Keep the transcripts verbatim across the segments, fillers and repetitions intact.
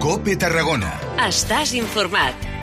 COPE Tarragona. Estàs informat.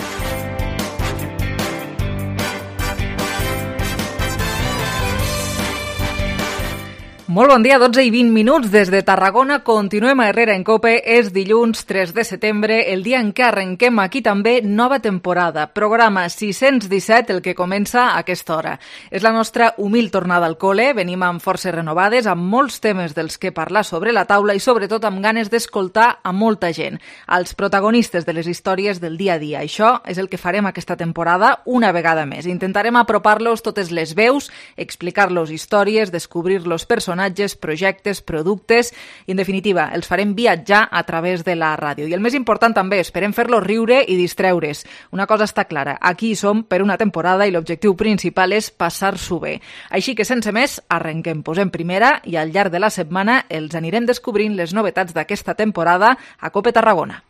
Molt bon dia, dotze i vint minuts des de Tarragona. Continuem a Herrera en COPE. És dilluns tres de setembre, el dia en què arrenquem aquí també nova temporada. Programa sis-cents disset, el que comença a aquesta hora. És la nostra humil tornada al col·le. Venim amb forces renovades, amb molts temes dels que parlar sobre la taula i sobretot amb ganes d'escoltar a molta gent, als protagonistes de les històries del dia a dia. Això és el que farem aquesta temporada una vegada més. Intentarem apropar-los totes les veus, explicar-los històries, descobrir-los personatges, projectes, productes i, en definitiva, els farem viatjar a través de la ràdio. I el més important també, esperem fer-los riure i distreure's. Una cosa està clara, aquí hi som per una temporada i l'objectiu principal és passar-s'ho bé. Així que, sense més, arrenquem, posem primera i al llarg de la setmana els anirem descobrint les novetats d'aquesta temporada a COPE Tarragona.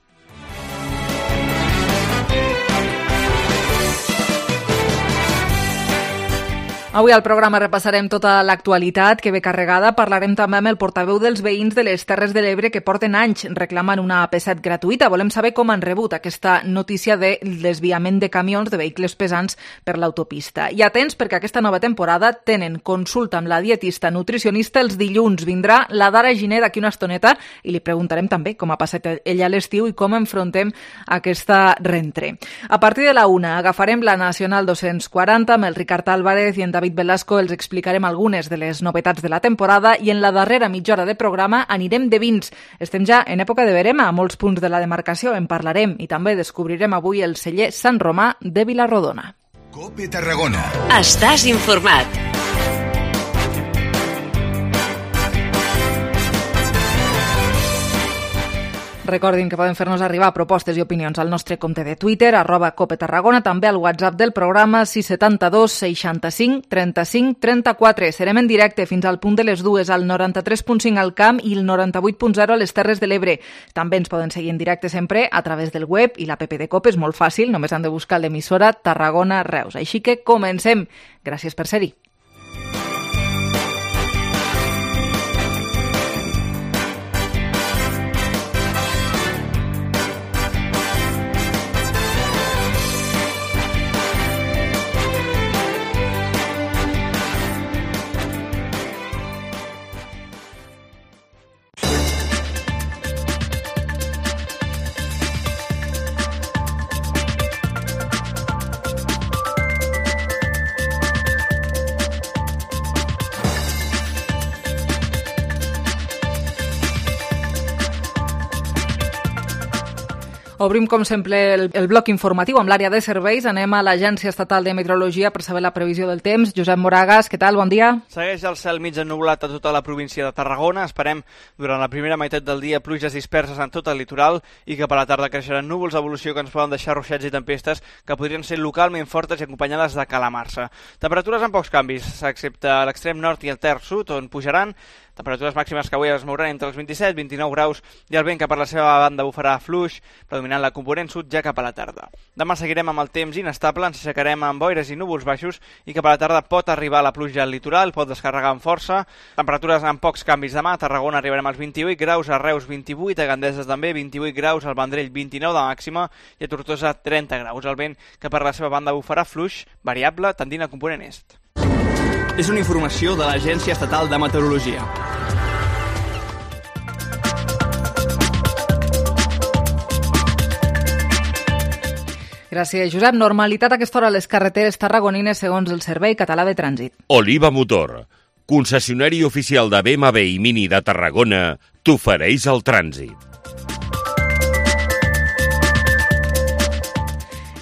Avui al programa repassarem tota l'actualitat que ve carregada. Parlarem també amb el portaveu dels veïns de les Terres de l'Ebre que porten anys reclamant una A P set gratuïta. Volem saber com han rebut aquesta notícia de desviament de camions de vehicles pesants per l'autopista. I atents, perquè aquesta nova temporada tenen consulta amb la dietista nutricionista els dilluns. Vindrà la Dara Giner d'aquí una estoneta i li preguntarem també com ha passat ella l'estiu i com enfrontem aquesta rentre. A partir de la una agafarem la Nacional dos-cents quaranta amb el Ricard Álvarez i en David Velasco. Els explicarem algunes de les novetats de la temporada i en la darrera mitja hora de programa anirem de vins. Estem ja en època de verema a molts punts de la demarcació, en parlarem i també descobrirem avui el celler Sant Romà de Vilarrodona. COPE Tarragona. Estàs informat. Recordin que poden fer-nos arribar propostes i opinions al nostre compte de Twitter, arroba COPE Tarragona, també al WhatsApp del programa sis set dos seixanta-cinc trenta-cinc trenta-quatre. Serem en directe fins al punt de les dues al noranta-tres punt cinc al Camp i el noranta-vuit punt zero a les Terres de l'Ebre. També ens poden seguir en directe sempre a través del web i l'app de COPE és molt fàcil, només han de buscar l'emissora Tarragona Reus. Així que comencem. Gràcies per ser-hi. Obrim, com sempre, el, el bloc informatiu amb l'àrea de serveis. Anem a l'Agència Estatal de Meteorologia per saber la previsió del temps. Josep Moragas, què tal? Bon dia. Segueix el cel mig ennublat a tota la província de Tarragona. Esperem, durant la primera meitat del dia, pluges disperses en tot el litoral i que per la tarda creixeran núvols d'evolució que ens poden deixar ruixats i tempestes que podrien ser localment fortes i acompanyades de calamarsa. Temperatures amb pocs canvis, excepte a l'extrem nord i el terç sud, on pujaran. Temperatures màximes que avui es mouran entre els vint-i-set i vint-i-nou graus i el vent que per la seva banda bufarà fluix, predominant la component sud ja cap a la tarda. Demà seguirem amb el temps inestable, ens aixecarem amb boires i núvols baixos i que per la tarda pot arribar la pluja al litoral, pot descarregar amb força. Temperatures amb pocs canvis demà. A Tarragona arribarem als vint-i-vuit graus, a Reus vint-i-vuit, a Gandesa també vint-i-vuit graus, al Vendrell vint-i-nou de màxima i a Tortosa trenta graus. El vent que per la seva banda bufarà fluix, variable, tendint a component est. És una informació de l'Agència Estatal de Meteorologia. Gràcies, Josep. Normalitat a aquesta hora a les carreteres tarragonines segons el Servei Català de Trànsit. Oliva Motor, concessionari oficial de B M W i Mini de Tarragona, t'ofereix el trànsit.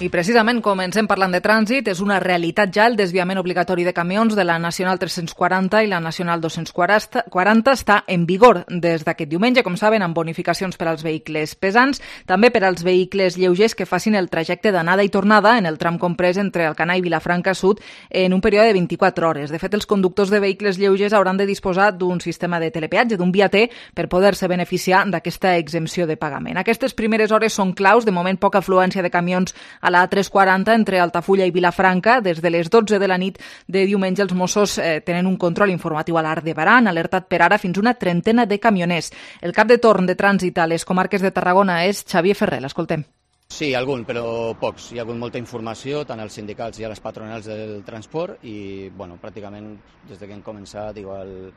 I precisament comencem parlant de trànsit. És una realitat ja el desviament obligatori de camions de la Nacional tres-cents quaranta i la Nacional dos-cents quaranta està en vigor des d'aquest diumenge, com saben, amb bonificacions per als vehicles pesants, també per als vehicles lleugers que facin el trajecte d'anada i tornada en el tram comprès entre Alcanar i Vilafranca Sud en un període de vint-i-quatre hores. De fet, els conductors de vehicles lleugers hauran de disposar d'un sistema de telepeatge, d'un viater, per poder-se beneficiar d'aquesta exempció de pagament. Aquestes primeres hores són claus. De moment, poca afluència de camions a a la A tres quaranta entre Altafulla i Vilafranca. Des de les dotze de la nit de diumenge els Mossos eh, tenen un control informatiu a l'Arc de Berà. Han alertat per ara fins una trentena de camioners. El cap de torn de trànsit a les comarques de Tarragona és Xavier Ferrer. L'escoltem. Sí, algun, però pocs. Hi ha hagut molta informació, tant als sindicals i a les patronals del transport, i bueno, pràcticament des que hem començat, igual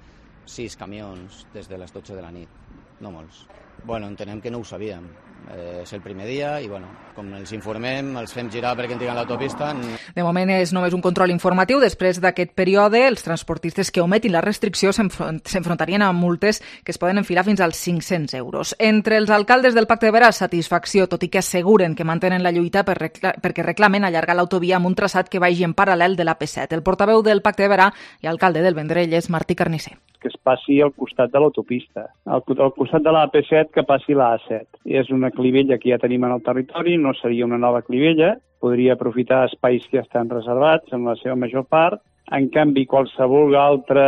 sis camions des de les dotze de la nit, no molts. Bueno, entenem que no ho sabíem. Eh, és el primer dia i, bueno, com els informem, els fem girar perquè entrin a l'autopista. De moment és només un control informatiu. Després d'aquest període, els transportistes que ometin la restricció s'enfrontarien a multes que es poden enfilar fins als cinc-cents euros. Entre els alcaldes del Pacte de Berà, satisfacció, tot i que asseguren que mantenen la lluita per recla- perquè reclamen allargar l'autovia amb un traçat que vagi en paral·lel de l'A P set. El portaveu del Pacte de Berà i alcalde del Vendrell és Martí Carnisser. Que es passi al costat de l'autopista, al, al costat de l'A P set que passi l'A set. És una clivella que ja tenim en el territori, no seria una nova clivella, podria aprofitar espais que ja estan reservats en la seva major part. En canvi, qualsevol altre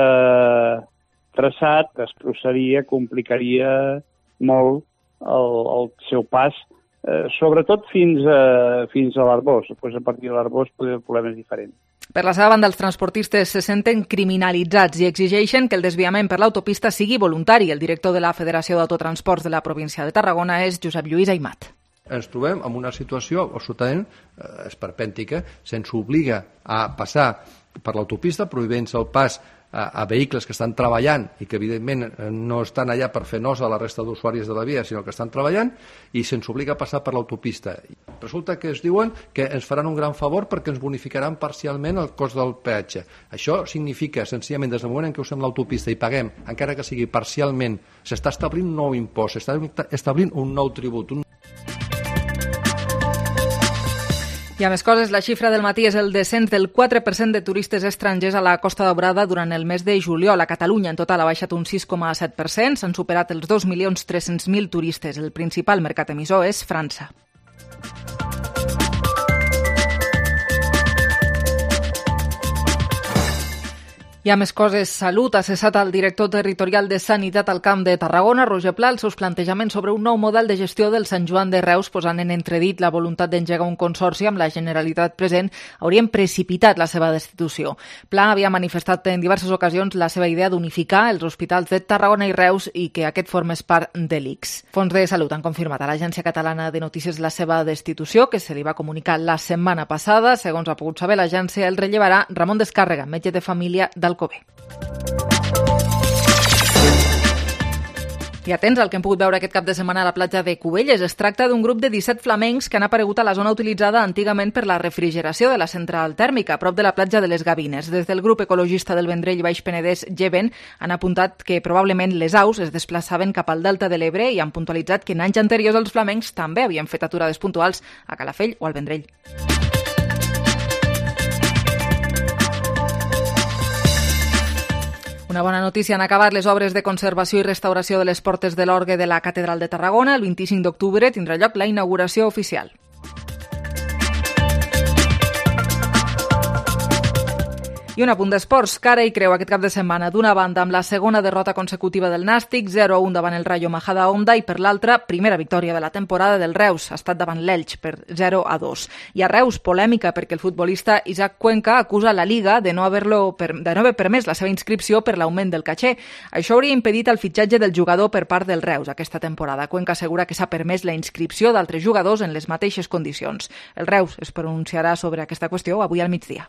traçat destrosaria, complicaria molt el, el seu pas, eh, sobretot fins a, fins a l'Arbós. Després, a partir de l'Arbós, el problema és diferent. Per la seva banda, els transportistes se senten criminalitzats i exigeixen que el desviament per l'autopista sigui voluntari. El director de la Federació d'Autotransports de la província de Tarragona és Josep Lluís Aimat. Ens trobem en una situació absolutament eh, esperpèntica. Se'ns obliga a passar per l'autopista, prohibint el pas a, a vehicles que estan treballant i que evidentment no estan allà per fer nosa a la resta d'usuaris de la via, sinó que estan treballant, i se'ns obliga a passar per l'autopista. Resulta que es diuen que ens faran un gran favor perquè ens bonificaran parcialment el cost del peatge. Això significa, senzillament, des del moment en què usem l'autopista i paguem, encara que sigui parcialment, s'està establint un nou impost, s'està establint un nou tribut, un I a més coses, la xifra del matí és el descens del quatre per cent de turistes estrangers a la Costa Daurada durant el mes de juliol. A Catalunya en total ha baixat un sis coma set per cent, s'han superat els dos milions tres-cents mil turistes. El principal mercat emissor és França. Hi ha més coses. Salut ha cessat el director territorial de Sanitat al Camp de Tarragona, Roger Pla, els seus plantejaments sobre un nou model de gestió del Sant Joan de Reus, posant en entredit la voluntat d'engegar un consorci amb la Generalitat present, haurien precipitat la seva destitució. Pla havia manifestat en diverses ocasions la seva idea d'unificar els hospitals de Tarragona i Reus i que aquest formés part de l'I C S. Fons de Salut han confirmat a l'Agència Catalana de Notícies la seva destitució, que se li va comunicar la setmana passada. Segons ha pogut saber l'agència, el rellevarà Ramon Descàrrega, metge de família del Alcover. I atents al que hem pogut veure aquest cap de setmana a la platja de Cubelles. Es tracta d'un grup de disset flamencs que han aparegut a la zona utilitzada antigament per la refrigeració de la central tèrmica, a prop de la platja de les Gavines. Des del grup ecologista del Vendrell Baix Penedès, Geven, han apuntat que probablement les aus es desplaçaven cap al delta de l'Ebre i han puntualitzat que en anys anteriors els flamencs també havien fet aturades puntuals a Calafell o al Vendrell. Una bona notícia, han acabat les obres de conservació i restauració de les portes de l'orgue de la Catedral de Tarragona. El vint-i-cinc d'octubre tindrà lloc la inauguració oficial. I un apunt d'esports, cara i creu aquest cap de setmana. D'una banda, amb la segona derrota consecutiva del Nàstic, zero a un davant el Rayo Majadahonda, i per l'altra, primera victòria de la temporada del Reus, ha estat davant l'Elx per zero a dos. I a Reus, polèmica perquè el futbolista Isaac Cuenca acusa la Liga de no haver-lo per, de no haver permès la seva inscripció per l'augment del caché. Això hauria impedit el fitxatge del jugador per part del Reus aquesta temporada. Cuenca assegura que s'ha permès la inscripció d'altres jugadors en les mateixes condicions. El Reus es pronunciarà sobre aquesta qüestió avui al migdia.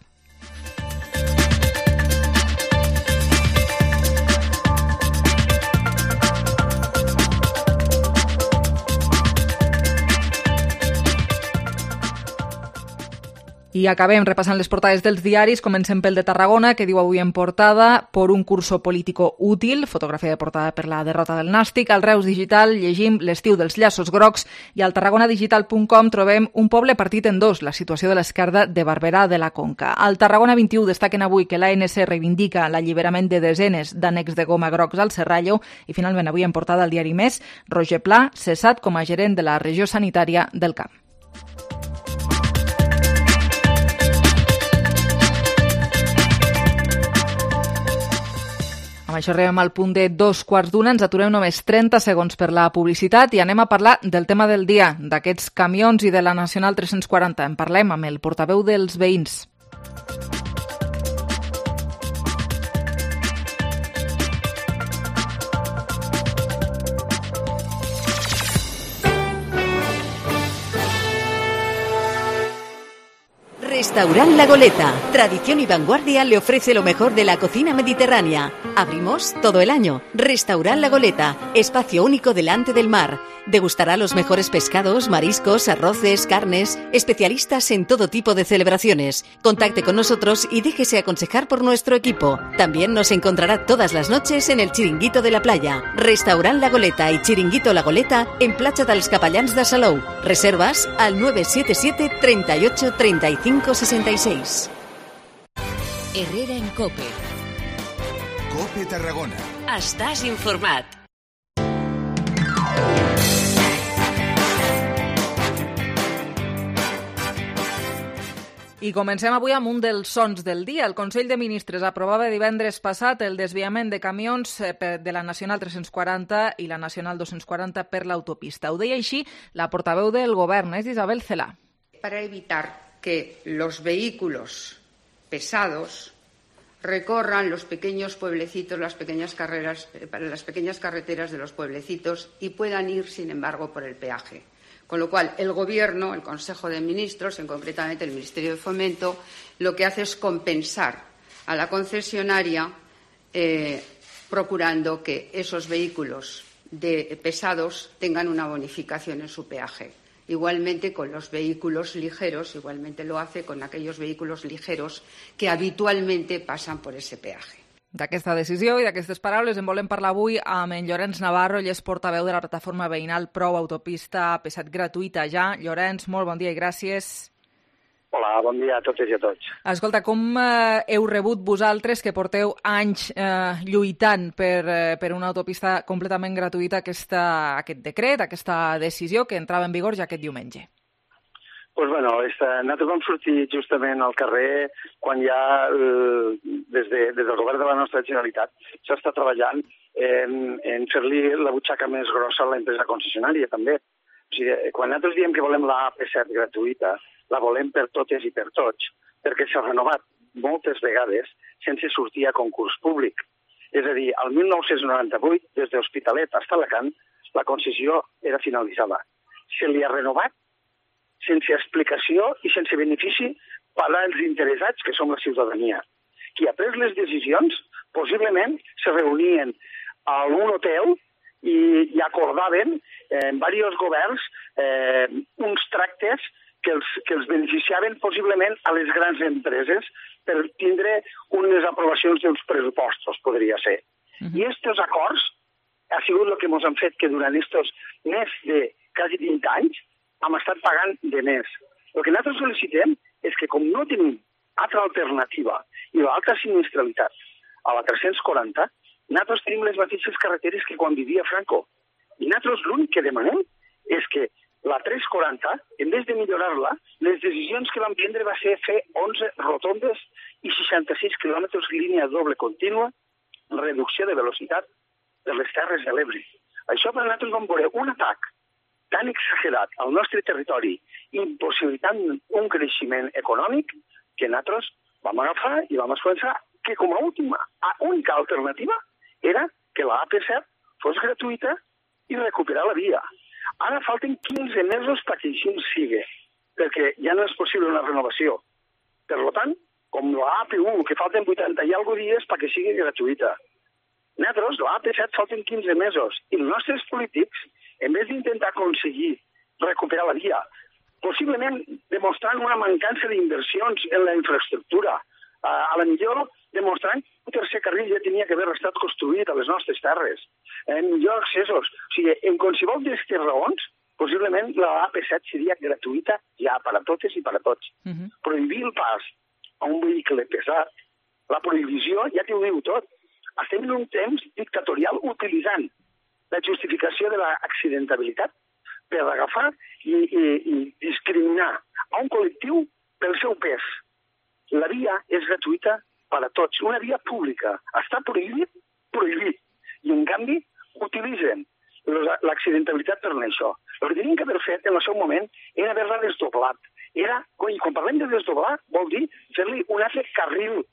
I acabem repassant les portades dels diaris. Comencem pel de Tarragona, que diu avui en portada: por un curso político útil, fotografia de portada per la derrota del Nàstic. Al Reus Digital llegim l'estiu dels llaços grocs i al tarragonadigital punt com trobem un poble partit en dos, la situació de l'esquerda de Barberà de la Conca. Al Tarragona vint-i-u destaquen avui que l'A N C reivindica l'alliberament de desenes d'ànecs de goma grocs al Serrallo i finalment avui en portada al diari Més, Roger Pla cessat com a gerent de la regió sanitària del Camp. Amb això arribem al punt de dos quarts d'una, ens aturem només trenta segons per la publicitat i anem a parlar del tema del dia, d'aquests camions i de la Nacional tres-cents quaranta. En parlem amb el portaveu dels veïns. Restaurant La Goleta. Tradición y vanguardia le ofrece lo mejor de la cocina mediterránea. Abrimos todo el año. Restaurant La Goleta. Espacio único delante del mar. Degustará los mejores pescados, mariscos, arroces, carnes. Especialistas en todo tipo de celebraciones. Contacte con nosotros y déjese aconsejar por nuestro equipo. También nos encontrará todas las noches en el Chiringuito de la Playa. Restaurant La Goleta y Chiringuito La Goleta en Platja dels Capellans de Salou. Reservas al nueve siete siete, treinta y ocho, treinta y cinco, sesenta y seis. Herrera en COPE. COPE Tarragona. Estàs informat. I comencem avui amb un dels sons del dia. El Consell de Ministres aprovava divendres passat el desviament de camions de la Nacional tres-cents quaranta i la Nacional dos-cents quaranta per l'autopista. Ho deia així la portaveu del Govern, és Isabel Celaá. Para evitar que los vehículos pesados recorran los pequeños pueblecitos, las pequeñas carreras, las pequeñas carreteras de los pueblecitos y puedan ir, sin embargo, por el peaje. Con lo cual, el Gobierno, el Consejo de Ministros, en concretamente el Ministerio de Fomento, lo que hace es compensar a la concesionaria eh, procurando que esos vehículos de, pesados tengan una bonificación en su peaje. Igualmente con los vehículos ligeros, igualmente lo hace con aquellos vehículos ligeros que habitualmente pasan por ese peaje. D'aquesta decisió i d'aquestes paraules en volem parlar avui amb en Llorenç Navarro, ell és portaveu de la plataforma veïnal Prou Autopista Pesat Gratuïta Ja. Llorenç, molt bon dia i gràcies. Hola, bon dia a totes i a tots. Escolta, com eh, heu rebut vosaltres, que porteu anys eh, lluitant per, eh, per una autopista completament gratuïta, aquesta, aquest decret, aquesta decisió que entrava en vigor ja aquest diumenge? Pues bueno, esta, nosaltres vam sortir justament al carrer quan ja eh, des, de, des del govern de la nostra Generalitat s'està treballant en, en fer-li la butxaca més grossa a l'empresa concessionària també. O sigui, quan nosaltres diem que volem la A P set gratuïta, la volem per totes i per tots, perquè s'ha renovat moltes vegades sense sortir a concurs públic. És a dir, al mil nou-cents noranta-vuit, des d'Hospitalet fins a Alacant, la concessió era finalitzada. Se li ha renovat sense explicació i sense benefici per als interessats, que som la ciutadania. Qui ha pres les decisions, possiblement se reunien a un hotel i, i acordaven eh, en diversos governs eh, uns tractes que els, que els beneficiaven possiblement a les grans empreses per tindre unes aprovacions dels pressupostos, podria ser. Uh-huh. I aquests acords ha sigut el que ens han fet que durant aquests més de quasi vint anys hem estat pagant de més. El que nosaltres sol·licitem és que, com no tenim altra alternativa i l'alta sinistralitat a la tres-cents quaranta, nosaltres tenim les mateixes carreteres que quan vivia Franco. I nosaltres l'únic que demanem és que la tres-cents quaranta, en vez de millorar-la, les decisions que vam prendre va ser fer onze rotondes i seixanta-sis quilòmetres línia doble contínua, reducció de velocitat de les Terres de l'Ebre. Això per nosaltres vam veure un atac tan exagerat al nostre territori, impossibilitant un creixement econòmic, que nosaltres vam agafar i vam pensar que com a última, a única alternativa era que la A P set fos gratuïta i recuperar la via. Ara falten quinze mesos perquè així sigui, perquè ja no és possible una renovació. Per tant, com la A P u, que falten vuitanta i alguna dies perquè sigui gratuïta. Nosaltres, la A P set, falten quinze mesos, i els nostres polítics, en vez d'intentar aconseguir recuperar la via, possiblement demostrant una mancança d'inversions en la infraestructura, a la millor demostrant que un tercer carril ja tenia que haver estat construït a les nostres terres, en millor accessos. O sigui, en qualsevol d'aquestes raons, possiblement la A P set seria gratuïta ja per a totes i per a tots. Uh-huh. Prohibir el pas a un vehicle pesat, la prohibició ja t'ho diu tot. Estem en un temps dictatorial utilitzant la justificació de l'accidentabilitat per agafar i, i, i discriminar a un col·lectiu pel seu pes. La via és gratuïta per a tots, una via pública. Està prohibit prohibit. I, en canvi, utilitzen l'accidentalitat per això. El que tenien que haver fet en el seu moment era haver-la desdoblat. Era, i quan parlem de desdoblar, vol dir fer-li un altre carril,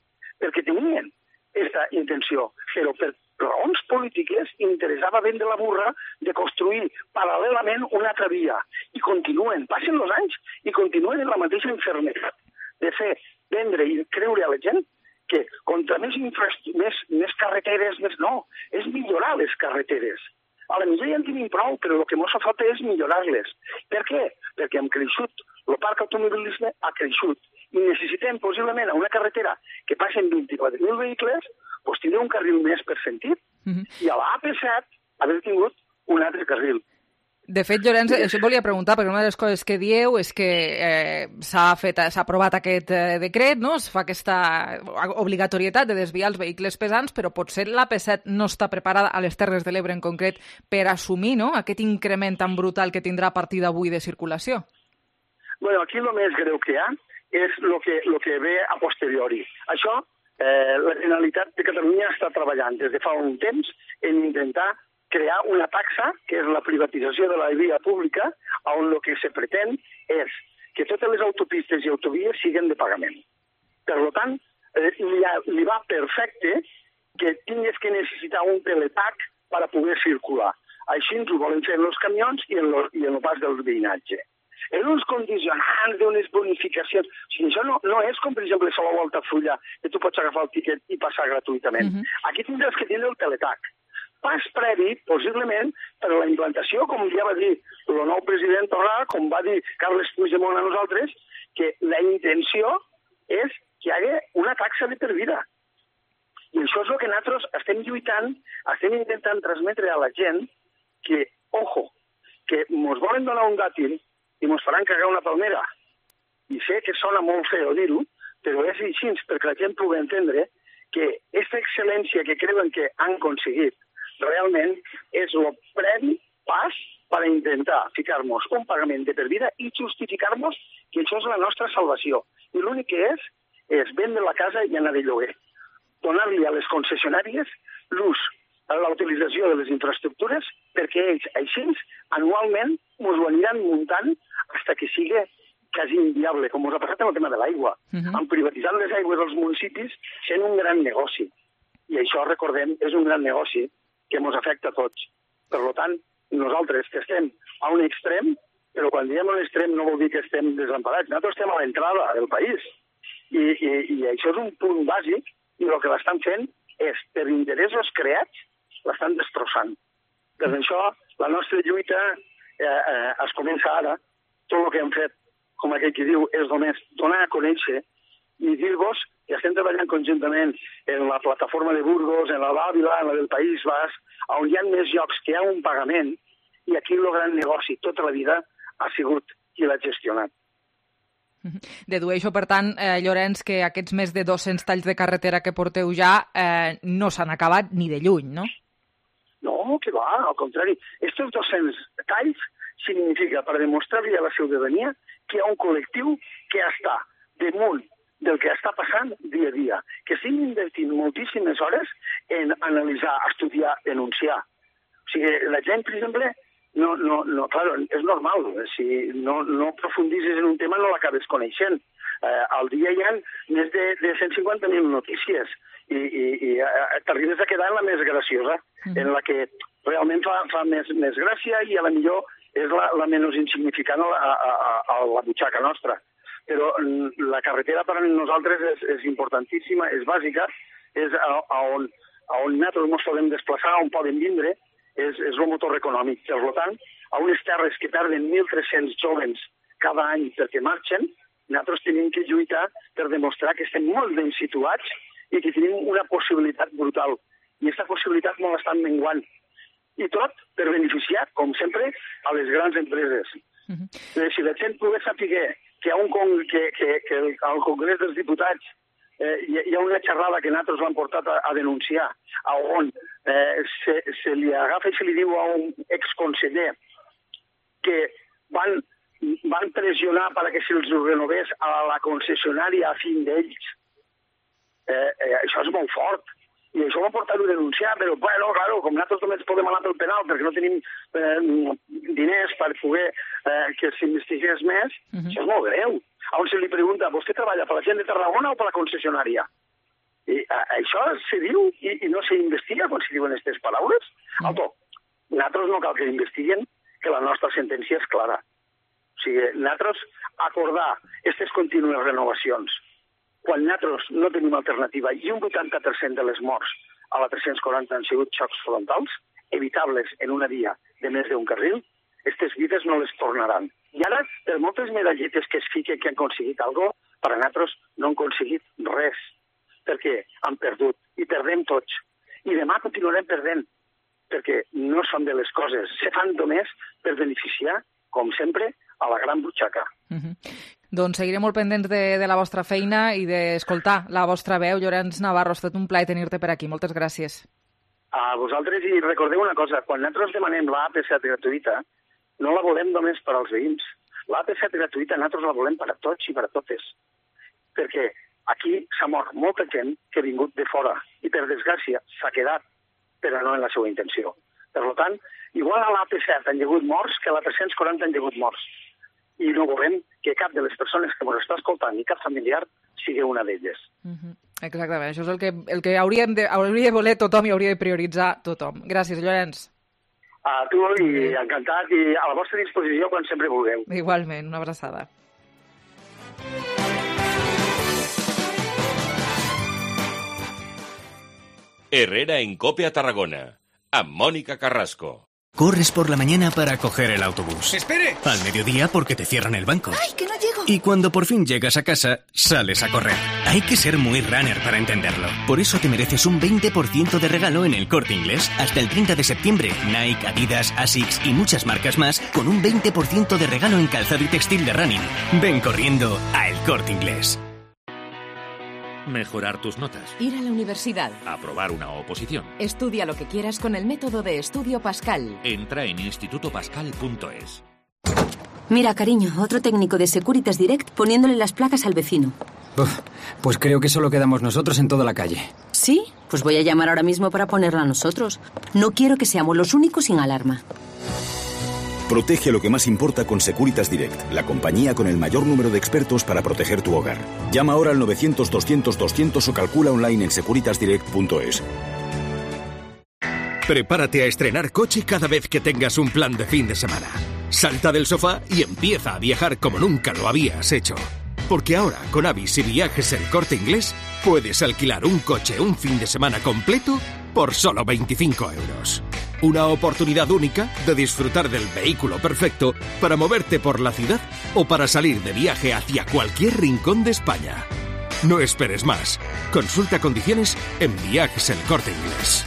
perquè tenien aquesta intenció, però per raons polítiques interessava vendre la burra de construir paral·lelament una altra via. I continuen, passen els anys i continuen en la mateixa infermetat de fer, vendre i creure a la gent que contra més, més, més carreteres, més no, és millorar les carreteres. A la millor ja en tenim prou, però el que ens fa falta és millorar-les. Per què? Perquè hem creixut, el parc automobilisme ha creixut i necessitem possiblement a una carretera que passen vint-i-quatre mil vehicles, doncs tindre un carril més per sentit, mm-hmm. i a l'A P set haver tingut un altre carril. De fet, Llorenç, això et volia preguntar, perquè una de les coses que dieu és que eh, s'ha fet, s'ha aprovat aquest eh, decret, no? Es fa aquesta obligatorietat de desviar els vehicles pesants, però potser l'A P set no està preparada, a les Terres de l'Ebre en concret, per assumir, no?, aquest increment tan brutal que tindrà a partir d'avui de circulació. Bueno, aquí el més greu que hi ha és el que, lo que ve a posteriori. Això, eh, la Generalitat de Catalunya està treballant des de fa un temps en intentar crear una taxa, que és la privatització de la via pública, on el que se pretén és que totes les autopistes i autovies siguin de pagament. Per tant, eh, li, li va perfecte que tingués que necessitar un teletac per a poder circular. Així ens ho volen fer en els camions i en, lo, i en el pas del veïnatge. En uns condicionants d'unes bonificacions. O sigui, això no, no és com, per exemple, a la Volta Fulla, que tu pots agafar el tiquet i passar gratuïtament. Mm-hmm. Aquí tindràs que tindre el teletac. Pas previ, possiblement, per a la implantació, com ja va dir el nou president Torra, com va dir Carles Puigdemont a nosaltres, que la intenció és que hi hagi una taxa de per vida. I això és el que nosaltres estem lluitant, estem intentant transmetre a la gent que, ojo, que ens volen donar un dàtil i ens faran cagar una palmera. I sé que sona molt feo dir-ho, però és així perquè la gent pugui entendre que aquesta excel·lència que creuen que han aconseguit realment és el previ pas per a intentar ficar-nos un pagament de per vida i justificar-nos que això és la nostra salvació. I l'únic que és, és vendre la casa i anar de lloguer. Donar-li a les concessionàries l'ús, la utilització de les infraestructures, perquè ells, així, anualment, ens ho aniran muntant fins que sigui quasi inviable, com us ha passat en el tema de l'aigua. Uh-huh. Han privatitzat les aigües dels municipis sent un gran negoci. I això, recordem, és un gran negoci que ens afecta a tots. Per tant, nosaltres que estem a un extrem, però quan diem a un extrem no vol dir que estem desemparats. Nosaltres estem a l'entrada del país. I, i, i això és un punt bàsic i el que l'estan fent és, per interessos creats, l'estan destrossant. Per això, la nostra lluita eh, eh, es comença ara. Tot el que hem fet, com aquell que diu, és només donar a conèixer i dir-vos que estem treballant conjuntament en la plataforma de Burgos, en la d'Àvila, en la del País Basc, on hi ha més llocs que hi ha un pagament, i aquí el gran negoci tota la vida ha sigut qui l'ha gestionat. Dedueixo, per tant, eh, Llorenç, que aquests més de dos-cents talls de carretera que porteu ja eh, no s'han acabat ni de lluny, no? No, que va, al contrari. Estos dos-cents talls significa per demostrar-li a la ciutadania que hi ha un col·lectiu que està damunt del que està passant dia a dia, que estem invertint moltíssimes hores en analitzar, estudiar, denunciar. O sigui, la gent, per exemple, no, no, no, claro, és normal, si no, no profundizes en un tema no l'acabes coneixent. Eh, al dia hi ha més de, de cent cinquanta mil notícies i, i, i eh, t'arribes a quedar en la més graciosa, mm. en la que realment fa, fa més, més gràcia i a la millor és la, la menys insignificant a, a, a, a la butxaca nostra. Però la carretera per a nosaltres és, és importantíssima, és bàsica, és a, a, on, a on nosaltres ens podem desplaçar, on podem vindre, és, és el motor econòmic. Per tant, a unes terres que perden mil tres-cents jóvens cada any perquè marxen, nosaltres tenim que lluitar per demostrar que estem molt ben situats i que tenim una possibilitat brutal. I aquesta possibilitat no l'estan menguant. I tot per beneficiar, com sempre, a les grans empreses. Uh-huh. Si la gent pogués saber que, un con... que, que, que el, al Congrés dels Diputats eh, hi, hi ha una xerrada que nosaltres l'han portat a, a denunciar, a on eh, se, se li agafa i se li diu a un exconseller que van, van pressionar perquè se'ls renovés a la concessionària a fin d'ells. Eh, eh, això és molt fort. I això va portar a denunciar, però, bueno, claro, com nosaltres només podem anar pel penal perquè no tenim eh, diners per poder eh, que s'investigués més, uh -huh. això és molt greu. On se li pregunta, vostè treballa per la gent de Tarragona o per la concessionària? I a, això se diu i, i no s'investiga quan se diuen aquestes paraules? Uh -huh. Auto, nosaltres no cal que investiguen, que la nostra sentència és clara. O sigui, nosaltres acordar aquestes contínues renovacions quan nosaltres no tenim alternativa i un vuitanta per cent de les morts a la tres-cents quaranta han sigut xocs frontals, evitables en una via de més d'un carril, aquestes vides no les tornaran. I ara, per moltes medalletes que es fiquen que han aconseguit alguna cosa, per a nosaltres no han aconseguit res, perquè han perdut i perdem tots. I demà continuarem perdent, perquè no són de les coses, se fan només per beneficiar, com sempre, a la gran butxaca. Uh-huh. Doncs seguiré molt pendents de, de la vostra feina i d'escoltar la vostra veu. Llorenç Navarro, ha estat un plaer tenir-te per aquí. Moltes gràcies. A vosaltres, i recordeu una cosa, quan nosaltres demanem l'A P set gratuïta, no la volem només per als veïns. L'A P set gratuïta nosaltres la volem per a tots i per a totes. Perquè aquí s'ha mort molta gent que ha vingut de fora i, per desgràcia, s'ha quedat, però no en la seva intenció. Per tant, igual a l'A P set han hagut morts que a la tres-cents quaranta han hagut morts. I no volem que cap de les persones que ens està escoltant i cap familiar sigui una d'elles. Uh-huh. Exactament, això és el que, el que hauríem de, hauria de voler tothom i hauria de prioritzar tothom. Gràcies, Llorenç. A tu i encantat i a la vostra disposició quan sempre vulgueu. Igualment, una abraçada. Herrera en Cope a Tarragona, amb Mónica Carrasco. Corres por la mañana para coger el autobús. ¡Espere! Al mediodía porque te cierran el banco. ¡Ay, que no llego! Y cuando por fin llegas a casa, sales a correr. Hay que ser muy runner para entenderlo. Por eso te mereces un veinte por ciento de regalo en El Corte Inglés. Hasta el treinta de septiembre, Nike, Adidas, Asics y muchas marcas más con un veinte por ciento de regalo en calzado y textil de running. Ven corriendo a El Corte Inglés. Mejorar tus notas. Ir a la universidad. Aprobar una oposición. Estudia lo que quieras con el método de estudio Pascal. Entra en instituto pascal punto es. Mira, cariño, otro técnico de Securitas Direct poniéndole las placas al vecino. Uf, pues creo que solo quedamos nosotros en toda la calle. ¿Sí? Pues voy a llamar ahora mismo para ponerla a nosotros. No quiero que seamos los únicos sin alarma. Protege lo que más importa con Securitas Direct, la compañía con el mayor número de expertos para proteger tu hogar. Llama ahora al novecientos doscientos doscientos o calcula online en securitas direct punto es. Prepárate a estrenar coche cada vez que tengas un plan de fin de semana. Salta del sofá y empieza a viajar como nunca lo habías hecho. Porque ahora, con Avis y Viajes El Corte Inglés, puedes alquilar un coche un fin de semana completo por solo veinticinco euros. Una oportunidad única de disfrutar del vehículo perfecto para moverte por la ciudad o para salir de viaje hacia cualquier rincón de España. No esperes más. Consulta condiciones en Viajes El Corte Inglés.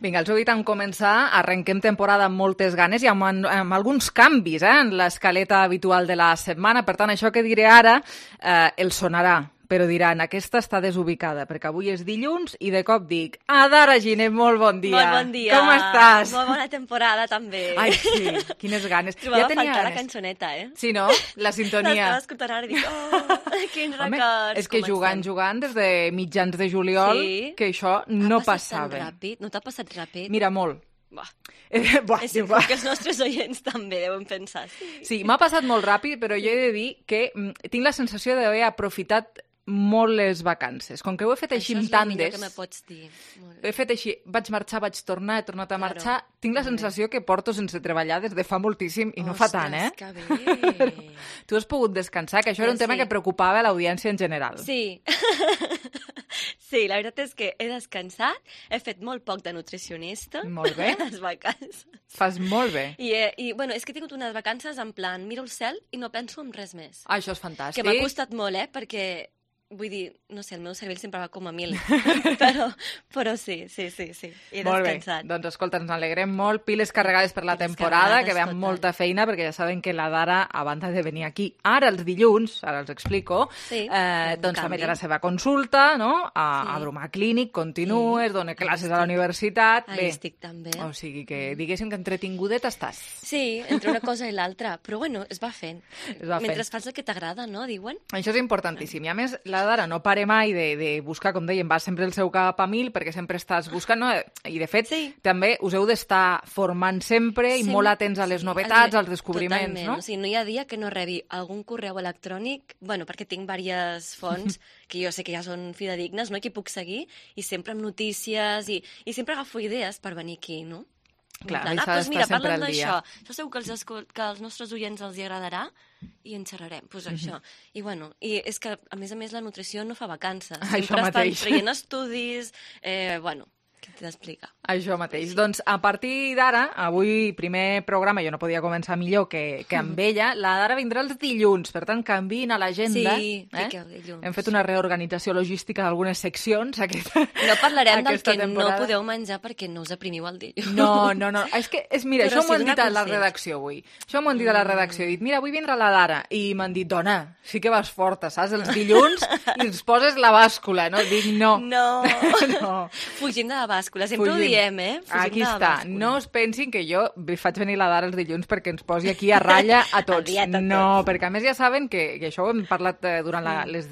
Vinga, els heu dit en començar, arrenquem temporada amb moltes ganes i amb, amb alguns canvis eh, en l'escaleta habitual de la setmana. Per tant, això que diré ara eh, el sonarà, però diran, aquesta està desubicada, perquè avui és dilluns i de cop dic, Adara Giner, molt bon dia. Molt bon dia. Com estàs? Molt bona temporada, també. Ai, sí, quines ganes. Trobava ja tenia faltar ganes. La cançoneta, eh? Sí, no? La sintonia. L'estava escoltant ara i dic, oh, quins Home, records. és que jugant, jugant des de mitjans de juliol, sí? que això no ha passava. Tan ràpid? No t'ha passat ràpid? Mira, molt. Buah. Eh, buah, és segur que els nostres oients també deuen pensar. Sí, sí m'ha passat molt ràpid, però jo he de dir que mm, tinc la sensació d'haver aprofitat molt les vacances. Com que ho he fet així amb tandes... Això és el millor que me pots dir. Ho he fet així, vaig marxar, vaig tornar, he tornat a marxar... Claro. Tinc la sensació que porto sense treballar des de fa moltíssim i no Ostres, fa tant, eh? Que bé! Tu has pogut descansar, que això era un sí. tema que preocupava l'audiència en general. Sí. Sí, la veritat és que he descansat, he fet molt poc de nutricionista. Molt bé. A les vacances. Fas molt bé. I, eh, i bueno, és que he tingut unes vacances en plan, miro el cel i no penso en res més. Ah, això és fantàstic. Que m'ha costat molt, eh, perquè vull dir, no sé, el meu cervell sempre va com a mil, però, però sí, sí, sí, sí, he molt descansat. Bé, doncs escolta, ens alegrem molt, piles carregades per la piles temporada, que veiem molta feina, perquè ja saben que la Dara, a banda de venir aquí, ara els dilluns, ara els explico, sí, eh, doncs també té la seva consulta, no?, a, sí. a Bromà Clínic, continues, sí. dona classes a la universitat... Ahí bé. Estic també. O sigui que, diguéssim que entretingudet estàs. Sí, entre una cosa i l'altra, però bueno, es va fent. Es va Mentre fent. fas el que t'agrada, no?, diuen. Això és importantíssim. I a més, la Dara no pare mai de, de buscar, com dèiem, va sempre el seu cap a mil, perquè sempre estàs buscant, no? I de fet, sí. també us heu d'estar formant sempre i sí. molt atents a les novetats, als descobriments, totalment, no? O sigui, no hi ha dia que no rebi algun correu electrònic, bueno, perquè tinc diverses fonts que jo sé que ja són fidedignes, no?, que puc seguir, i sempre amb notícies, i, i sempre agafo idees per venir aquí, no? Clar, plan, ah, doncs mira, parlen d'això, això segur que els, que als nostres oients els hi agradarà i en xerrarem, doncs pues això. I bueno, i és que a més a més la nutrició no fa vacances, això sempre mateix. estan traient estudis, eh, bueno, què t'he d'explicar? Això mateix. Sí. Doncs a partir d'ara, avui primer programa, jo no podia començar millor que, que amb ella, la Dara vindrà els dilluns, per tant canviïn a l'agenda. Sí, eh? dilluns. Hem fet una reorganització logística d'algunes seccions. Aquesta, no parlarem del que temporada. no podeu menjar perquè no us aprimiu el dilluns. No, no, no. És que, és, mira, Però això m'ho sí han dit a la redacció avui. Això m'ho han dit a la redacció. He dit, mira, avui vindrà la Dara. I m'han dit, dona, sí que vas forta, saps? Els dilluns i ens poses la bàscula, no? Dic, no. No. no. Fugim de la bàscula, sempre Fugim. ho diem, eh? Fugim Aquí està. No us pensin que jo faig venir la Dara els dilluns perquè ens posi aquí a ratlla a tots. a tots. No, perquè a més ja saben que, que això ho hem parlat durant la, les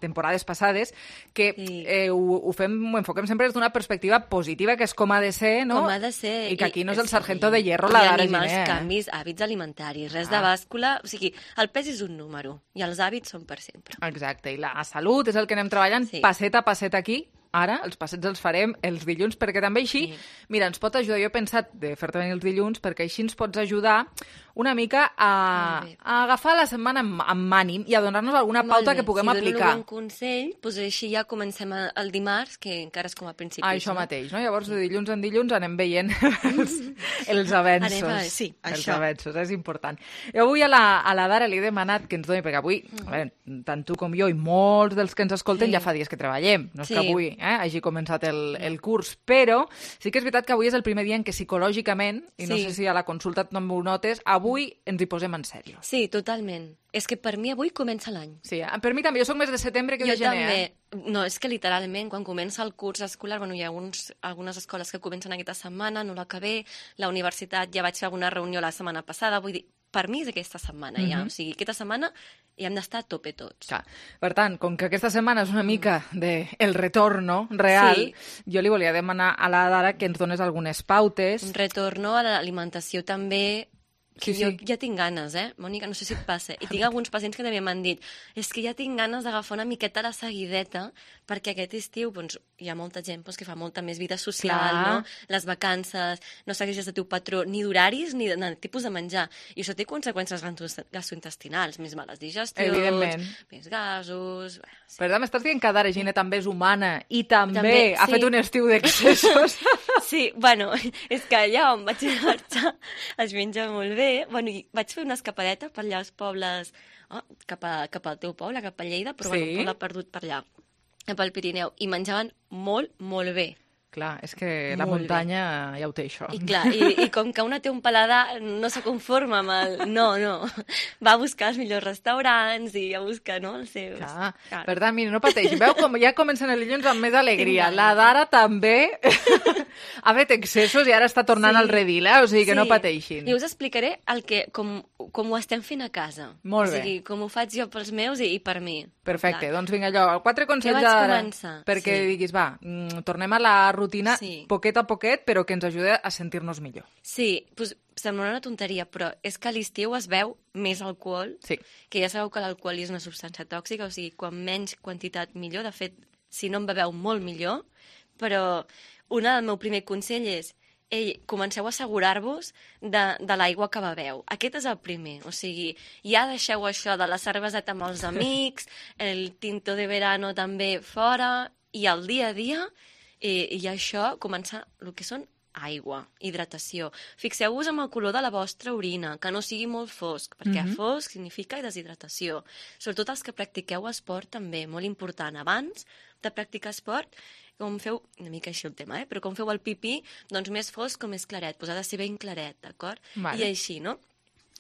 temporades passades, que sí. eh, ho, ho fem, ho enfoquem sempre des d'una perspectiva positiva, que és com ha de ser, no? Com ha de ser. I que aquí no és el sí. sargento de hierro la Dara Giner. I Giner. els canvis, hàbits alimentaris, res ah. de bàscula, o sigui, el pes és un número i els hàbits són per sempre. Exacte, i la salut és el que anem treballant sí. passet a passet aquí. Ara, els passets els farem els dilluns, perquè també així, sí. mira, ens pot ajudar, jo he pensat de fer-te venir els dilluns, perquè així ens pots ajudar una mica a, a agafar la setmana amb, amb ànim i a donar-nos alguna pauta que puguem si aplicar. Si dono un consell, doncs així ja comencem el dimarts, que encara és com a principis. Ah, això no? mateix, no? Llavors, de dilluns en dilluns anem veient els, els avenços. Anem a, sí, els això. avenços, és important. Jo avui a la, a la Dara li he demanat que ens doni, perquè avui, mm. a veure, tant tu com jo i molts dels que ens escolten sí. ja fa dies que treballem, no és sí. que avui eh, hagi començat el, el curs, però sí que és veritat que avui és el primer dia en què psicològicament, i no sí. sé si a la consulta també ho notes, avui ens hi posem en sèrio. Sí, totalment. És que per mi avui comença l'any. Sí, per mi també. Jo soc més de setembre que jo de gener. Jo també. Eh? No, és que literalment, quan comença el curs escolar, bueno, hi ha uns, algunes escoles que comencen aquesta setmana, no l'acabé, la universitat ja vaig fer alguna reunió la setmana passada, vull dir, per mi és aquesta setmana mm-hmm. ja. O sigui, aquesta setmana hi hem d'estar a tope tots. Clar. Per tant, com que aquesta setmana és una mica de el retorno real, sí. jo li volia demanar a la Dara que ens dones algunes pautes. Un retorno a l'alimentació també. Que sí, jo sí. ja tinc ganes, eh, Mònica? No sé si et passa. I tinc alguns pacients que també m'han dit és que ja tinc ganes d'agafar una miqueta la seguideta perquè aquest estiu doncs, hi ha molta gent doncs, que fa molta més vida social, Clar. no? Les vacances, no segueixes el teu patró ni d'horaris ni de, de tipus de menjar. I això té conseqüències gastrointestinals, més males digestions, més gasos... Bé, sí. Per tant, m'estàs dient que Dara Giner també és humana i també, també ha sí. fet un estiu d'excessos. Sí, bueno, és que allà on vaig marxar es menja molt bé. Bueno, vaig fer una escapadeta per allà als pobles, oh, cap, a, cap al teu poble, cap a Lleida, però sí. bueno, un poble perdut per allà, cap al Pirineu, i menjaven molt, molt bé. Clar, és que la molt muntanya bé. Ja ho té, això. I clar, i, i com que una té un paladar, no se conforma amb el... No, no. Va a buscar els millors restaurants i a buscar, no?, els seus. Clar. Clar. Per tant, mira, no pateixi. Veu com ja comencen els dilluns amb més alegria. La Dara també ha fet excessos i ara està tornant sí. al redil, eh? O sigui que sí. no pateixin. I us explicaré el que, com, com ho estem fent a casa. Molt bé. O sigui, com ho faig jo pels meus i, i per mi. Perfecte. Clar. Doncs vinga, allò, quatre consells de Dara. Començar? Perquè sí. diguis, va, tornem a la rutina sí. poquet a poquet, però que ens ajuda a sentir-nos millor. Sí, doncs sembla una tonteria, però és que a l'estiu es veu més alcohol, sí. que ja sabeu que l'alcohol és una substància tòxica, o sigui, quan menys quantitat millor, de fet, si no en beveu molt millor, però un del meu primer consell és ei, comenceu a assegurar-vos de, de l'aigua que beveu. Aquest és el primer, o sigui, ja deixeu això de la cerveseta amb els amics, el tinto de verano també fora, i el dia a dia, i, i això començar el que són aigua, hidratació. Fixeu-vos en el color de la vostra orina, que no sigui molt fosc, perquè Mhm. fosc significa deshidratació. Sobretot els que practiqueu esport també, molt important. Abans de practicar esport, com feu, una mica així el tema, eh? Però com feu el pipí, doncs més fosc o més claret, doncs ha de ser ben claret, d'acord? Vale. I així, no?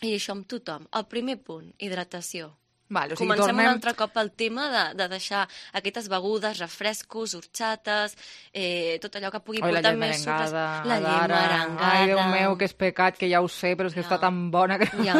I això amb tothom. El primer punt, hidratació. Vale, o sigui, Comencem tornem... un altre cop al tema de, de deixar aquestes begudes, refrescos, horxates, eh, tot allò que pugui Oi, la portar llet més sucres. merengada, La llet Adara. merengada. Ai, Déu meu, que és pecat, que ja ho sé, però és que ja. està tan bona que Ja,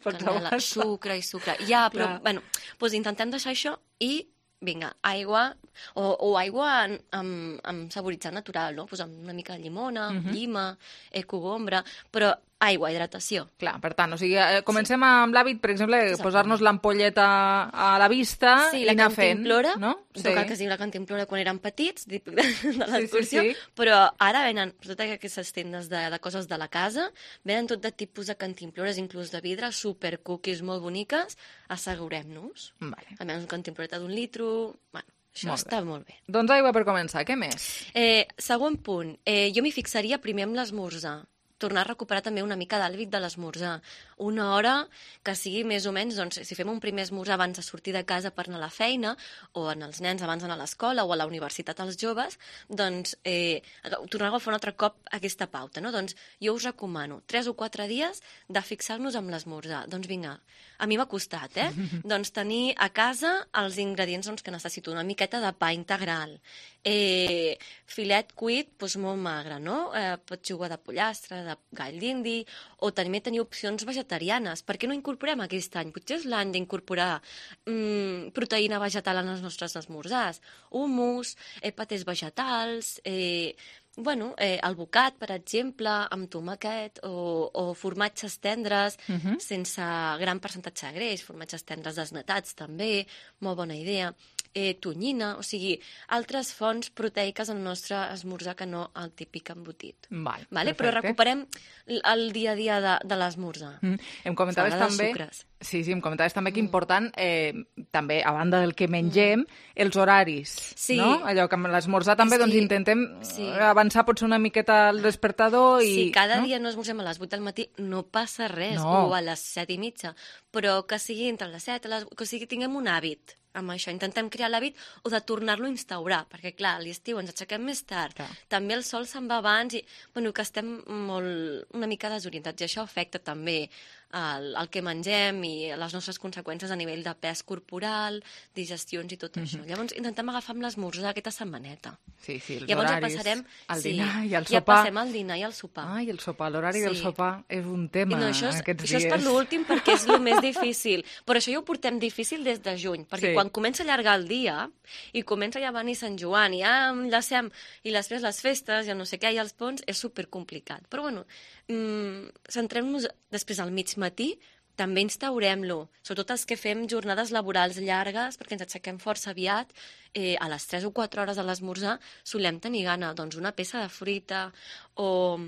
pots canela, aguantar. sucre i sucre. Ja, però, Clar. bueno, doncs intentem deixar això i, vinga, aigua, o, o aigua en- amb, amb saboritzant natural, no? Pues amb una mica de llimona, Mhm. llima, eh, cogombra, però aigua, hidratació. Clar, per tant, o sigui, eh, comencem amb l'hàbit, per exemple, posar-nos l'ampolleta a la vista Sí, i la anar fent. cantimplora, no? no cal que es digui la cantimplora quan érem petits, típic de, de Sí, l'excursió, sí, sí. però ara venen totes aquestes tendes de, de coses de la casa, venen tot de tipus de cantimplores, inclús de vidre, super cookies molt boniques, assegurem-nos. Vale. Almenys una cantimploreta d'un litro, bueno, això Molt està molt bé. Doncs aigua per començar, què més? Eh, segon punt, eh, jo m'hi fixaria primer amb l'esmorzar. Tornar a recuperar també una mica d'hàbit de l'esmorzar. Una hora que sigui més o menys, doncs, si fem un primer esmorzar abans de sortir de casa per anar a la feina, o en els nens abans d'anar a l'escola, o a la universitat als joves, doncs eh, tornar a fer un altre cop aquesta pauta, no? Doncs jo us recomano tres o quatre dies de fixar-nos amb l'esmorzar. Doncs vinga, a mi m'ha costat, eh? Doncs tenir a casa els ingredients doncs, que necessito. Una miqueta de pa integral, eh, filet cuit doncs, molt magre, no? Eh, pots jugar de pollastre, de gall d'indi, o també tenir opcions vegetarianes. Per què no incorporem aquest any? Potser és l'any d'incorporar mm, proteïna vegetal en els nostres esmorzars. Hummus, eh, patés vegetals, eh, bueno, eh, el bocat, per exemple, amb tomàquet o, o formatges tendres Mhm. sense gran percentatge de greix, formatges tendres desnatats també, molt bona idea, eh, tonyina, o sigui, altres fonts proteiques al nostre esmorzar que no el típic embotit. Vale, Vale? Però perfecte. recuperem l- el dia a dia de, de l'esmorzar. Mm. Em comentaves Salada de també... sucres. Sí, sí, em comentaves també que important, eh, també, a banda del que mengem, els horaris, Sí. no? Allò que amb l'esmorzar també És doncs, que- intentem sí. avançar potser una miqueta al despertador i... Si cada no? dia no esmorzem a les vuit del matí, no passa res, No. o a les set i mitja, però que sigui entre les set, a les... que sigui, tinguem un hàbit amb això, intentem crear l'hàbit o de tornar-lo a instaurar, perquè clar, a l'estiu ens aixequem més tard, Clar. també el sol se'n va abans i, bueno, que estem molt, una mica desorientats, i això afecta també el, el que mengem i les nostres conseqüències a nivell de pes corporal, digestions i tot això. Llavors intentem agafar amb l'esmorzar aquesta setmaneta. Sí, sí, els Llavors horaris, ja passarem el sí, dinar i el ja sopar. passem al dinar i al sopar. Ai, el sopar, l'horari del Sí. sopar és un tema No, això és, aquests això dies. és per l'últim perquè és el més difícil. Però això ja ho portem difícil des de juny, perquè Sí. quan comença a allargar el dia i comença ja a venir Sant Joan i ja enllacem i després les festes, ja no sé què, i els ponts, és supercomplicat. Però bueno, mmm, centrem-nos després al mig matí, també instaurem-lo, sobretot els que fem jornades laborals llargues, perquè ens aixequem força aviat, eh, a les tres o quatre hores de l'esmorzar solem tenir gana, doncs una peça de fruita o,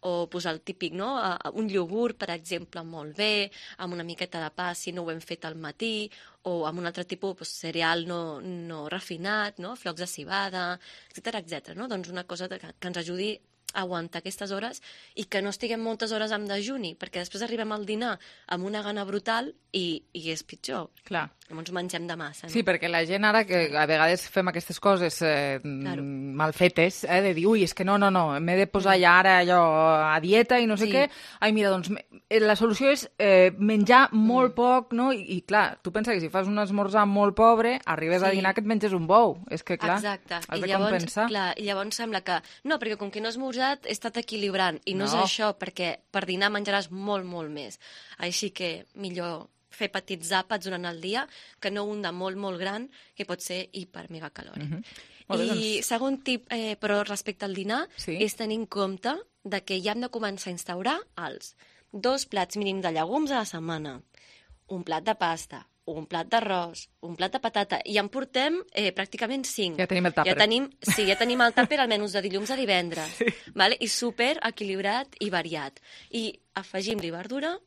o pues, el típic, no? Un iogurt, per exemple, molt bé, amb una miqueta de pa si no ho hem fet al matí, o amb un altre tipus pues, cereal no, no refinat, no? Flocs de cibada, etcètera, etcètera, no? Doncs una cosa que, que ens ajudi a aguantar aquestes hores i que no estiguem moltes hores amb dejuni, perquè després arribem al dinar amb una gana brutal i, i és pitjor. Clar. Llavors mengem de massa. No? Sí, perquè la gent ara, que a vegades fem aquestes coses eh, Claro. mal fetes, eh, de dir, ui, és que no, no, no, m'he de posar ja ara allò a dieta i no sé Sí. què. Ai, mira, doncs me- eh, la solució és eh, menjar molt Mm. poc, no? I, I clar, tu pensa que si fas un esmorzar molt pobre, arribes a Sí. dinar que et menges un bou. És que, clar, Exacte. has I de llavors, compensar. clar, I llavors sembla que... No, perquè com que no he esmorzat he estat equilibrant. I no, No. és això, perquè per dinar menjaràs molt, molt més. Així que millor fer petits àpats durant el dia que no un de molt, molt gran, que pot ser hipermegacalòric. Mhm. Molt bé, I doncs. segon tip, eh, però respecte al dinar, Sí. és tenir en compte de que ja hem de començar a instaurar els dos plats mínim de llegums a la setmana, un plat de pasta, un plat d'arròs, un plat de patata, i en portem eh, pràcticament cinc. Ja tenim el tàper. Ja tenim, sí, ja tenim el tàper almenys de dilluns a divendres. Sí. Vale? I super equilibrat i variat. I afegim-li verdura,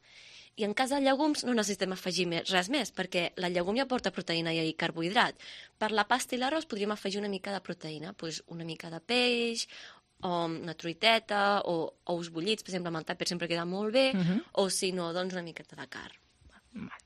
i en cas de llegums no necessitem afegir més, res més, perquè la llegum ja porta proteïna i carbohidrat. Per la pasta i l'arròs podríem afegir una mica de proteïna, doncs una mica de peix, o una truiteta, o ous bullits, per exemple, amb el tàper sempre queda molt bé, Mhm. o si no, doncs una miqueta de carn.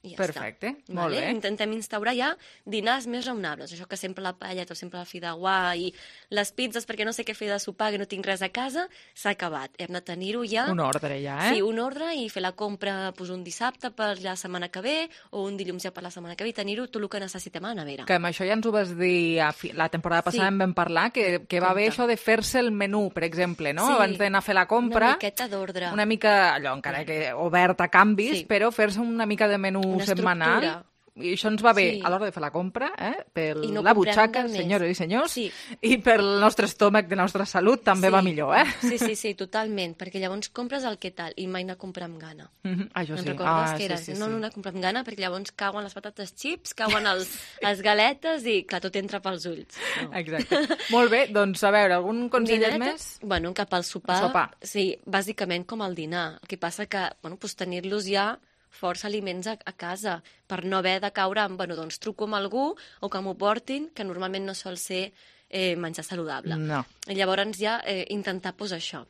Ja Perfecte, està. molt Vale? bé. Intentem instaurar ja dinars més raonables. Això que sempre la paelleta o sempre la fideuà i les pizzas perquè no sé què fer de sopar, que no tinc res a casa, s'ha acabat. Hem de tenir-ho ja... Un ordre ja, eh? Sí, un ordre i fer la compra pues, un dissabte per la setmana que ve o un dilluns ja per la setmana que ve i tenir-ho tot el que necessitem a la nevera. Que amb això ja ens ho vas dir a fi... la temporada passada Sí. en vam parlar, que, que va bé això de fer-se el menú, per exemple, no? Sí. Abans d'anar a fer la compra. Una miqueta d'ordre. Una mica, allò, encara que obert a canvis, Sí. però fer-se una mica de menú Una setmanal. estructura. I això ens va bé Sí. a l'hora de fer la compra, eh? per I no la comprem butxaca, de més. senyores i senyors, Sí. i pel nostre estómac de la nostra salut també Sí. va millor, eh? Sí, sí, sí, totalment, perquè llavors compres el que tal i mai anar a comprar amb gana. Mhm, això Te'n sí. recordes Ah, que era? sí, sí, no, sí. no anar a comprar amb gana perquè llavors cauen les patates xips, cauen els, les galetes i, clar, tot entra pels ulls. No. Exacte. Molt bé, doncs a veure, algun consell Dinereta? més? Bueno, cap al sopar. El sopar. Sí, bàsicament com el dinar. El que passa que, bueno, pues tenir-los ja força aliments a, a casa, per no haver de caure en, bueno, doncs truco amb algú o que m'ho portin, que normalment no sol ser eh, menjar saludable. No. I llavors ja eh, intentar pues, això,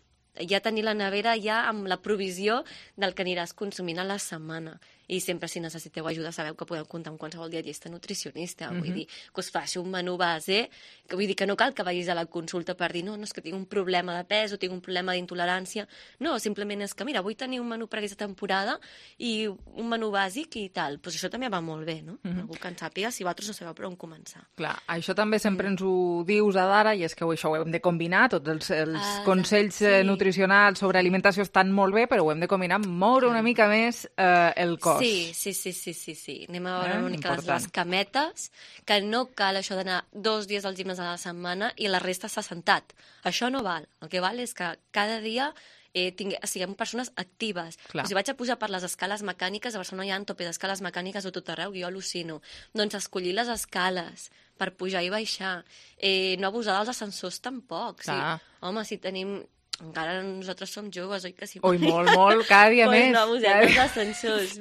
ja tenir la nevera ja amb la provisió del que aniràs consumint a la setmana. I sempre, si necessiteu ajuda, sabeu que podeu comptar amb qualsevol dietista nutricionista. Mm-hmm. Vull dir, que us faci un menú base, que vull dir que no cal que vagis a la consulta per dir no, no és que tinc un problema de pes o tinc un problema d'intolerància. No, simplement és que, mira, vull tenir un menú per aquesta temporada i un menú bàsic i tal. Pues això també va molt bé, no? Mhm. Algú que en sàpiga si vosaltres no sabeu per on començar. Clar, això també sempre ens ho dius a Dara, i és que això ho hem de combinar, tots els, els Ah, consells sí. eh, nutricionals sobre alimentació estan molt bé, però ho hem de combinar amb moure una mica més eh, el cos. Sí, sí, sí, sí, sí, sí. Anem a veure Eh? una mica les, Important. les cametes, que no cal això d'anar dos dies al gimnàs a la setmana i la resta s'ha sentat. Això no val. El que val és que cada dia eh, tingue, siguem persones actives. Clar. Si vaig a pujar per les escales mecàniques, a Barcelona hi ha un tope d'escales mecàniques a tot arreu, jo al·lucino. Doncs escollir les escales per pujar i baixar. Eh, no abusar dels ascensors tampoc. Sí. Clar. Home, si tenim... Encara nosaltres som joves, oi que sí? Oi, molt, molt, cada dia pues més. no abusem Cada dels dia- ascensors.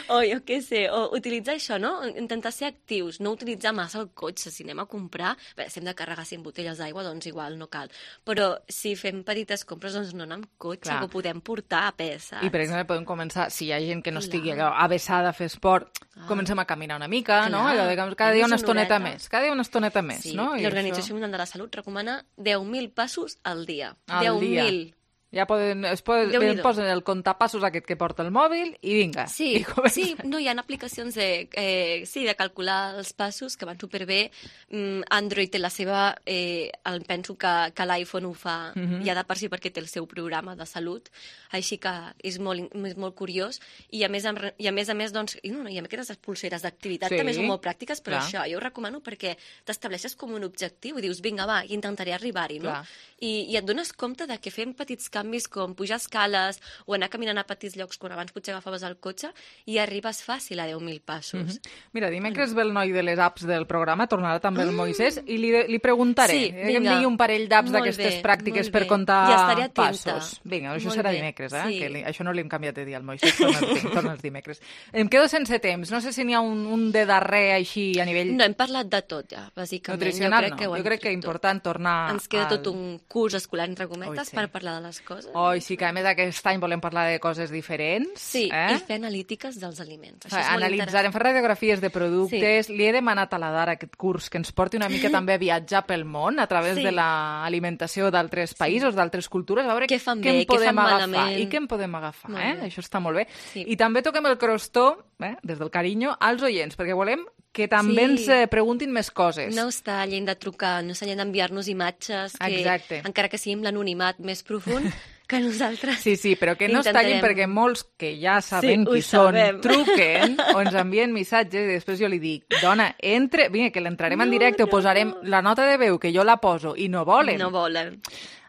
O jo què sé, o utilitzar això, no? Intentar ser actius, no utilitzar massa el cotxe. Si anem a comprar, bé, si hem de carregar cinc botelles d'aigua, doncs igual no cal. Però si fem petites compres, doncs no anar amb cotxe, Clar. que ho podem portar a pes, saps? I, per exemple, podem començar, si hi ha gent que no Clar. estigui allò avessada a fer esport, comencem a caminar una mica, no? Clar. Allò de que cada dia una Fem-nos estoneta horeta. més, cada dia una estoneta més, Sí, no? I l'Organització això- Mundial de la Salut recomana deu mil passos al dia. Al deu dia. mil. Ja poden, es poden, Déu-n'hi-do. posen el comptapassos aquest que porta el mòbil i vinga. Sí, I comença. sí, no, hi ha aplicacions de, eh, sí, de calcular els passos que van superbé. Mm, Android té la seva, eh, el, penso que, que l'iPhone ho fa Mhm. ja de per si perquè té el seu programa de salut, així que és molt, in- és molt curiós i a més a, i a, més, a més doncs, i, no, no, i amb aquestes pulseres d'activitat Sí, també són molt pràctiques, però clar. això jo ho recomano perquè t'estableixes com un objectiu i dius, vinga, va, intentaré arribar-hi, no? Clar. I, I et dones compte de que fem petits canvis com pujar escales o anar caminant a petits llocs quan abans potser agafaves el cotxe i arribes fàcil a deu mil passos. Mhm. Mira, dimecres ve el noi de les apps del programa, tornarà també el Moisès, i li, li preguntaré. Sí, eh, que em vinga. digui un parell d'apps Molt d'aquestes bé, pràctiques molt per bé. comptar Ja estaré atenta. passos. Vinga, això Molt serà bé, dimecres, eh? sí. Que li, això no li hem canviat de dir al Moisès, torna els, torna els dimecres. Em quedo sense temps, no sé si n'hi ha un, un de darrer així a nivell... No, hem parlat de tot ja, bàsicament. Nutricional, jo crec no. que ho Jo hem crec que és dit tot. important tornar Ens queda al- tot un curs escolar, entre cometes, Oi, sí. per parlar de les coses. Oi, sí que a més aquest any volem parlar de coses diferents. Sí, eh? i fer analítiques dels aliments. Això Fa- és molt Analitzarem, fer radiografies de productes. Sí. Li he demanat a la Dara aquest curs que ens porti una mica també a viatjar pel món a través Sí. de l'alimentació d'altres països, d'altres cultures, a veure Què fan què bé, en què podem fan agafar malament. i què en podem agafar. Molt Eh? bé. Això està molt bé. Sí. I també toquem el crostó, eh? des del carinyo, als oients, perquè volem que també Sí. ens eh, preguntin més coses. No està llent de trucar, no està llent d'enviar-nos imatges que, Exacte. encara que sigui amb l'anonimat més profund, que nosaltres Sí, sí, però que no es tallin intentarem. perquè molts que ja sabem Sí, ho qui són sabem. truquen o ens envien missatges i després jo li dic, dona, entre, vinga, que l'entrarem en No, directe, no, o posarem la nota de veu que jo la poso i no volen. No volen.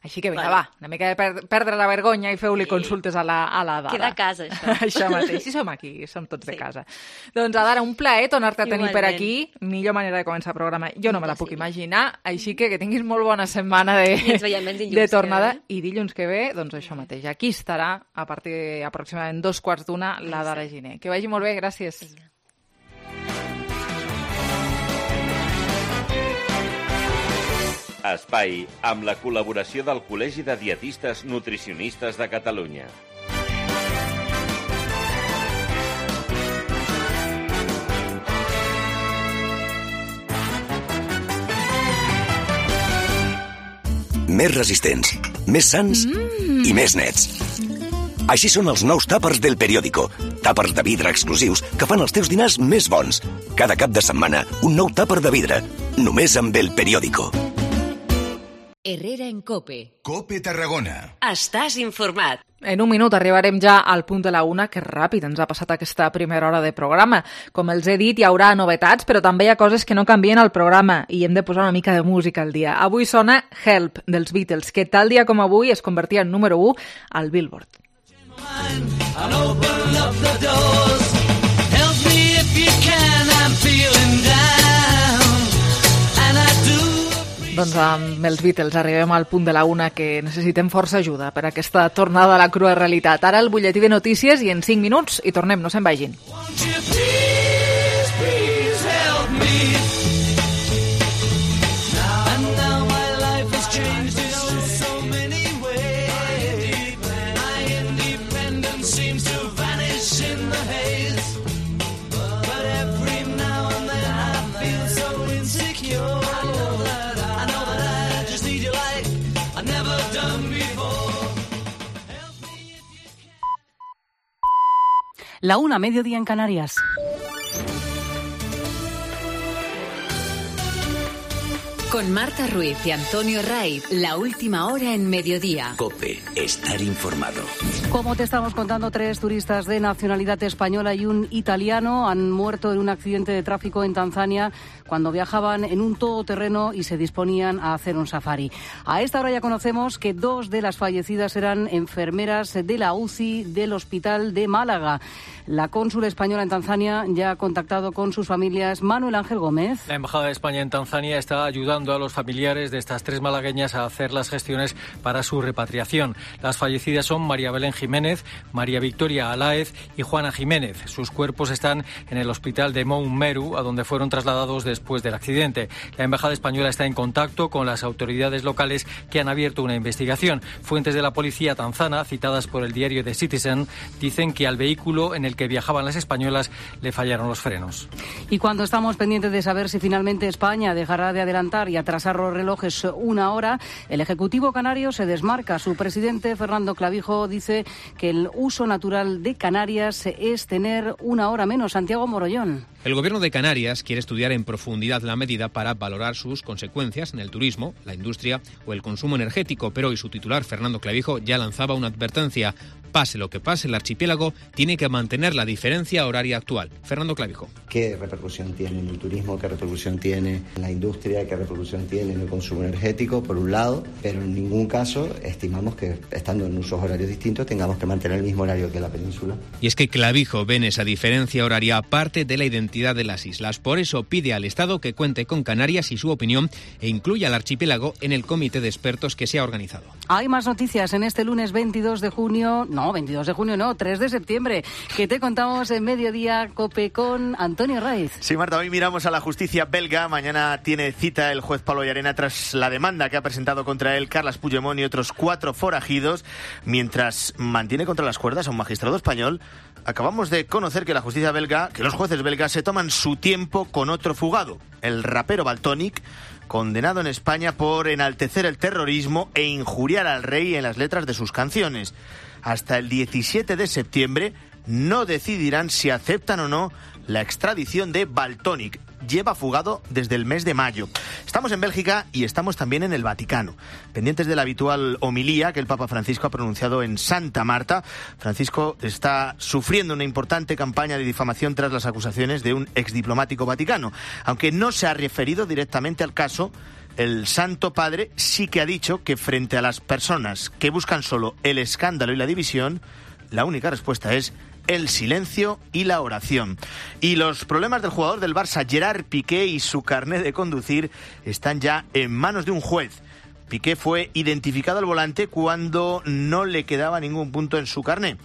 Així que vinga, Vale. va, una mica de per perdre la vergonya i feu-li consultes a la, a la Dara. Queda a casa, això. Això mateix, si som aquí, som tots de casa. Doncs, Dara, un plaer tornar-te a tenir per Igualment. aquí. Millor manera de començar el programa, jo no me la puc imaginar, així que que tinguis molt bona setmana de, I ens veiem el dilluns de que tornada. ve. I dilluns que ve, doncs això mateix, aquí estarà a partir aproximadament dos quarts d'una la Dara Giner. Que vagi molt bé, gràcies. Espai, amb la col·laboració del Col·legi de Dietistes Nutricionistes de Catalunya. Més resistents, més sans mm. i més nets. Així són els nous tàpers del Periódico. Tàpers de vidre exclusius que fan els teus dinars més bons. Cada cap de setmana, un nou tàper de vidre. Només amb el Periódico. Herrera en COPE. COPE Tarragona. Estàs informat. En un minut arribarem ja al punt de la una, que ràpid ens ha passat aquesta primera hora de programa. Com els he dit, hi haurà novetats, però també hi ha coses que no canvien al programa i hem de posar una mica de música al dia. Avui sona Help, dels Beatles, que tal dia com avui es convertia en número u al Billboard. Doncs amb els Beatles arribem al punt de la una, que necessitem força ajuda per aquesta tornada a la crua realitat. Ara el butlletí de notícies i en cinc minuts i tornem, no se'n vagin. La una, mediodía en Canarias. Con Marta Ruiz y Antonio Raiz, la última hora en mediodía. COPE, estar informado. Como te estamos contando, tres turistas de nacionalidad española y un italiano han muerto en un accidente de tráfico en Tanzania cuando viajaban en un todoterreno y se disponían a hacer un safari. A esta hora ya conocemos que dos de las fallecidas eran enfermeras de la U C I del Hospital de Málaga. La cónsula española en Tanzania ya ha contactado con sus familias. Manuel Ángel Gómez. La Embajada de España en Tanzania está ayudando a los familiares de estas tres malagueñas a hacer las gestiones para su repatriación. Las fallecidas son María Belén Jiménez, María Victoria Aláez y Juana Jiménez. Sus cuerpos están en el hospital de Mount Meru, a donde fueron trasladados después del accidente. La Embajada española está en contacto con las autoridades locales que han abierto una investigación. Fuentes de la policía tanzana, citadas por el diario The Citizen, dicen que al vehículo en el que viajaban las españolas le fallaron los frenos. Y cuando estamos pendientes de saber si finalmente España dejará de adelantar y atrasar los relojes una hora, el Ejecutivo canario se desmarca. Su presidente, Fernando Clavijo, dice que el uso natural de Canarias es tener una hora menos. Santiago Morollón. El Gobierno de Canarias quiere estudiar en profundidad la medida para valorar sus consecuencias en el turismo, la industria o el consumo energético, pero hoy su titular, Fernando Clavijo, ya lanzaba una advertencia. Pase lo que pase, el archipiélago tiene que mantener la diferencia horaria actual. Fernando Clavijo. ¿Qué repercusión tiene en el turismo? ¿Qué repercusión tiene en la industria? ¿Qué repercusión tiene en el consumo energético? Por un lado, pero en ningún caso estimamos que, estando en usos horarios distintos, tengamos que mantener el mismo horario que la península. Y es que Clavijo ve en esa diferencia horaria parte de la identidad de las islas. Por eso pide al Estado que cuente con Canarias y su opinión e incluya al archipiélago en el comité de expertos que se ha organizado. Hay más noticias en este lunes veintidós de junio, no, veintidós de junio no, tres de septiembre, que te contamos en Mediodía COPE con Antonio Raiz. Sí, Marta, hoy miramos a la justicia belga. Mañana tiene cita el juez Pablo Llarena tras la demanda que ha presentado contra él Carles Puigdemont y otros cuatro forajidos, mientras mantiene contra las cuerdas a un magistrado español. Acabamos de conocer que la justicia belga, que los jueces belgas se toman su tiempo con otro fugado, el rapero Valtonyc, condenado en España por enaltecer el terrorismo e injuriar al rey en las letras de sus canciones. Hasta el diecisiete de septiembre no decidirán si aceptan o no la extradición de Valtonyc. Lleva fugado desde el mes de mayo. Estamos en Bélgica y estamos también en el Vaticano, pendientes de la habitual homilía que el Papa Francisco ha pronunciado en Santa Marta. Francisco está sufriendo una importante campaña de difamación tras las acusaciones de un exdiplomático vaticano. Aunque no se ha referido directamente al caso, el Santo Padre sí que ha dicho que frente a las personas que buscan solo el escándalo y la división, la única respuesta es el silencio y la oración. Y los problemas del jugador del Barça, Gerard Piqué, y su carné de conducir están ya en manos de un juez. Piqué fue identificado al volante cuando no le quedaba ningún punto en su carné.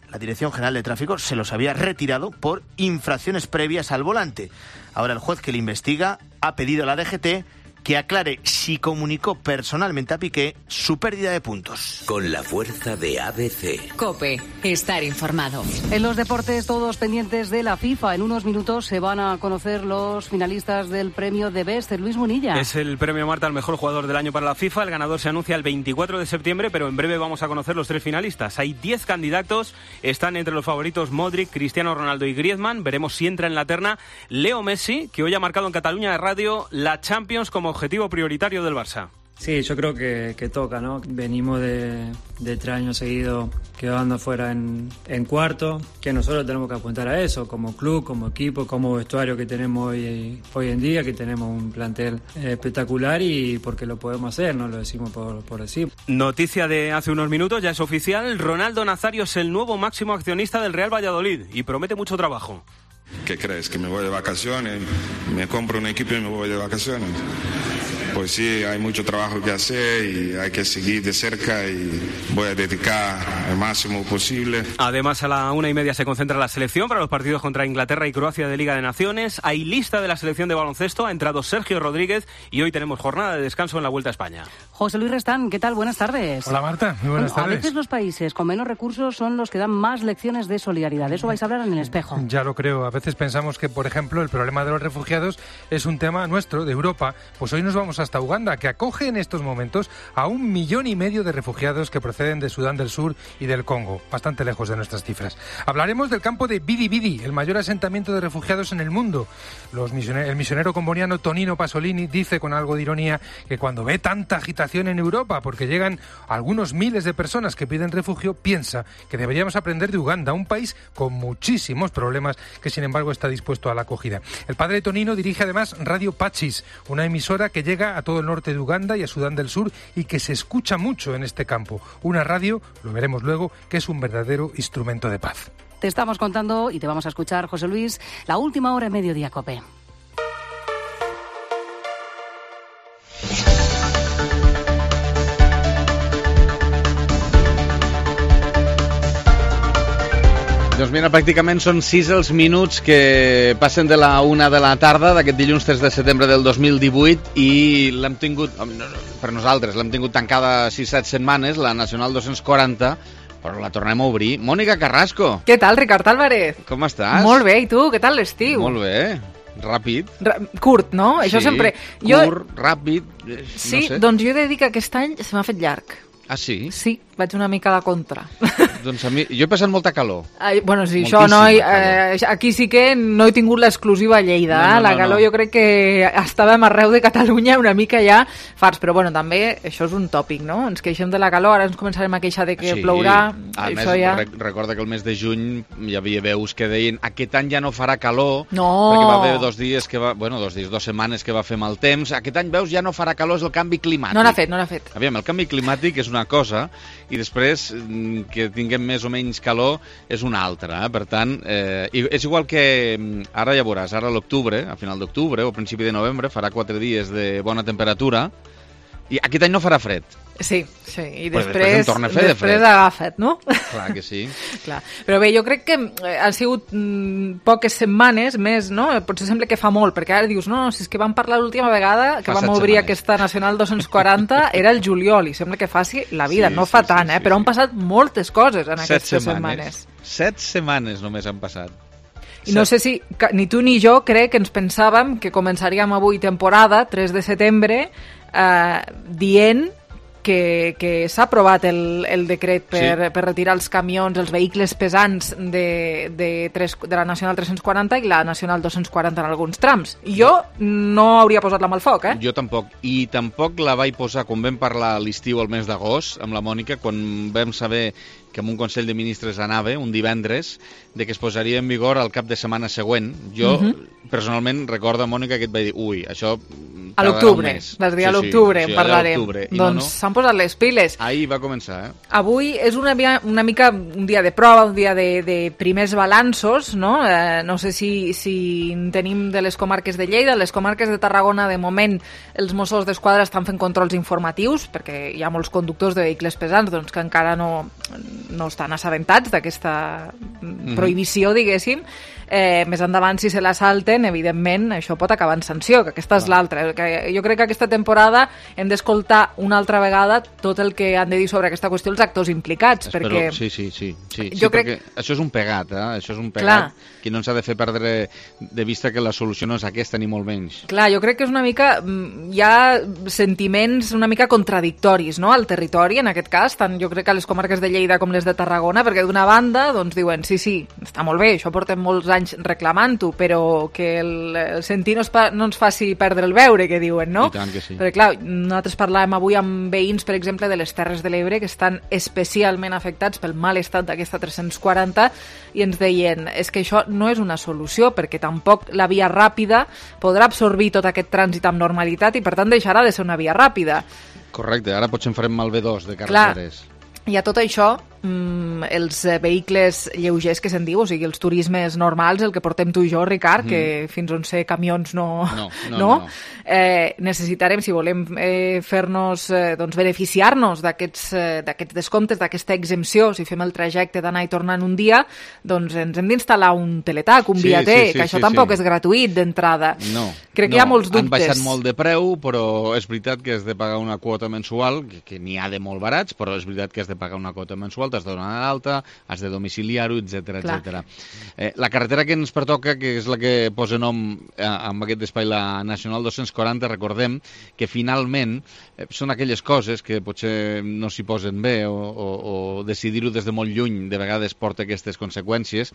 La Dirección General de Tráfico se los había retirado por infracciones previas al volante. Ahora el juez que le investiga ha pedido a la D G T que aclare si comunicó personalmente a Piqué su pérdida de puntos. Con la fuerza de A B C. COPE, estar informado. En los deportes, todos pendientes de la FIFA. En unos minutos se van a conocer los finalistas del premio de Best. Luis Munilla. Es el premio, Marta, al mejor jugador del año para la FIFA. El ganador se anuncia el veinticuatro de septiembre, pero en breve vamos a conocer los tres finalistas. Hay diez candidatos. Están entre los favoritos Modric, Cristiano Ronaldo y Griezmann. Veremos si entra en la terna Leo Messi, que hoy ha marcado en Cataluña de Radio la Champions como objetivo prioritario del Barça. Sí, yo creo que, que toca, ¿no? Venimos de, de tres años seguidos quedando fuera en, en cuarto, que nosotros tenemos que apuntar a eso, como club, como equipo, como vestuario que tenemos hoy, hoy en día, que tenemos un plantel espectacular y porque lo podemos hacer, no lo decimos por, por decir. Noticia de hace unos minutos, ya es oficial, Ronaldo Nazario es el nuevo máximo accionista del Real Valladolid y promete mucho trabajo. ¿Qué crees? ¿Que me voy de vacaciones? ¿Me compro un equipo y me voy de vacaciones? Pues sí, hay mucho trabajo que hacer y hay que seguir de cerca y voy a dedicar el máximo posible. Además, a la una y media se concentra la selección para los partidos contra Inglaterra y Croacia de Liga de Naciones. Hay lista de la selección de baloncesto, ha entrado Sergio Rodríguez y hoy tenemos jornada de descanso en la Vuelta a España. José Luis Restán, ¿qué tal? Buenas tardes. Hola Marta, muy buenas bueno, tardes. A veces los países con menos recursos son los que dan más lecciones de solidaridad. De eso vais a hablar en el espejo. Ya lo creo. A veces pensamos que, por ejemplo, el problema de los refugiados es un tema nuestro, de Europa. Pues hoy nos vamos hasta Uganda, que acoge en estos momentos a un millón y medio de refugiados que proceden de Sudán del Sur y del Congo, bastante lejos de nuestras cifras. Hablaremos del campo de Bidi Bidi, el mayor asentamiento de refugiados en el mundo. Los misioner- el misionero comboniano Tonino Pasolini dice con algo de ironía que cuando ve tanta agitación en Europa, porque llegan algunos miles de personas que piden refugio, piensa que deberíamos aprender de Uganda, un país con muchísimos problemas que sin embargo está dispuesto a la acogida. El padre Tonino dirige además Radio Pachis, una emisora que llega a todo el norte de Uganda y a Sudán del Sur y que se escucha mucho en este campo. Una radio, lo veremos luego, que es un verdadero instrumento de paz. Te estamos contando y te vamos a escuchar, José Luis, la última hora en Mediodía COPE. Doncs mira, pràcticament són sis els minuts que passen de la una de la tarda d'aquest dilluns tres de setembre del dos mil divuit i l'hem tingut, per nosaltres, l'hem tingut tancada sis set setmanes, la Nacional dos-cents quaranta, però la tornem a obrir. Mònica Carrasco. Què tal, Ricard Álvarez? Com estàs? Molt bé, i tu? Què tal l'estiu? Molt bé, ràpid. Ra- curt, no? Sí, Això sempre... Jo... curt, ràpid, eh, Sí, no sé. doncs jo he de dir que aquest any se m'ha fet llarg. Ah, sí? Sí, vaig una mica a la contra. Doncs a mi, jo he passat molta calor. Ai, bueno, sí, Moltíssima això no... He, calor. eh, aquí sí que no he tingut l'exclusiva a Lleida. No, no, eh? La no, calor no. jo crec que estàvem arreu de Catalunya una mica ja farts, però bueno, també això és un tòpic, no? Ens queixem de la calor, ara ens començarem a queixar de que Sí. plourà. A més, Això ja... rec- recorda que el mes de juny hi havia veus que deien aquest any ja no farà calor, No. perquè va haver dos dies que va, bueno, dos dies, dos setmanes que va fer mal temps. Aquest any, veus, ja no farà calor, és el canvi climàtic. No n'ha fet, no n'ha fet. Aviam, el canvi climàtic és una cosa i després mm, que tinguem més o menys calor és una altra. Eh? Per tant, eh, i és igual que mm, ara ja veuràs, ara a l'octubre, a final d'octubre o a principi de novembre, farà quatre dies de bona temperatura i aquest any no farà fred. Sí, sí, i Pues després, després en torna a fer de després fred. agafa't, no? Clar que sí. Clar. Però bé, jo crec que eh, han sigut mm, poques setmanes més, no? Potser sembla que fa molt, perquè ara dius, no, si és que vam parlar l'última vegada que Fa vam set obrir setmanes. aquesta Nacional dos-cents quaranta, era el juliol, i sembla que faci la vida, Sí, no sí, fa sí, tant, eh? sí, Però han passat moltes coses en Set aquestes setmanes. setmanes. Set setmanes només han passat. I no sé si ca- ni tu ni jo crec que ens pensàvem que començaríem avui temporada, tres de setembre, eh, dient que, que s'ha aprovat el, el decret per, Sí. per retirar els camions, els vehicles pesants de, de, tres, de la Nacional tres-cents quaranta i la Nacional dos-cents quaranta en alguns trams. Jo no hauria posat la mà al foc, eh? Jo tampoc. I tampoc la vaig posar, quan vam parlar a l'estiu, al mes d'agost, amb la Mònica, quan vam saber que en un Consell de Ministres anava, un divendres, de que es posaria en vigor al cap de setmana següent. Jo, Mhm. personalment, recordo, Mònica, que et vaig dir, ui, això A tardarà l'octubre, un mes. vas dir a Sí, sí, l'octubre, sí, en allà a parlarem. l'octubre. I Doncs no, no. s'han posat les piles. Ahir va començar, eh? Avui és una, via- una mica un dia de prova, un dia de, de primers balanços, no? Eh, no sé si, si en tenim de les comarques de Lleida. Les comarques de Tarragona, de moment, els Mossos d'Esquadra estan fent controls informatius, perquè hi ha molts conductors de vehicles pesants doncs, que encara no, no estan assabentats d'aquesta Mhm. prohibició, diguéssim. Eh, més endavant, si se la salten, evidentment, això pot acabar en sanció, que aquesta és l'altra. perquè jo crec que aquesta temporada hem d'escoltar una altra vegada tot el que han de dir sobre aquesta qüestió els actors implicats, Espero, perquè... Sí, sí, sí, sí, jo sí crec... perquè això és un pegat, eh? Això és un pegat Clar. que no ens ha de fer perdre de vista que la solució no és aquesta ni molt menys. Clar, jo crec que és una mica... Hi ha sentiments una mica contradictoris, no?, al territori, en aquest cas, tant jo crec que les comarques de Lleida com les de Tarragona, perquè d'una banda, doncs diuen, sí, sí, està molt bé, això portem molts anys reclamant-ho, però que el, el sentir no, es pa, no ens faci perdre el veure, que diuen, no? I tant que sí. Perquè, clar, nosaltres parlàvem avui amb veïns, per exemple, de les Terres de l'Ebre, que estan especialment afectats pel mal estat d'aquesta tres-cents quaranta, i ens deien, és que això no és una solució, perquè tampoc la via ràpida podrà absorbir tot aquest trànsit amb normalitat i, per tant, deixarà de ser una via ràpida. Correcte, ara potser en farem mal B dos de carreteres. Clar, i a tot això, mm, els vehicles lleugers que se'n diu, o sigui, els turismes normals, el que portem tu i jo, Ricard, mm. que fins on sé camions no... No, no, no? no. Eh, necessitarem, si volem eh, fer-nos, eh, doncs, beneficiar-nos d'aquests eh, d'aquests descomptes, d'aquesta exempció, si fem el trajecte d'anar i tornar en un dia, doncs ens hem d'instal·lar un teletac, un Sí, viater, sí, sí, que això sí, tampoc sí. és gratuït d'entrada. No, Crec no, que hi ha molts dubtes. Han baixat molt de preu, però és veritat que has de pagar una quota mensual, que, que n'hi ha de molt barats, però és veritat que has de pagar una quota mensual, t'has de donar d'alta, has de domiciliar-ho, etcètera, etcètera. Eh, la carretera que ens pertoca, que és la que posa nom eh, amb aquest espai, la Nacional dos-cents quaranta, recordem que finalment eh, són aquelles coses que potser no s'hi posen bé o, o, o decidir-ho des de molt lluny de vegades porta aquestes conseqüències.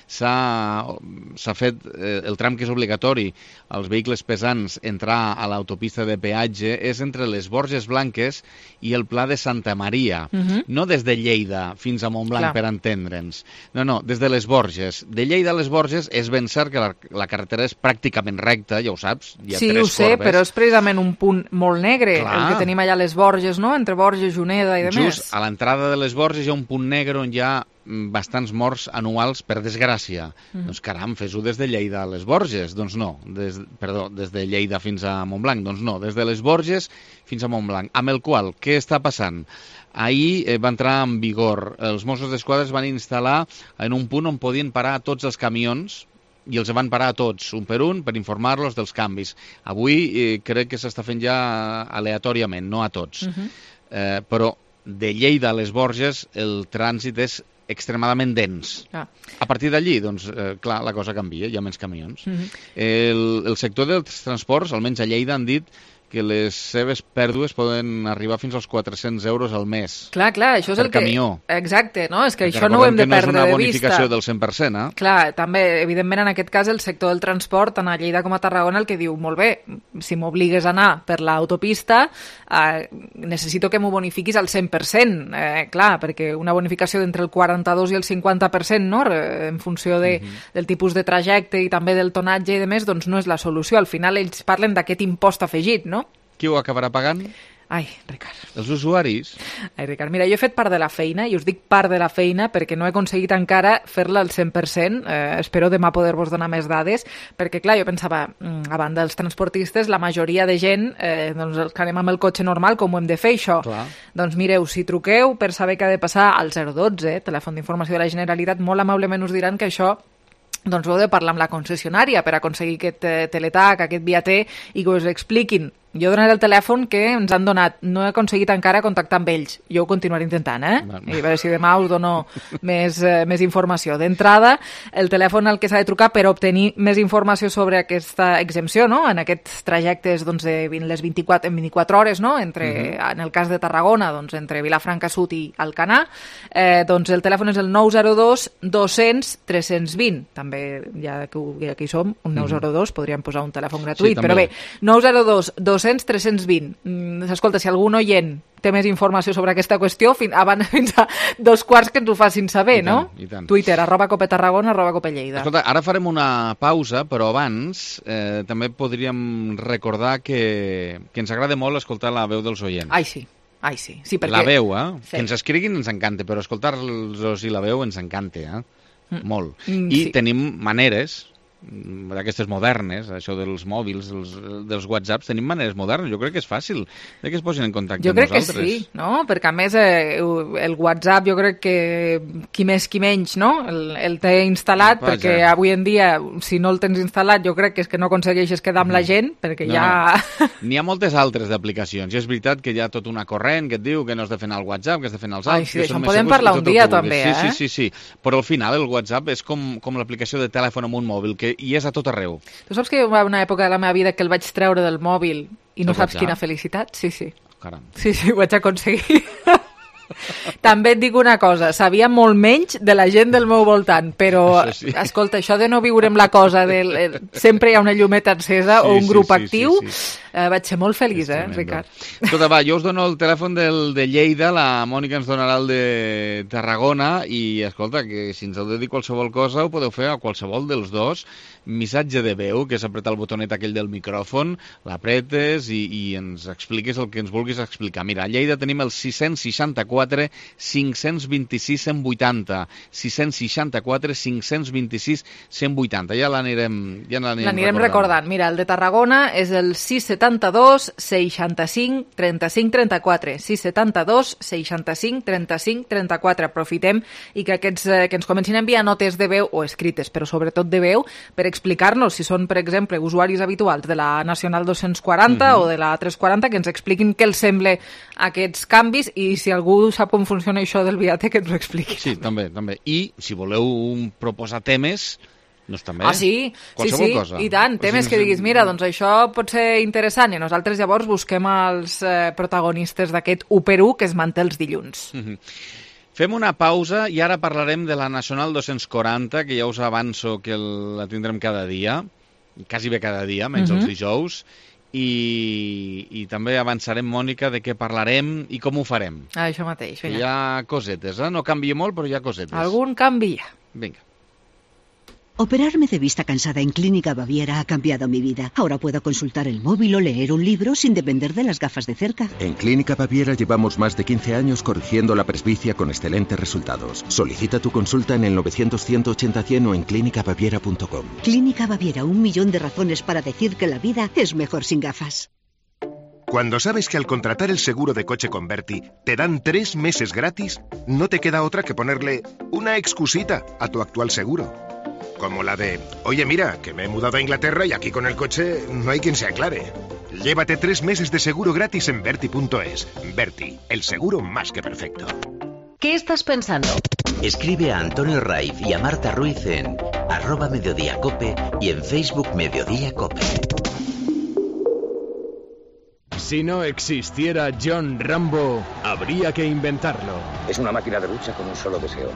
S'ha fet eh, el tram que és obligatori als vehicles pesants entrar a l'autopista de peatge és entre les Borges Blanques i el Pla de Santa Maria. Mhm. No des de Lleida fins a Montblanc, Clar. per entendre'ns. No, no, des de les Borges. De Lleida a les Borges és ben cert que la, la carretera és pràcticament recta, ja ho saps. Hi ha Sí, tres ho sé, corbes. però és precisament un punt molt negre, Clar. el que tenim allà a les Borges, no?, entre Borges, Juneda i de més. Just a l'entrada de les Borges hi ha un punt negre on hi ha mm, bastants morts anuals, per desgràcia. Mhm. Doncs caram, fes-ho des de Lleida a les Borges. Doncs no, des, perdó, des de Lleida fins a Montblanc. Doncs no, des de les Borges fins a Montblanc. Amb el qual, què està passant? Ahir eh, va entrar en vigor. Els Mossos d'Esquadra es van instal·lar en un punt on podien parar tots els camions i els van parar a tots, un per un, per informar-los dels canvis. Avui eh, crec que s'està fent ja aleatòriament, no a tots. Mhm. Eh, però de Lleida a les Borges el trànsit és extremadament dens. Ah. A partir d'allí, doncs, eh, clar, la cosa canvia, hi ha menys camions. Mhm. El, el sector dels transports, almenys a Lleida, han dit que les seves pèrdues poden arribar fins als quatre-cents euros al mes. Clar, clar, això és per el que... camió. Exacte, no? És que Perquè això no ho hem de recordem que perdre de no és una vista. bonificació del cent per cent, eh? Clar, també, evidentment, en aquest cas, el sector del transport, tant a Lleida com a Tarragona, el que diu, molt bé, si m'obligues a anar per l'autopista, eh, necessito que m'ho bonifiquis al cent per cent. Eh, clar, perquè una bonificació d'entre el quaranta-dos i el cinquanta per cent, no?, en funció de, Mhm. del tipus de trajecte i també del tonatge i de més, doncs no és la solució. Al final ells parlen d'aquest impost afegit, no? Qui ho acabarà pagant? Ai, Ricard. Els usuaris. Ai, Ricard, mira, jo he fet part de la feina, i us dic part de la feina perquè no he aconseguit encara fer-la al cent per cent. Eh, espero demà poder-vos donar més dades, perquè, clar, jo pensava, mm, a banda dels transportistes, la majoria de gent, eh, doncs els que anem amb el cotxe normal, com ho hem de fer, això? Clar. Doncs mireu, si truqueu per saber què ha de passar al zero dotze, telèfon d'informació de la Generalitat, molt amablement us diran que això doncs heu de parlar amb la concessionària per aconseguir aquest eh, teletac, aquest viater, i que us expliquin. Jo donaré el telèfon que ens han donat. No he aconseguit encara contactar amb ells. Jo ho continuaré intentant, eh? Bueno. I a veure si demà us dono més, eh, més informació. D'entrada, el telèfon al que s'ha de trucar per obtenir més informació sobre aquesta exempció, no?, en aquests trajectes doncs, de les vint-i-quatre, en vint-i-quatre hores, no?, entre, Mhm. en el cas de Tarragona, doncs, entre Vilafranca Sud i Alcanar, eh, doncs el telèfon és el nou zero dos dos-cents tres-cents vint. També, ja que, ho- ja que hi som, un nou zero dos, podríem posar un telèfon gratuït, Sí, però també. bé, nou zero dos dos-cents tres-cents vint. Mm, escolta, si algun oient té més informació sobre aquesta qüestió, fin, abans, fins a dos quarts que ens ho facin saber, I tant, no? i tant. Twitter, arroba Cope Tarragona, arroba Cope Lleida. Escolta, ara farem una pausa, però abans eh, també podríem recordar que, que ens agrada molt escoltar la veu dels oients. Ai, sí. Ai, sí. sí perquè... La veu, eh? Sí. Que ens escriguin ens encanta, però escoltar-los i la veu ens encanta, eh? Mm. Molt. Mm, I sí. tenim maneres d'aquestes modernes, això dels mòbils, dels, dels whatsapps, tenim maneres modernes. Jo crec que és fàcil de que es posin en contacte jo amb nosaltres. nosaltres. Jo crec que sí, no? Perquè a més eh, el WhatsApp jo crec que qui més qui menys, no? El, el té instal·lat, Vaja. perquè avui en dia, si no el tens instal·lat, jo crec que és que no aconsegueixes quedar amb la gent, perquè no. ja... N'hi ha moltes altres d'aplicacions. I és veritat que hi ha tota una corrent que et diu que no has de fer anar al WhatsApp, que has de fer anar als altres. Ai, sí, això en podem parlar un dia també, sí, eh? Sí, sí, sí. Però al final el WhatsApp és com, com l'aplicació de telèfon amb un mòbil, que hi és a tot arreu. Tu saps que hi va una època de la meva vida que el vaig treure del mòbil i no el saps WhatsApp? Quina felicitat? Sí, sí. Caram. Sí, sí, ho vaig aconseguir. També et dic una cosa, sabia molt menys de la gent del meu voltant, però, això sí. escolta, això de no viure amb la cosa, de, sempre hi ha una llumeta encesa sí, o un grup sí, sí, actiu, sí, sí. Eh, vaig ser molt feliç, eh, Ricard? Escolta, va, jo us dono el telèfon del, de Lleida, la Mònica ens donarà el de Tarragona, i escolta, que si ens heu de dir qualsevol cosa ho podeu fer a qualsevol dels dos, missatge de veu, que és apretar el botonet aquell del micròfon, l'apretes i, i ens expliques el que ens vulguis explicar. Mira, a Lleida tenim el sis seixanta-quatre cinc vint-i-sis cent vuitanta, sis seixanta-quatre cinc vint-i-sis cent vuitanta. Ja l'anirem ja l'anirem recordant. recordant. Mira, el de Tarragona és el sis setanta-dos seixanta-cinc trenta-cinc trenta-quatre, sis setanta-dos seixanta-cinc trenta-cinc trenta-quatre. Aprofitem i que aquests eh, que ens comencin a enviar notes de veu o escrites, però sobretot de veu, per explicar-nos si són, per exemple, usuaris habituals de la Nacional dos-cents quaranta mm-hmm. o de la tres quaranta, que ens expliquin què els sembla aquests canvis i si algú sap com funciona això del viatge, que ens ho expliqui. Sí, també, també. I si voleu proposar temes, doncs també. Ah, sí, sí, sí, cosa. I tant, temes que diguis, mira, doncs això pot ser interessant, i nosaltres llavors busquem els eh, protagonistes d'aquest u per u que es manté els dilluns. Mm-hmm. Fem una pausa i ara parlarem de la Nacional dos-cents quaranta, que ja us avanço que la tindrem cada dia, quasi bé cada dia, menys mm-hmm. els dijous, i, i també avançarem, Mònica, de què parlarem i com ho farem. Ah, això mateix. Hi ha cosetes, eh? No canvia molt, però hi ha cosetes. Algun canvi hi ha. Vinga. Operarme de vista cansada en Clínica Baviera ha cambiado mi vida. Ahora puedo consultar el móvil o leer un libro sin depender de las gafas de cerca. En Clínica Baviera llevamos más de quince años corrigiendo la presbicia con excelentes resultados. Solicita tu consulta en el novecientos ciento ochenta cien o en clínica baviera punto com. Clínica Baviera, un millón de razones para decir que la vida es mejor sin gafas. Cuando sabes que al contratar el seguro de coche con Berti te dan tres meses gratis, no te queda otra que ponerle una excusita a tu actual seguro. Como la de, oye mira, que me he mudado a Inglaterra y aquí con el coche no hay quien se aclare. Llévate tres meses de seguro gratis en Berti punto es. Berti, el seguro más que perfecto. ¿Qué estás pensando? Escribe a Antonio Raiz y a Marta Ruiz en arroba Mediodía Cope y en Facebook Mediodía Cope. Si no existiera John Rambo, habría que inventarlo. Es una máquina de lucha con un solo deseo: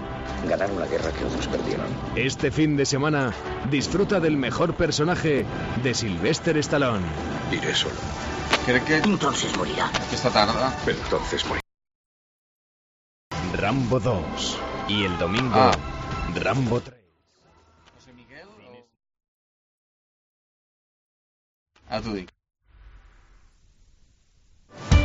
ganar una guerra que otros perdieron. Este fin de semana, disfruta del mejor personaje de Sylvester Stallone. Iré solo. Creo que... Entonces morirá. Esta tarde. Pero entonces morirá. Rambo dos. Y el domingo, ah. Rambo tres. José Miguel o... Ah, tú dic.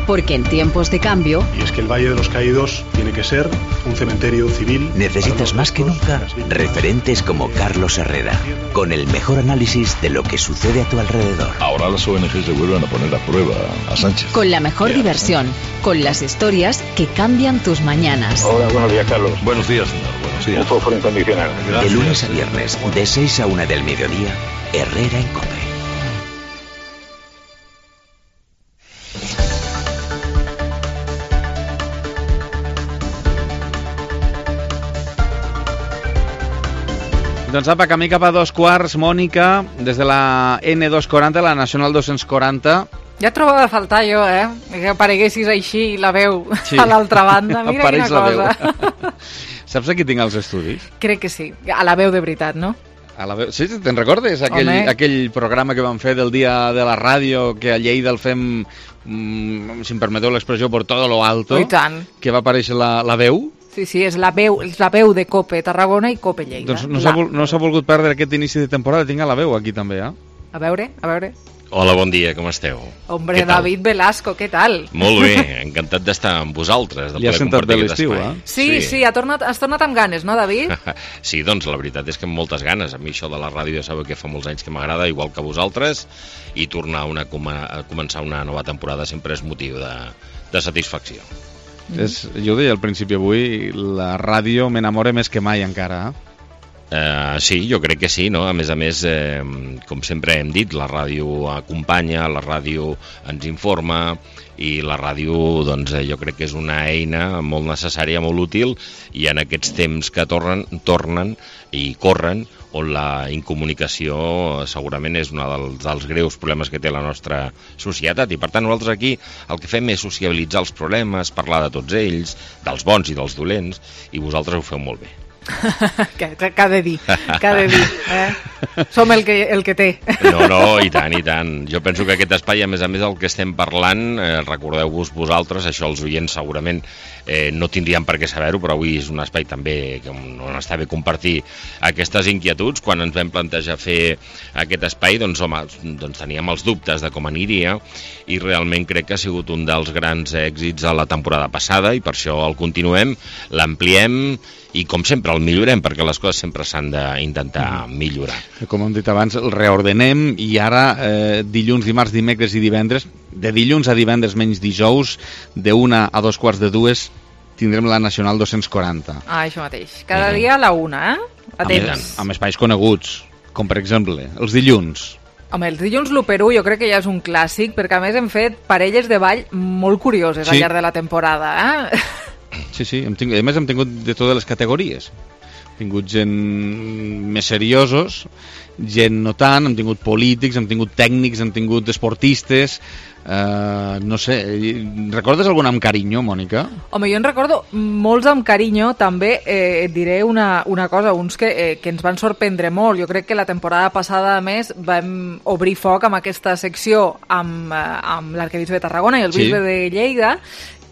Porque en tiempos de cambio... Y es que el Valle de los Caídos tiene que ser un cementerio civil... Necesitas más que nunca referentes como Carlos Herrera, con el mejor análisis de lo que sucede a tu alrededor. Ahora las O N G se vuelven a poner a prueba a Sánchez. Con la mejor yeah. diversión, con las historias que cambian tus mañanas. Hola, buenos días, Carlos. Buenos días, señor. Buenos días. Un fósforo incondicional. De lunes a viernes, de seis a una del mediodía, Herrera en COPE. Doncs apa, camí cap a dos quarts, Mònica, des de la ene dos quaranta, la Nacional dos-cents quaranta. Ja et trobava a faltar jo, eh? Que apareguessis així la veu sí. a l'altra banda. Mira quina cosa. Saps aquí tinc els estudis? Crec que sí. A la veu de veritat, no? A la veu... Sí, te'n recordes? Aquell, aquell programa que vam fer del dia de la ràdio, que a Lleida el fem, mm, si em permeteu l'expressió, por todo lo alto. I tant. Que va aparèixer la, la veu. Sí, sí, és la veu, és la veu de Cope Tarragona i Cope Lleida. Doncs no s'ha no s'ha volgut perdre aquest inici de temporada, tinc a la veu aquí també, eh? A veure, a veure... Hola, bon dia, com esteu? Hombre, David Velasco, què tal? Molt bé, encantat d'estar amb vosaltres. Li ha sentat bé l'estiu, eh? Sí, sí, sí ha tornat, has tornat amb ganes, no, David? Sí, doncs la veritat és que amb moltes ganes. A mi això de la ràdio ja sabeu que fa molts anys que m'agrada, igual que a vosaltres, i tornar una, a començar una nova temporada sempre és motiu de, de satisfacció. Mm. És, jo ho deia al principi avui, la ràdio m'enamora més que mai encara, eh? Uh, sí, jo crec que sí, no? A més a més, eh, com sempre hem dit, la ràdio acompanya, la ràdio ens informa i la ràdio, doncs, eh, jo crec que és una eina molt necessària, molt útil, i en aquests temps que tornen, tornen i corren, on la incomunicació segurament és un dels, dels greus problemes que té la nostra societat, i per tant nosaltres aquí el que fem és sociabilitzar els problemes, parlar de tots ells, dels bons i dels dolents, i vosaltres ho feu molt bé. que, que ha de dir, que ha de dir, eh? Som el que, el que té. No, no, i tant, i tant. Jo penso que aquest espai, a més a més, el que estem parlant, eh, recordeu-vos vosaltres, això els oients segurament eh, no tindrien per què saber-ho, però avui és un espai també que on està bé compartir aquestes inquietuds. Quan ens vam plantejar fer aquest espai, doncs, home, doncs teníem els dubtes de com aniria, i realment crec que ha sigut un dels grans èxits a la temporada passada, i per això el continuem, l'ampliem, i com sempre el millorem, perquè les coses sempre s'han d'intentar millorar. Com hem dit abans, el reordenem, i ara eh, dilluns, dimarts, dimecres i divendres, de dilluns a divendres menys dijous, de una a dos quarts de dues, tindrem la Nacional dos-cents quaranta. Ah, això mateix. Cada uh-huh. dia a la una, eh? Atents. Amb, amb espais coneguts, com per exemple els dilluns. Home, els dilluns l'u per u jo crec que ja és un clàssic, perquè a més hem fet parelles de ball molt curioses sí. al llarg de la temporada, eh? Sí, sí, hem tingut, a més hem tingut de totes les categories. Hem tingut gent més seriosos, gent no tant, hem tingut polítics, hem tingut tècnics, hem tingut esportistes, eh, no sé, recordes algun amb carinyo, Mònica? Home, jo en recordo molts amb carinyo, també eh, et diré una, una cosa, uns que, eh, que ens van sorprendre molt. Jo crec que la temporada passada, a més, vam obrir foc amb aquesta secció amb, eh, amb l'arquebisbe de Tarragona i el bisbe sí. de Lleida,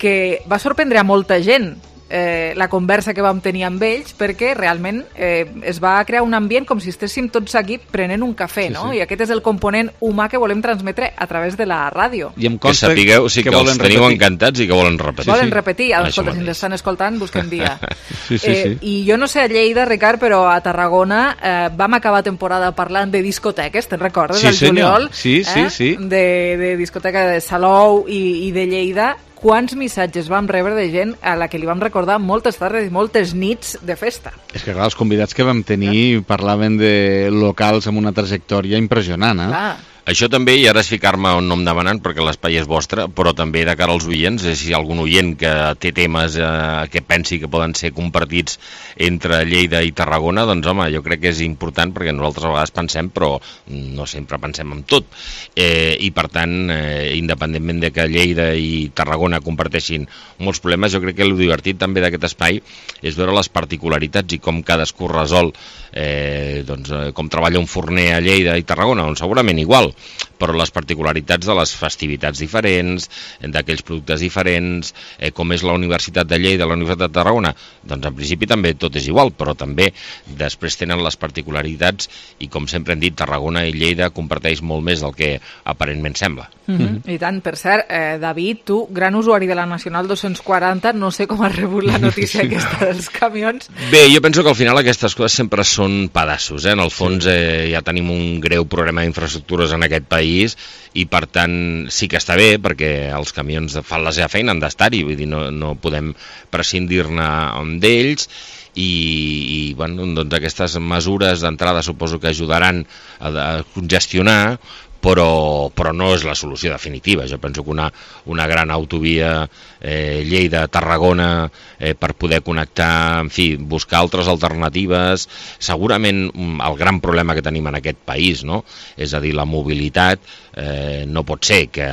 que va sorprendre a molta gent eh, la conversa que vam tenir amb ells, perquè realment eh, es va crear un ambient com si estéssim tots aquí prenent un cafè, sí, no? Sí. I aquest és el component humà que volem transmetre a través de la ràdio. I em consta que sapigueu, sí, que, que els teniu repetir. encantats i que volen repetir. Volen sí. repetir, ah, escolta, si ens estan escoltant, busquem dia. sí, sí, eh, sí. I jo no sé a Lleida, Ricard, però a Tarragona eh, vam acabar temporada parlant de discoteques, te'n recordes? Sí, el juliol, sí, sí, eh? sí. De, de discoteca de Salou i, i de Lleida. Quants missatges vam rebre de gent a la que li vam recordar moltes tardes i moltes nits de festa. És que, clar, els convidats que vam tenir parlaven de locals amb una trajectòria impressionant, eh? Clar. Això també, i ara és ficar-me on no em demanant perquè l'espai és vostre, però també de cara als oients, si hi ha algun oient que té temes eh, que pensi que poden ser compartits entre Lleida i Tarragona, doncs home, jo crec que és important perquè nosaltres a vegades pensem, però no sempre pensem en tot. Eh, I per tant, eh, independentment de que Lleida i Tarragona comparteixin molts problemes, jo crec que el divertit també d'aquest espai és veure les particularitats i com cadascú resol eh, doncs, com treballa un forner a Lleida i Tarragona, doncs segurament igual, però les particularitats de les festivitats diferents, d'aquells productes diferents, eh, com és la Universitat de Lleida, la Universitat de Tarragona, doncs en principi també tot és igual, però també després tenen les particularitats i com sempre hem dit, Tarragona i Lleida comparteix molt més del que aparentment sembla. Mm -hmm. I tant, per cert, eh, David, tu, gran usuari de la Nacional dos-cents quaranta, no sé com has rebut la notícia aquesta dels camions. Bé, jo penso que al final aquestes coses sempre són pedaços, eh? En el fons eh, ja tenim un greu problema d'infraestructures en aquest país i per tant sí que està bé perquè els camions fan la seva feina, han d'estar-hi, vull dir, no, no podem prescindir-ne d'ells i, i bueno, doncs aquestes mesures d'entrada suposo que ajudaran a, a congestionar, però, però no és la solució definitiva. Jo penso que una, una gran autovia eh, Lleida-Tarragona eh, per poder connectar, en fi, buscar altres alternatives, segurament el gran problema que tenim en aquest país, no? És a dir, la mobilitat, eh, no pot ser que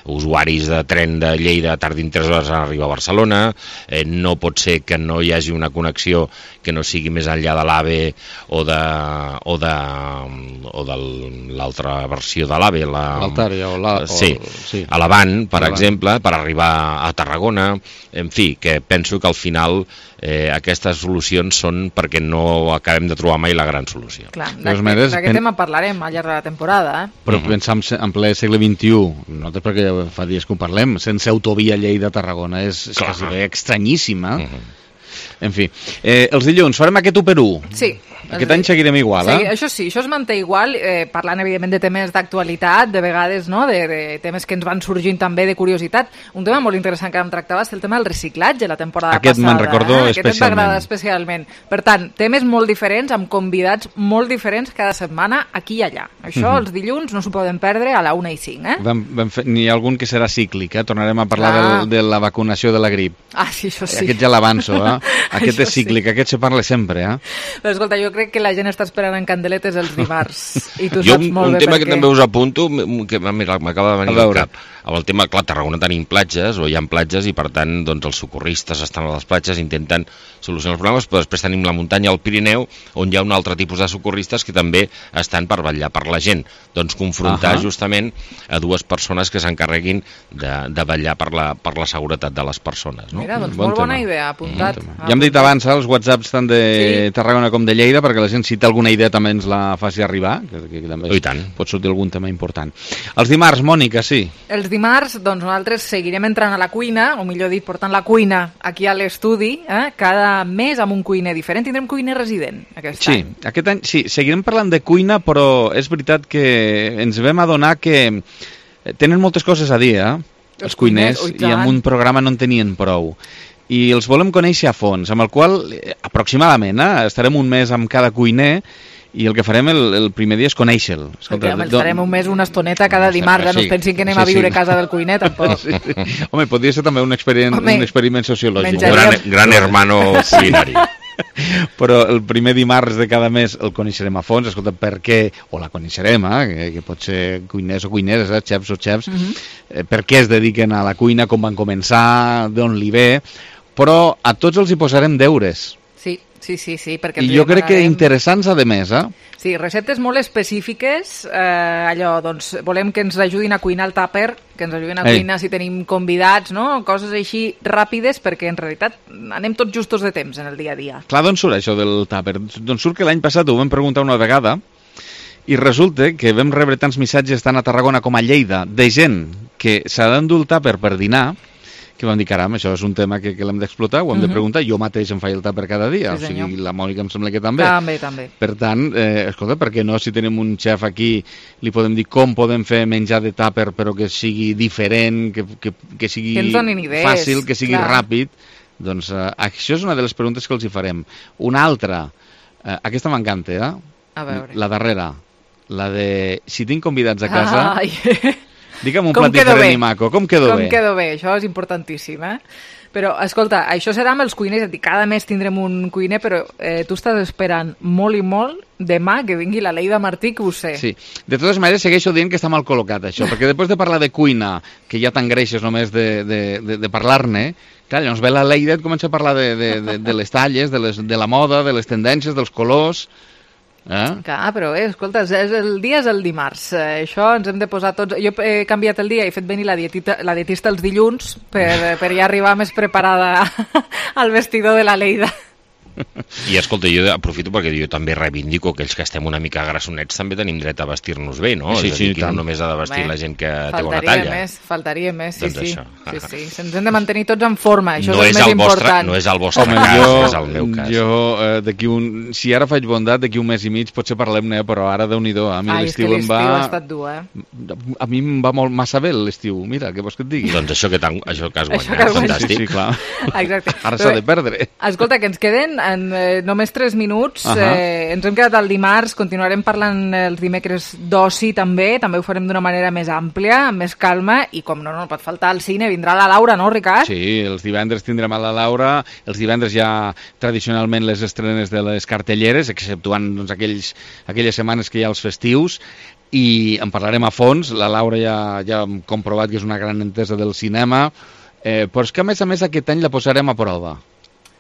usuaris de tren de Lleida tardin tres hores a arribar a Barcelona, eh, no pot ser que no hi hagi una connexió que no sigui més enllà de l'AVE o de, o de, o de l'altra versió de l'AVE, l'Altària o la, sí, o, sí. a l'Avant, per Avant. exemple, per arribar a Tarragona, en fi, que penso que al final eh, aquestes solucions són perquè no acabem de trobar mai la gran solució. Clar, d'aquest pen... tema parlarem al llarg de la temporada. Eh? Però pensant en, en ple segle vint-i-u, nosaltres perquè fa dies que ho parlem, sense autovia Lleida-Tarragona, és, és quasi bé estranyíssima. Uh-huh. En fi, eh, els dilluns farem aquest u per u. Sí. Aquest any seguirem igual, sí, eh? Això sí, això es manté igual, eh, parlant evidentment de temes d'actualitat, de vegades, no?, de, de temes que ens van sorgint també de curiositat. Un tema molt interessant que em tractava és el tema del reciclatge la temporada Aquest passada. Aquest me'n recordo eh? especialment. Aquest m'agrada especialment. Per tant, temes molt diferents, amb convidats molt diferents cada setmana, aquí i allà. Això, mm-hmm. els dilluns, no s'ho poden perdre a la una i cinc, eh? Vam, vam fer, n'hi ha algun que serà cíclic, eh? Tornarem a parlar del, de la vacunació de la grip. Ah, sí, això sí. Aquest ja l'avanço, eh? Aquest és cíclic, sí. Aquest se parla sempre, eh? Però escolta, jo crec que la gent està esperant en candeletes els dimarts. I tu jo saps un, molt un bé tema per que què. també us apunto, que m'acaba de venir al cap. Amb el tema, clar, a Tarragona tenim platges, o hi ha platges, i per tant doncs, els socorristes estan a les platges, intenten solucionar els problemes, però després tenim la muntanya al Pirineu, on hi ha un altre tipus de socorristes que també estan per vetllar per la gent. Doncs confrontar uh -huh. justament a dues persones que s'encarreguin de, de vetllar per la, per la seguretat de les persones. No? Mira, doncs bon molt tema. bona idea, apuntat. Mm. Ja hem dit abans els whatsapps tant de sí. Tarragona com de Lleida, perquè la gent, si té alguna idea, també ens la faci arribar, que, que també I tant. Pot sortir algun tema important. Els dimarts, Mònica, sí. Els dimarts, doncs nosaltres seguirem entrant a la cuina, o millor dit, portant la cuina aquí a l'estudi, eh? Cada mes amb un cuiner diferent. Tindrem cuiner resident aquest sí, any. Sí, aquest any sí, seguirem parlant de cuina, però és veritat que ens vam adonar que tenen moltes coses a dir, eh? Els, els cuiners, cuiners i amb un programa no en tenien prou. I els volem conèixer a fons, amb el qual, eh, aproximadament, eh, estarem un mes amb cada cuiner, i el que farem el, el primer dia és conèixer-lo. Escolta, home, farem un mes una estoneta cada dimarts, sí, no es pensin que anem sí, a viure sí. a casa del cuiner, tampoc. Sí, sí. Home, podria ser també un experiment, Home, un experiment sociològic. Un gran, gran hermano culinari. Però el primer dimarts de cada mes el coneixerem a fons, escolta, per què, o la coneixerem, eh, que, que pot ser cuiners o cuineres, eh, xefs o xefs, uh-huh. eh, per què es dediquen a la cuina, com van començar, d'on li ve, però a tots els hi posarem deures. Sí, sí, sí, sí. Perquè I jo crec que interessants, a més, eh? Sí, receptes molt específiques, eh, allò, doncs, volem que ens ajudin a cuinar el tàper, que ens ajudin a Ei. cuinar si tenim convidats, no? Coses així ràpides, perquè en realitat anem tots justos de temps en el dia a dia. Clar, d'on surt això del tàper? Doncs surt que l'any passat ho vam preguntar una vegada, i resulta que vam rebre tants missatges tant a Tarragona com a Lleida de gent que s'ha d'endur el tàper per dinar, que vam dir, caram, això és un tema que, que l'hem d'explotar, ho hem uh-huh. de preguntar, jo mateix em faig el tàper cada dia, sí, o sigui, la Mònica em sembla que també. També, també. Per tant, eh, escolta, per què no, si tenim un xef aquí, li podem dir com podem fer menjar de tàper, però que sigui diferent, que, que, que sigui que fàcil, que sigui clar. ràpid, doncs eh, això és una de les preguntes que els hi farem. Una altra, eh, aquesta m'encanta, eh? A veure. La darrera, la de si tinc convidats a casa... Ai. Digue'm un plat diferent i maco, com quedo com bé? Com quedo bé, això és importantíssim, eh? Però, escolta, això serà amb els cuiners, cada mes tindrem un cuiner, però eh, tu estàs esperant molt i molt demà que vingui la Leida Martí, que ho sé. Sí, de totes maneres segueixo dient que està mal col·locat això, perquè després de parlar de cuina, que ja t'engreixes només de, de, de, de parlar-ne, clar, llavors ve la Leida i et comença a parlar de, de, de, de les talles, de, les, de la moda, de les tendències, dels colors... Eh? Clar, però eh, escolta, és el dia és el dimarts, eh, això ens hem de posar tots... Jo he canviat el dia, he fet venir la, dietita, la dietista els dilluns per, per ja arribar més preparada al vestidor de la Leida. I escolta, jo aprofito perquè jo també reivindico que aquells que estem una mica grassonets també tenim dret a vestir-nos bé, no? Sí, és a dir, sí, que tant. no només ha de vestir Bé, la gent que té bona talla. Més, faltaria més, sí, doncs sí. Això. sí, sí. Se'ns hem de mantenir tots en forma, això no és el és més el important. Vostre, no és el vostre Home, cas, jo, és el meu cas. Jo, eh, d'aquí un... Si ara faig bondat, d'aquí un mes i mig potser parlem-ne, però ara Déu-n'hi-do. A mi Ai, l'estiu em va... ha estat dur, eh? A mi em va molt massa bé l'estiu. Mira, què vols que et digui? Doncs això que, això que has guanyat, que has fantàstic. Sí, sí, clar. Exacte. Ara s'ha de perdre. Escolta, que ens queden en, eh, només tres minuts. Uh -huh. eh, ens hem quedat al dimarts, continuarem parlant els dimecres d'oci també, també ho farem d'una manera més àmplia, amb més calma, i com no, no pot faltar el cine, vindrà la Laura, no, Ricard? Sí, els divendres tindrem a la Laura, els divendres ja tradicionalment les estrenes de les cartelleres, exceptuant doncs, aquells, aquelles setmanes que hi ha els festius, i en parlarem a fons. La Laura ja, ja hem comprovat que és una gran entesa del cinema, eh, però és que a més a més aquest any la posarem a prova.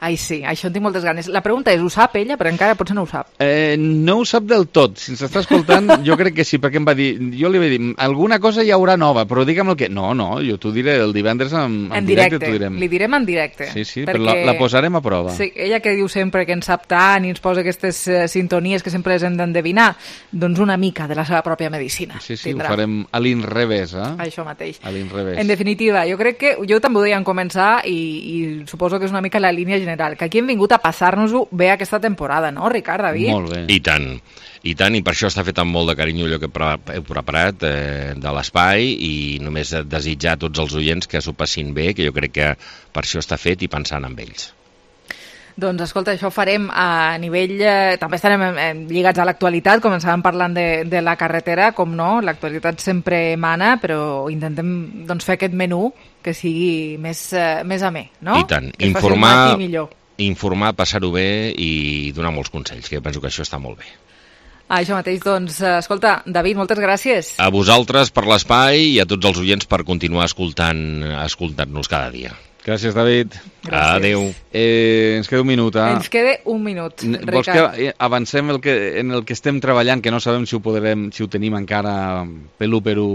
Ai, sí, això en tinc moltes ganes. La pregunta és, ho sap ella? Però encara potser no ho sap. Eh, no ho sap del tot. Si ens està escoltant, jo crec que sí, perquè em va dir... Jo li vaig dir, alguna cosa hi haurà nova, però digue'm el que... No, no, jo t'ho diré el divendres en, en, en directe. directe. Direm. Li direm en directe. Sí, sí, perquè... però la, la posarem a prova. Sí, ella que diu sempre que en sap tant i ens posa aquestes uh, sintonies que sempre les hem d'endevinar, doncs una mica de la seva pròpia medicina. Sí, sí, tindrà. Ho farem a l'inrevés, eh? Això mateix. A l'inrevés. En definitiva, jo crec que jo també ho deia en començar i, i suposo que és una mica la línia general, que aquí hem vingut a passar-nos-ho bé aquesta temporada, no, Ricard, David? Molt bé. I tant, i tant, i per això està fet amb molt de carinyo allò que heu preparat eh, de l'espai, i només desitjar a tots els oients que s'ho passin bé, que jo crec que per això està fet i pensant en ells. Doncs escolta, això ho farem a nivell... Eh, també estarem eh, lligats a l'actualitat, començàvem parlant de, de la carretera, com no, l'actualitat sempre mana, però intentem doncs, fer aquest menú que sigui més, eh, més amè, no? I tant, que informar, millor. informar, passar-ho bé i donar molts consells, que jo penso que això està molt bé. Ah, això mateix, doncs, escolta, David, moltes gràcies. A vosaltres per l'espai i a tots els oients per continuar escoltant, escoltant-nos cada dia. Gràcies, David. Gràcies. Adéu. Eh, ens queda un minut, eh? Ens queda un minut, Ricard. Vols que avancem el que, en el que estem treballant, que no sabem si ho podrem, si ho tenim encara pelu peru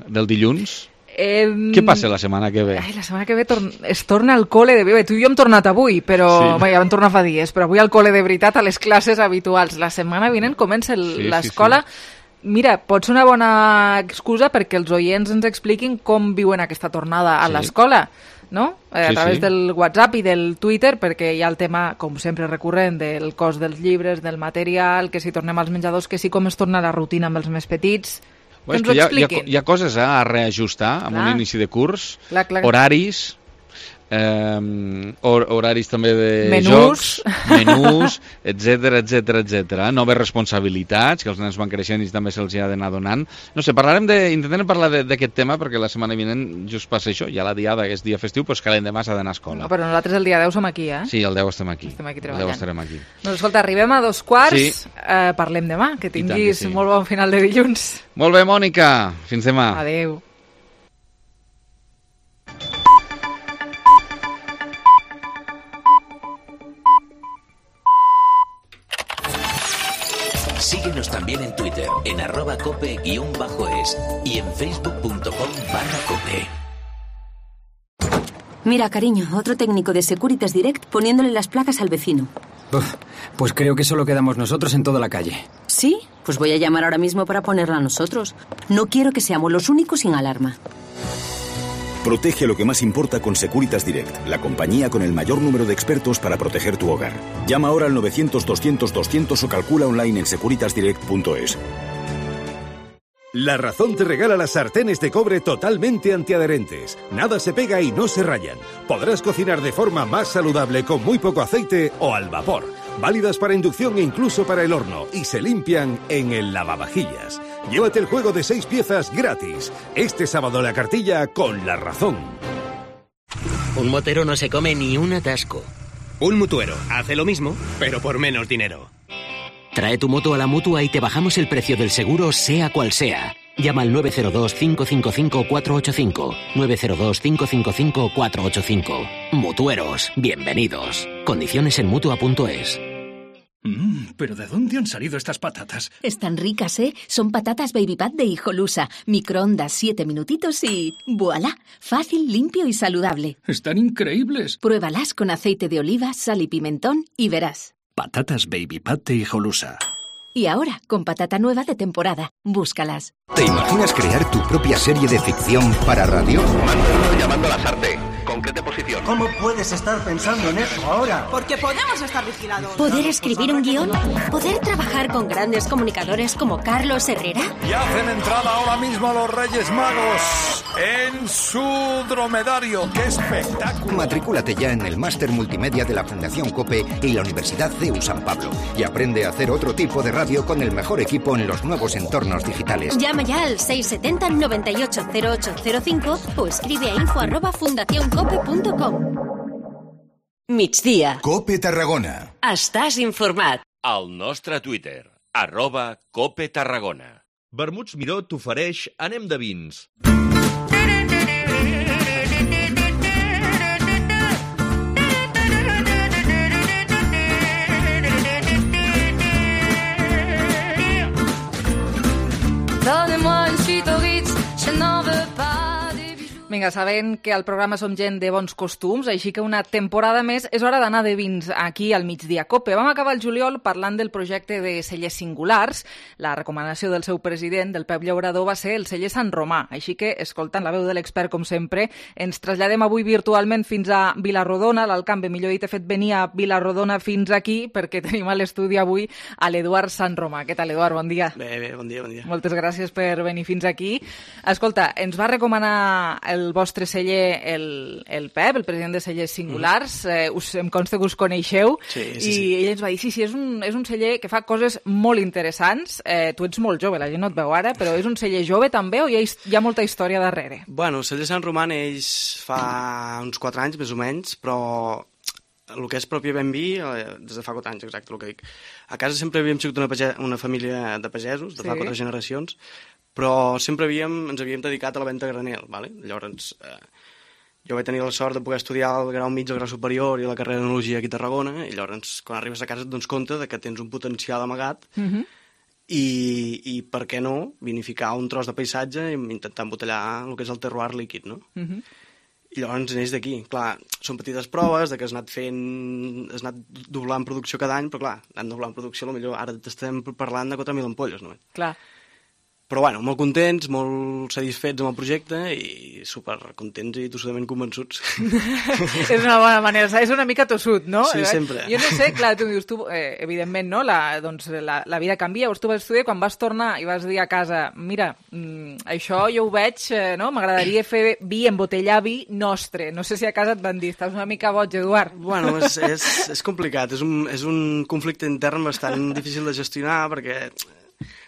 del dilluns? Eh, Què passa la setmana que ve? Ai, la setmana que ve tor es torna al col·le de... Bé, tu i jo hem tornat avui, però... Sí. Bé, ja vam tornar fa dies, però avui al col·le de veritat, a les classes habituals. La setmana vinent comença sí, l'escola... Sí, sí. Mira, pot ser una bona excusa perquè els oients ens expliquin com viuen aquesta tornada a sí. l'escola, no? Eh, a sí, través sí. del WhatsApp i del Twitter, perquè hi ha el tema, com sempre recurrent, del cost dels llibres, del material, que si tornem als menjadors, que sí com es torna la rutina amb els més petits. Bé, és que hi ha, hi, ha, hi ha coses eh, a reajustar amb clar. Un inici de curs, clar, clar. horaris... Eh, hor horaris també de menús. jocs, menús, etcètera, etcètera, etcètera. Noves responsabilitats, que els nens van creixent i també se'ls ha d'anar donant. No sé, parlarem de, intentarem parlar d'aquest tema perquè la setmana vinent just passa això, ja la diada, que és dia festiu, doncs que l'endemà s'ha d'anar a escola. No, però nosaltres el dia deu som aquí, eh? Sí, el deu estem aquí. Estem aquí El treballant. deu estarem aquí. Doncs escolta, arribem a dos quarts, sí. eh, parlem demà, que tinguis que sí. molt bon final de dilluns. Molt bé, Mònica, fins demà. Adéu. Síguenos también en Twitter, en arroba cope-es y en facebook.com barra cope. Mira, cariño, otro técnico de Securitas Direct poniéndole las placas al vecino. Uf, pues creo que solo quedamos nosotros en toda la calle. ¿Sí? Pues voy a llamar ahora mismo para ponerla a nosotros. No quiero que seamos los únicos sin alarma. Protege lo que más importa con Securitas Direct, la compañía con el mayor número de expertos para proteger tu hogar. Llama ahora al novecientos doscientos doscientos o calcula online en securitas direct punto es. La Razón te regala las sartenes de cobre totalmente antiadherentes. Nada se pega y no se rayan. Podrás cocinar de forma más saludable con muy poco aceite o al vapor. Válidas para inducción e incluso para el horno. Y se limpian en el lavavajillas. Llévate el juego de seis piezas gratis. Este sábado la cartilla con La Razón. Un motero no se come ni un atasco. Un mutuero hace lo mismo, pero por menos dinero. Trae tu moto a la Mutua y te bajamos el precio del seguro sea cual sea. Llama al nueve cero dos, cinco cinco cinco, cuatro ocho cinco. nueve cero dos, cinco cinco cinco, cuatro ocho cinco. Mutueros, bienvenidos. Condiciones en mutua punto es. Mmm, ¿pero de dónde han salido estas patatas? Están ricas, ¿eh? Son patatas Baby Pat de Hijolusa. Microondas siete minutitos y... ¡voilá! Fácil, limpio y saludable. Están increíbles. Pruébalas con aceite de oliva, sal y pimentón y verás. Patatas Baby Pat de Hijolusa. Y ahora, con patata nueva de temporada. Búscalas. ¿Te imaginas crear tu propia serie de ficción para radio? Mándalo llamando a la Sarte. Concrete posición. ¿Cómo puedes estar pensando en eso ahora? Porque podemos estar vigilados. ¿Poder escribir un guión? ¿Poder trabajar con grandes comunicadores como Carlos Herrera? Y hacen entrada ahora mismo los Reyes Magos en su dromedario. ¡Qué espectáculo! Matricúlate ya en el Máster Multimedia de la Fundación COPE y la Universidad C E U San Pablo. Y aprende a hacer otro tipo de radio con el mejor equipo en los nuevos entornos digitales. Llama ya al seis setenta, noventa y ocho, cero ocho cero cinco o escribe a info arroba fundación cope punto com. Migdia. Cope Tarragona. Estàs informat. Al nostre Twitter, arroba Cope Tarragona. Vermuts Miró t'ofereix Anem de vins. Vinga, sabent que al programa som gent de bons costums, així que una temporada més és hora d'anar de vins aquí al Migdia Cope. Vam acabar el juliol parlant del projecte de cellers singulars. La recomanació del seu president, del Pep Llaurador, va ser el celler Sant Romà. Així que, escoltant la veu de l'expert, com sempre, ens traslladem avui virtualment fins a Vilarrodona. L'Alcambe, millor dit, ha fet venir a Vilarrodona fins aquí perquè tenim a l'estudi avui a l'Eduard Sant Romà. Què tal, Eduard? Bon dia. Bé, bé, bon dia, bon dia. Moltes gràcies per venir fins aquí. Escolta, ens va recomanar el vostre celler, el, el Pep, el president de Cellers Singulars, mm. eh, us, em consta que us coneixeu, sí, sí, i sí. ell ens va dir, sí, sí, és un, és un celler que fa coses molt interessants. Eh, tu ets molt jove, la gent no et veu ara, però és un celler jove també o hi ha, hi ha molta història darrere? Bueno, el celler Sant Romà neix fa uns quatre anys, més o menys, però el que és pròpiament vi, des de fa quatre anys, exacte, el que dic. A casa sempre havíem sigut una, page... una família de pagesos, de fa sí. quatre generacions, però sempre havíem, ens havíem dedicat a la venda a granel, ¿vale? Llavors, eh, jo vaig tenir la sort de poder estudiar el grau mig, el grau superior i la carrera d'enologia aquí a Tarragona, i llavors, quan arribes a casa et dones compte de que tens un potencial amagat, mm-hmm. i, i per què no vinificar un tros de paisatge i intentar embotellar el que és el terroir líquid, no? Mm-hmm. I llavors neix d'aquí. Clar, són petites proves de que has anat fent, has anat doblant producció cada any, però clar, anant doblant producció, potser ara t'estem parlant de quatre mil ampolles, no? Clar. Però bueno, molt contents, molt satisfets amb el projecte i supercontents i tossudament convençuts. És una bona manera, és una mica tossut, no? Sí, sempre. Jo no sé, clar, tu dius, tu, eh, evidentment, no? La, doncs, la, la vida canvia, llavors tu vas estudiar, quan vas tornar i vas dir a casa, mira, mm, això jo ho veig, eh, no? M'agradaria fer vi, embotellar vi nostre. No sé si a casa et van dir, estàs una mica boig, Eduard. Bueno, és, és, és complicat, és un, és un conflicte intern bastant difícil de gestionar, perquè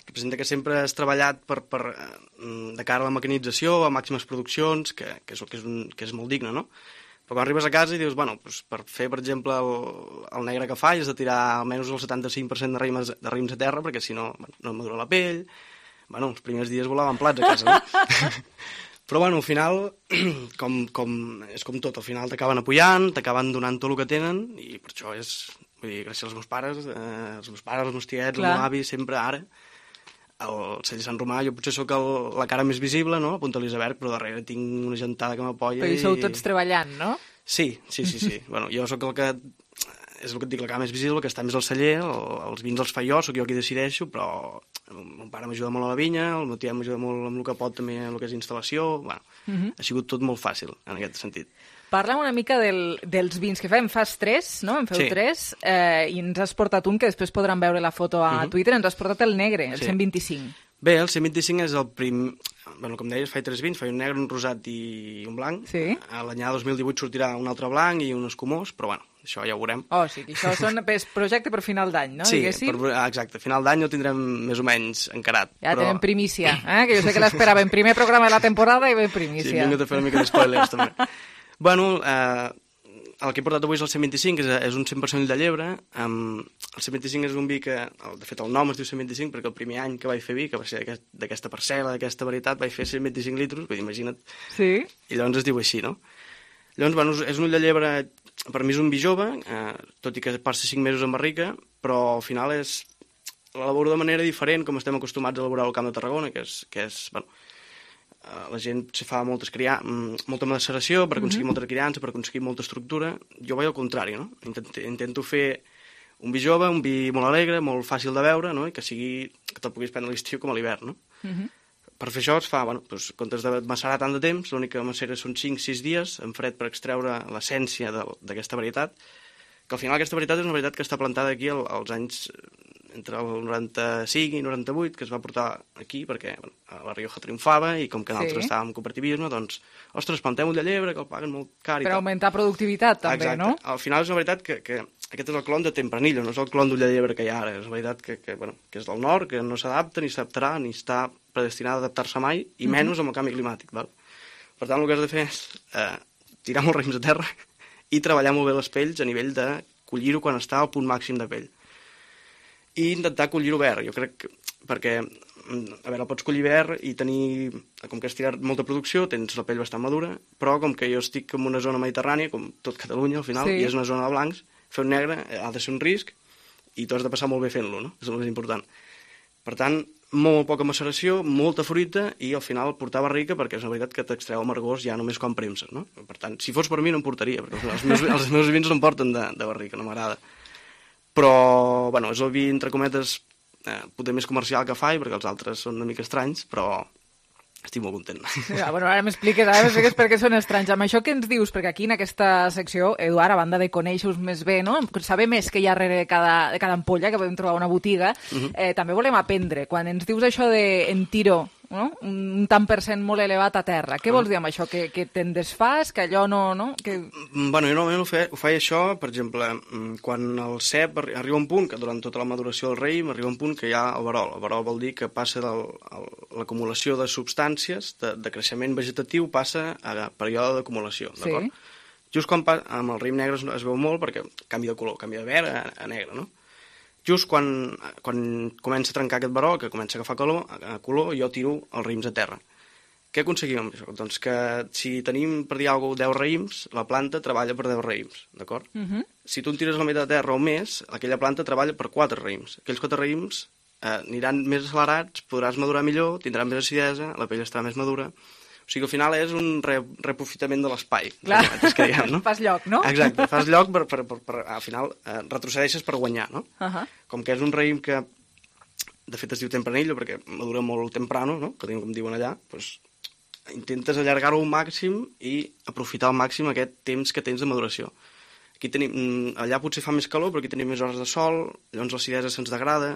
representa que sempre has treballat per, per, de cara a la mecanització, a màximes produccions, que, que, és, que, és un, que és molt digne, no? Però quan arribes a casa i dius, bueno, doncs per fer, per exemple, el, el negre que faig, has de tirar almenys el setanta-cinc per cent de raïms, de raïms a terra, perquè si no, bueno, no madura la pell. Bueno, els primers dies volaven plats a casa, no? Però, bueno, al final, com, com, és com tot, al final t'acaben apujant, t'acaben donant tot el que tenen, i per això és, vull dir, gràcies als meus pares, eh, els meus pares, els meus tiets, el meu avi, sempre ara, el celler Sant Romà, jo potser sóc el, la cara més visible, no? A Punta Elisabert, però darrere tinc una gentada que m'apoya. Però hi sou tots treballant, no? Sí, sí, sí, sí. Bueno, jo sóc el que, és el que et dic, la cara més visible, que està més al celler, el, els vins els fa jo, sóc jo qui decideixo, però el meu pare m'ajuda molt a la vinya, el meu tiet m'ajuda molt amb el que pot també en el que és instal·lació, bueno, uh-huh. ha sigut tot molt fàcil en aquest sentit. Parla una mica del, dels vins que fem. Fas tres, no? En feu sí. tres, eh, i ens has portat un, que després podran veure la foto a uh-huh. Twitter, ens has portat el negre, el sí. cent vint-i-cinc. Bé, el cent vint-i-cinc és el prim... Bueno, com deies, faig tres vins, faig un negre, un rosat i un blanc. Sí. A l'any dos mil divuit sortirà un altre blanc i un escumós, però bueno, això ja ho veurem. Oh, sí, això són, és projecte per final d'any, no? Sí, diguéssim? per, exacte, final d'any ho tindrem més o menys encarat. Ja però... tenem primícia, eh? Que jo sé que l'esperàvem. Primer programa de la temporada i ben primícia. Sí, vinc a fer una mica d'espoilers, també. Bueno, eh, el que he portat avui és el cent vint-i-cinc, és, és un cent per cent de llebre. Um, el cent vint-i-cinc és un vi que, de fet, el nom es diu cent vint-i-cinc perquè el primer any que vaig fer vi, que va ser d'aquesta parcel·la, d'aquesta varietat, vaig fer cent vint-i-cinc litres, vull dir, imagina't. Sí. I llavors es diu així, no? Llavors, bueno, és un ull de llebre, per mi és un vi jove, eh, tot i que passa cinc mesos en barrica, però al final és l'elaboro de manera diferent, com estem acostumats a elaborar al Camp de Tarragona, que és, que és bueno, la gent se fa moltes cria... molta maceració per aconseguir mm-hmm. molta criança, per aconseguir molta estructura. Jo vaig al contrari, no? Intento, intento fer un vi jove, un vi molt alegre, molt fàcil de beure, no? I que sigui que te'l puguis prendre a l'estiu com a l'hivern, no? Mm-hmm. Per fer això es fa, bueno, doncs, en comptes de macerar tant de temps, l'única macera són cinc sis dies en fred per extreure l'essència d'aquesta varietat, que al final aquesta varietat és una varietat que està plantada aquí als anys entre el noranta-cinc i noranta-vuit, que es va portar aquí perquè bueno, la Rioja triomfava i com que nosaltres sí. estàvem en cooperativisme, doncs, ostres, plantem ull de llebre, que el paguen molt car i per tal. augmentar productivitat, també, exacte. No? Al final és una veritat que, que aquest és el clon de Tempranillo, no és el clon d'ull de llebre que hi ha ara, és una veritat que, que, bueno, que és del nord, que no s'adapta ni s'adaptarà, ni està predestinada a adaptar-se mai, i mm-hmm. menys amb el canvi climàtic. Val? Per tant, el que has de fer és eh, tirar molts raïms a terra i treballar molt bé les pells a nivell de collir-ho quan està al punt màxim de pell. I intentar collir-ho verd, jo crec que, perquè, a veure, el pots collir verd i tenir, com que has tirat molta producció, tens la pell bastant madura, però com que jo estic en una zona mediterrània, com tot Catalunya al final, sí. i és una zona de blancs, fer un negre ha de ser un risc i tu has de passar molt bé fent-lo, no? És el més important. Per tant, molt poca maceració, molta fruita, i al final portava rica perquè és una veritat que t'extreu amargors ja només quan premses, no? Per tant, si fos per mi no em portaria, perquè els meus, els meus vins no em porten de, de barrica, no m'agrada. Però, bueno, és el vi, entre cometes, eh, potser més comercial que faig, perquè els altres són una mica estranys, però estic molt content. Ja, bueno, ara m'expliques, ara m'expliques per què són estranys. Amb això que ens dius, perquè aquí en aquesta secció, Eduard, a banda de conèixer-vos més bé, no? Saber més que hi ha darrere de cada, de cada ampolla, que podem trobar a una botiga, uh-huh. eh, també volem aprendre. Quan ens dius això de en tiro, no? Un tant per cent molt elevat a terra, què vols dir amb això? Que, que te'n desfas, que allò no... no? Que... Bueno, jo normalment ho feia, ho feia això, per exemple, quan el cep arriba a un punt, que durant tota la maduració del raïm arriba a un punt que hi ha el verol. El verol vol dir que passa l'acumulació de substàncies, de, de creixement vegetatiu, passa a període d'acumulació, d'acord? Sí. Just quan pa, amb el raïm negre es, es veu molt perquè canvia de color, canvia de verd a, a negre, no? Just quan, quan comença a trencar aquest verol, que comença a agafar color, a color, jo tiro els raïms a terra. Què aconseguim amb això? Doncs que si tenim, per dir alguna cosa, deu raïms, la planta treballa per deu raïms, d'acord? Uh-huh. Si tu en tires la meitat de terra o més, aquella planta treballa per quatre raïms. Aquells quatre raïms eh, aniran més accelerats, podràs madurar millor, tindran més acidesa, la pell estarà més madura. O sigui, al final és un re reprofitament de l'espai. Clar, que diguem, no? Fas lloc, no? Exacte, fas lloc per, per, per, per al final, eh, retrocedeixes per guanyar, no? Uh-huh. Com que és un raïm que, de fet es diu tempranillo, perquè madura molt temprano, no? Que com diuen allà, doncs intentes allargar-ho al màxim i aprofitar al màxim aquest temps que tens de maduració. Aquí tenim, allà potser fa més calor, però aquí tenim més hores de sol, llavors l'acidesa se'ns degrada,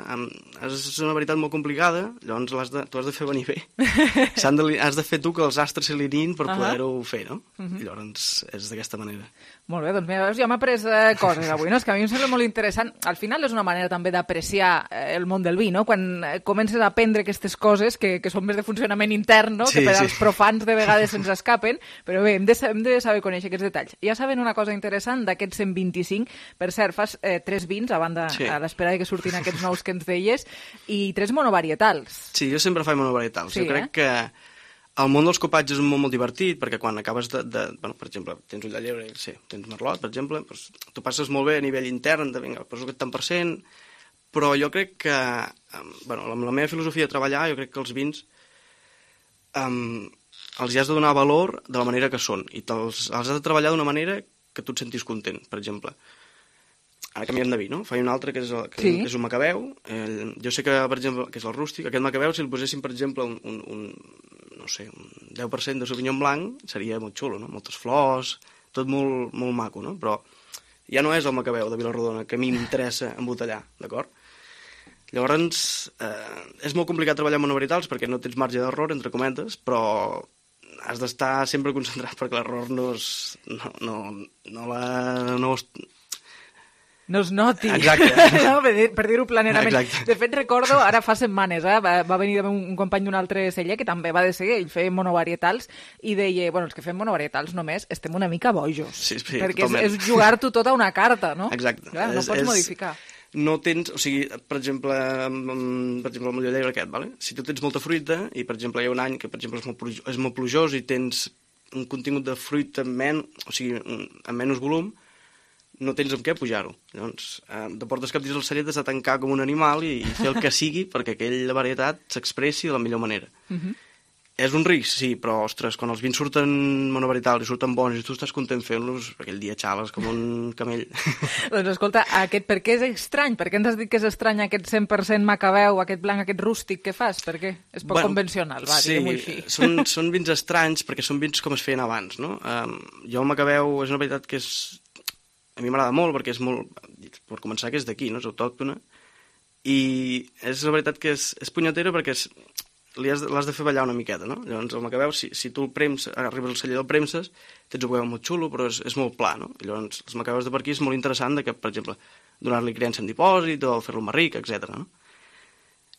és una veritat molt complicada, llavors has de, tu has de fer venir bé. De, has de fer tu que els astres s'alineïn per uh -huh. poder-ho fer, no? Uh -huh. I llavors és d'aquesta manera. Molt bé, doncs mira, ja m'ha après eh, coses avui, no? És que a mi em sembla molt interessant. Al final és una manera també d'apreciar eh, el món del vi, no? Quan eh, comences a aprendre aquestes coses que, que són més de funcionament intern, no? Sí, que per sí. als profans de vegades se'ns escapen, però bé, hem de, hem de saber conèixer aquests detalls. Ja saben una cosa interessant d'aquests cent vint-i-cinc, per cert, fas eh, tres vins a banda, sí. a l'espera que surtin aquests nous que ens deies, i tres monovarietals. Sí, jo sempre faig monovarietals. Sí, jo crec eh? que el món dels copatges és molt, molt divertit, perquè quan acabes de... de bueno, per exemple, tens ull de llebre, sí, tens merlot, per exemple, doncs, tu passes molt bé a nivell intern, de, vinga, poso aquest tant per cent, però jo crec que, bueno, amb la meva filosofia de treballar, jo crec que els vins um, els hi has de donar valor de la manera que són, i els, els has de treballar d'una manera que tu et sentis content, per exemple. Ara canviem de vi, no? Faig un altre que és, el, que, sí. que és un macabeu. Eh, jo sé que, per exemple, que és el rústic. Aquest macabeu, si el poséssim, per exemple, un, un, un, no sé, un deu per cent de sauvignon blanc, seria molt xulo, no? Moltes flors, tot molt, molt maco, no? Però ja no és el macabeu de Vilarrodona que a mi m'interessa embotellar, d'acord? Llavors, eh, és molt complicat treballar amb monovarietals perquè no tens marge d'error, entre cometes, però has d'estar sempre concentrat perquè l'error no es... no, no, no la... no es... no es noti. Exacte. No, per dir, per dir-ho planerament. Exacte. De fet, recordo, ara fa setmanes, eh, va, va venir un, un company d'un altre celler que també va decidir, ell feia monovarietals, i deia, bueno, els que fem monovarietals només estem una mica bojos. Sí, sí, perquè totalment. és, és jugar-t'ho tot a una carta, no? Exacte. Clar, no és, pots és... modificar. No tens, o sigui, per exemple, per exemple el moll de llebre aquest, vale? Si tu tens molta fruita, i per exemple hi ha un any que per exemple és molt plujós, és molt plujós i tens un contingut de fruita men, o sigui, amb menys volum, no tens amb què pujar-ho. Llavors, eh, te portes cap dins el celler, has de tancar com un animal i, i fer el que sigui perquè aquella varietat s'expressi de la millor manera. Uh-huh. És un risc, sí, però, ostres, quan els vins surten monovarietals i surten bons i tu estàs content fent-los, aquell dia xales com un camell. Doncs escolta, aquest, per què és estrany? Per què ens has dit que és estrany aquest cent per cent macabeu, aquest blanc, aquest rústic que fas? Per què? És poc bueno, convencional, va, sí, diguem-ho així. Són, són vins estranys perquè són vins com es feien abans, no? Um, jo el macabeu és una varietat que és... a mi m'agrada molt perquè és molt... per començar que és d'aquí, no? És autòctona. I és una varietat que és, és punyetera perquè és... l'has de fer ballar una miqueta, no? Llavors el macabeu, si, si tu el prems, arribes al celler del premses, tens un macabeu molt xulo, però és, és molt pla, no? I llavors els macabeus de per aquí és molt interessant de que, per exemple, donar-li criança en dipòsit o fer-lo més ric, etcètera. No?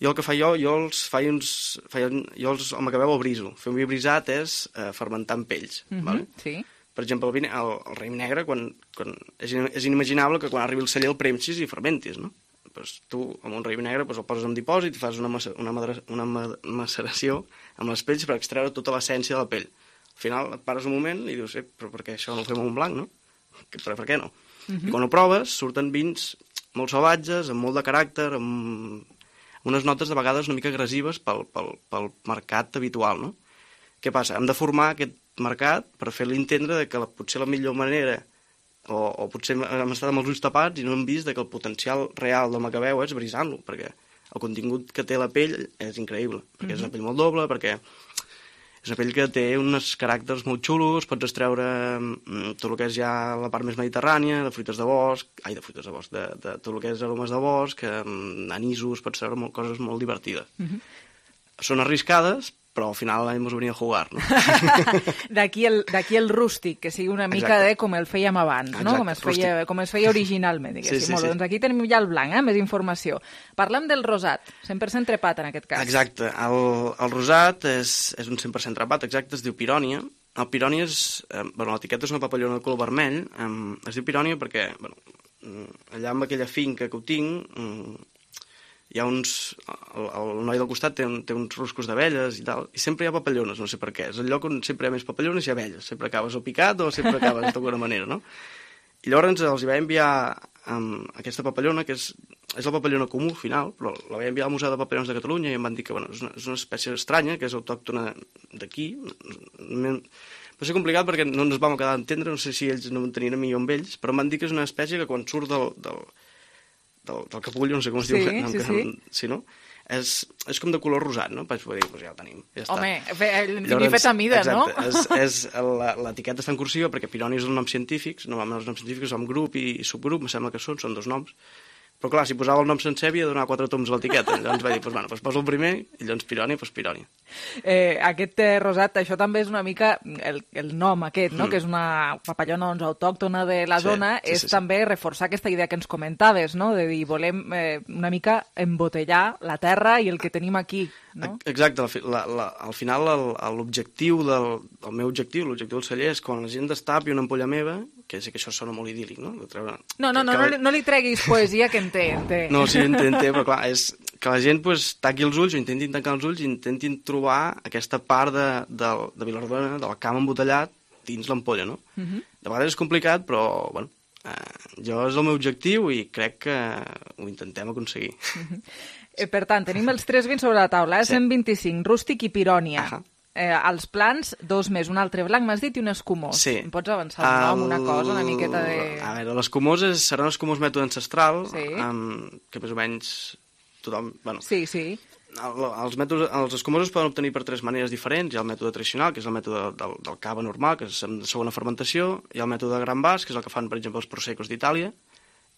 Jo el que faig jo, jo els faig uns... Faig, jo els, el macabeu el briso. Fer un vi brisat és eh, fermentar amb pells, mm-hmm, vale? Sí. Per exemple, el, vi, el, el raïm negre, quan, quan, és, és inimaginable que quan arribi al celler el premsis i fermentis, no? Pues tu, amb un raïm negre, pues el poses en dipòsit i fas una, una, una maceració amb les pells per extreure tota l'essència de la pell. Al final et pares un moment i dius, eh, però per què això no ho fem amb un blanc, no? Per, per què no? Uh-huh. I quan ho proves, surten vins molt salvatges, amb molt de caràcter, amb, unes notes de vegades una mica agressives pel, pel, pel mercat habitual, no? Què passa? Hem de formar aquest mercat per fer-li entendre de que la, potser la millor manera, o, o potser hem estat amb els ulls tapats i no hem vist de que el potencial real del macabeu és brisant-lo, perquè el contingut que té la pell és increïble, perquè mm-hmm. és una pell molt doble, perquè és una pell que té uns caràcters molt xulos, pots extreure mm, tot el que és ja la part més mediterrània, de fruites de bosc, ai, de fruites de bosc, de, de tot el que és aromes de bosc, mm, anisos, pots treure molt, coses molt divertides. Mm-hmm. Són arriscades, però al final hemos venido a jugar, no? D'aquí el, d'aquí el rústic, que sigui una mica Exacte. de com el fèiem abans, Exacte. no? Com es, feia, com es feia originalment, diguéssim. Sí, sí, sí. Doncs aquí tenim ja el blanc, eh? Més informació. Parlem del rosat, cent per cent trepat en aquest cas. Exacte. El, el rosat és, és un cent per cent trepat, exacte, es diu pirònia. El pirònia és... Eh, bueno, l'etiqueta és una papallona de color vermell. Eh, es diu pirònia perquè, bueno, allà amb aquella finca que ho tinc... Eh, hi ha uns... El, el noi del costat té, un, té uns ruscos d'abelles i tal, i sempre hi ha papallones, no sé per què. És el lloc on sempre hi ha més papallones i abelles. Sempre acabes o picat o sempre acabes d'alguna manera, no? I llavors els hi va enviar um, aquesta papallona, que és, és la papallona comú, al final, però la va enviar al Museu de Papallones de Catalunya i em van dir que bueno, és, una, és una espècie estranya, que és autòctona d'aquí. Va ser complicat perquè no ens vam quedar a entendre, no sé si ells no en tenien a mi o amb ells, però em van dir que és una espècie que quan surt del... del del, del capullo, no sé com es sí, diu. No, sí, que, sí. sí, no? És, és com de color rosat, no? Vaig poder dir, doncs ja ho tenim. Ja està. Home, l'he fet a mida, exacte, no? És, és, l'etiqueta està en cursiva perquè pirònia és un nom científic, normalment els noms científics són grup i, i subgrup, em sembla que són, són dos noms. Però clar, si posava el nom sencer havia de donar quatre toms a l'etiqueta. Llavors vaig dir, doncs, bueno, doncs poso el primer i llavors pirònia, doncs pirònia. Eh, aquest eh, rosat, això també és una mica el, el nom aquest, no? Mm. Que és una papallona doncs, autòctona de la sí, zona, sí, és sí, sí. també reforçar aquesta idea que ens comentaves, no? De dir, volem eh, una mica embotellar la terra i el que tenim aquí, no? Exacte, la, la, al final l'objectiu del el meu objectiu, l'objectiu del celler és quan la gent destapi una ampolla meva, que sé que això sona molt idíl·lic, no? De treure... No, no, no, no, no li treguis poesia que en té, en té. No, sí, en té, en té, però clar, és que la gent pues, taqui els ulls o intentin tancar els ulls i intentin trobar aquesta part de, de, de Vilardona, del camp embotellat, dins l'ampolla, no? Uh-huh. De vegades és complicat, però, bueno, eh, jo és el meu objectiu i crec que ho intentem aconseguir. Uh-huh. eh, per tant, tenim els tres vins sobre la taula, eh? Sí. cent vint-i-cinc, rústic i pirònia. Uh-huh. Eh, els plans, dos més, un altre blanc, m'has dit, i un escumós. Sí. Em pots avançar el nom, una cosa, una miqueta de... A veure, l'escumós és, serà un escumós mètode ancestral, sí. um, que més o menys tothom... Bueno, sí, sí. El, els, mètodes, els escumosos poden obtenir per tres maneres diferents. Hi ha el mètode tradicional, que és el mètode del, del cava normal, que és de segona fermentació, hi ha el mètode de gran vas, que és el que fan, per exemple, els prosecos d'Itàlia,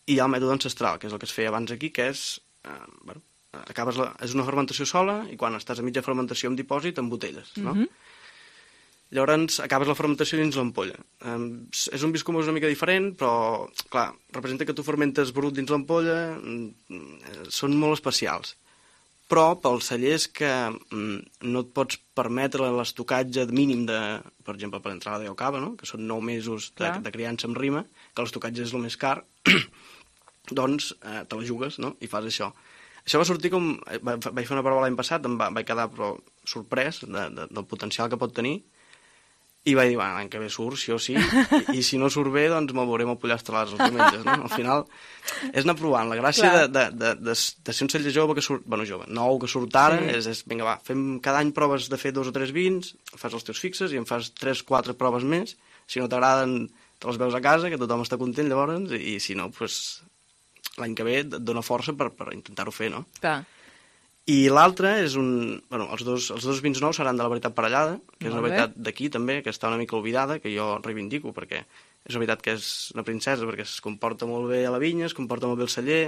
i hi ha el mètode ancestral, que és el que es feia abans aquí, que és... Eh, bueno, acabes la, és una fermentació sola i quan estàs a mitja fermentació en dipòsit embotelles, no? Mm-hmm. Llavors acabes la fermentació dins l'ampolla. Um, és un vi escumós una mica diferent, però, clar, representa que tu fermentes brut dins l'ampolla, mm, són molt especials. Però pels cellers que mm, no et pots permetre l'estocatge mínim de, per exemple, per l'entrada de cava, no? Que són nou mesos de, de criança amb rima, que l'estocatge és el més car, doncs eh, te la jugues, no? I fas això. Això va sortir com... Vaig fer una prova l'any passat, em va, vaig quedar però sorprès de, de, del potencial que pot tenir i vaig dir, bueno, l'any que ve surt, sí o sí, i, i si no surt bé, doncs me'l veurem al pollastre els diumenges, no? Al final és anar provant. La gràcia de, de, de, de, de ser un celler jove que surt... Bueno, jove, nou que surt ara, sí. és, és, vinga, va, fem cada any proves de fer dos o tres vins, fas els teus fixes i en fas tres, quatre proves més. Si no t'agraden, te les veus a casa, que tothom està content llavors, i, i si no, doncs... Pues, l'any que ve et dona força per, per intentar-ho fer, no? Clar. I l'altre és un... Bueno, els dos, els dos vins nous seran de la varietat parellada, que és una varietat d'aquí també, que està una mica oblidada, que jo reivindico, perquè és una veritat que és una princesa, perquè es comporta molt bé a la vinya, es comporta molt bé al celler,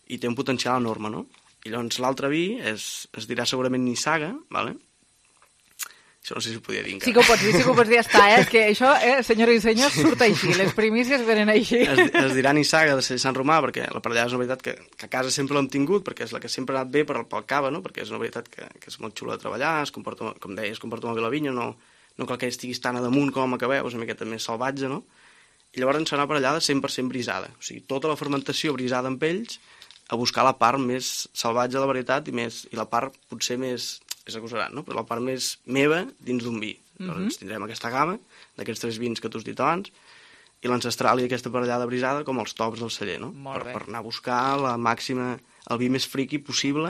i té un potencial enorme, no? I llavors l'altre vi és, es dirà segurament Nissaga, ¿vale? Això no sé si ho podia dir encara. Sí que ho pots dir, sí que ho pots dir, ja està, eh? És que això, eh, senyores i senyors, surt així, les primícies venen així. Es, es dirà Nissaga de Sant Romà, perquè la parellada és una veritat que, que a casa sempre l'hem tingut, perquè és la que sempre ha anat bé per, pel cava, no? Perquè és una veritat que, que és molt xula de treballar, es comporta, com deia, es comporta molt bé la vinya, no, no cal que estiguis tan a damunt com a Macabeu, és una miqueta més salvatge, no? I llavors ens serà parellada cent per cent brisada, o sigui, tota la fermentació brisada amb ells, a buscar la part més salvatge de la varietat i, més, i la part potser més... és acusarat, no? Però la part més meva dins d'un vi. Mm-hmm. Doncs tindrem aquesta gamma d'aquests tres vins que tu has dit abans i l'ancestral i aquesta parellada brisada com els tops del celler, no? Per, per anar a buscar la màxima el vi més friqui possible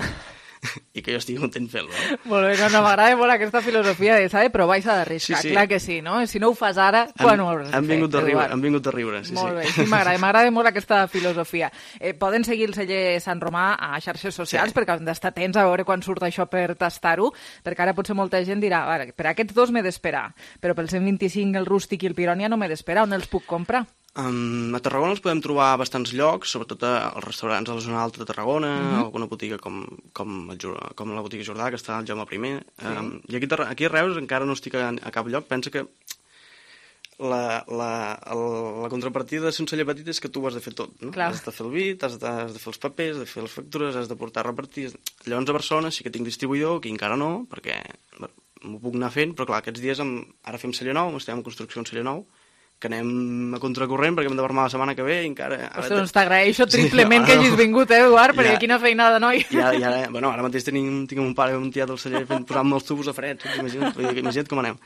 i que jo estigui content fent-lo. Eh? Molt bé, no, no, m'agrada molt aquesta filosofia de s'ha de provar i s'ha d'arriscar, sí, sí. Clar que sí, no? Si no ho fas ara, quan ho hauràs de fer? Vingut riure, han vingut a riure, sí, molt sí. Bé, sí, m'agrada, m'agrada molt aquesta filosofia. Eh, poden seguir el celler Sant Romà a xarxes socials, sí. Perquè han d'estar atents a veure quan surt això per tastar-ho, perquè ara potser molta gent dirà, a veure, per aquests dos m'he d'esperar, però pel cent vint-i-cinc, el Rústic i el Pirònia no m'he d'esperar, on els puc comprar? Um, a Tarragona els podem trobar a bastants llocs, sobretot als restaurants a la zona alta de Tarragona, mm-hmm. alguna botiga com, com, el, com la botiga Jordà, que està al Jaume primer. Sí. Um, I aquí, aquí a Reus encara no estic a, a cap lloc. Pensa que la, la, el, la contrapartida de ser un celler petit és que tu ho has de fer tot. No? Has de fer el vi, has de, has de fer els papers, has de fer les factures, has de portar a repartir. Llavors a Barcelona sí que tinc distribuïdor, aquí encara no, perquè m'ho puc anar fent, però clar, aquests dies em, ara fem celler nou, estem en construcció un celler nou, que anem a contracorrent perquè hem de vermar la setmana que ve i encara... Ostres, doncs t'agraeixo triplement sí, que hagis vingut, eh, Eduard, perquè ja, quina feinada, noi. Ja, ja, bueno, ara mateix tenim, tinc un pare un tiat al celler posant-me els tubos a fred, imagina't, imagina't com anem.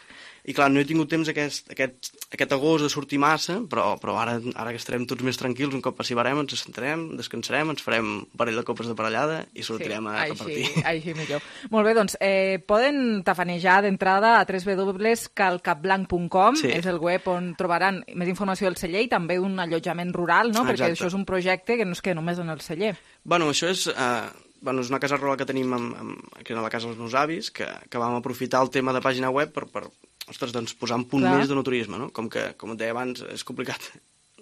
I clar, no he tingut temps aquest, aquest, aquest agost de sortir massa, però, però ara, ara que estarem tots més tranquils, un cop passivarem, ens assentarem, descansarem, ens farem un parell de copes de parellada i sortirem sí, a així, repartir. Així millor. Molt bé, doncs, eh, poden tafanejar d'entrada a w w w punt calcapblanc punt com, sí. És el web on trobaran més informació del celler i també un allotjament rural, no? Perquè això és un projecte que no es queda només en el celler. Bueno, això és... Eh... Bueno, és una casa rural que tenim amb, amb, aquí a la casa dels meus avis, que, que vam aprofitar el tema de pàgina web per, per ostres, doncs, posar un punt Clar. Més de noturisme, no? Com que, com et deia abans, és complicat.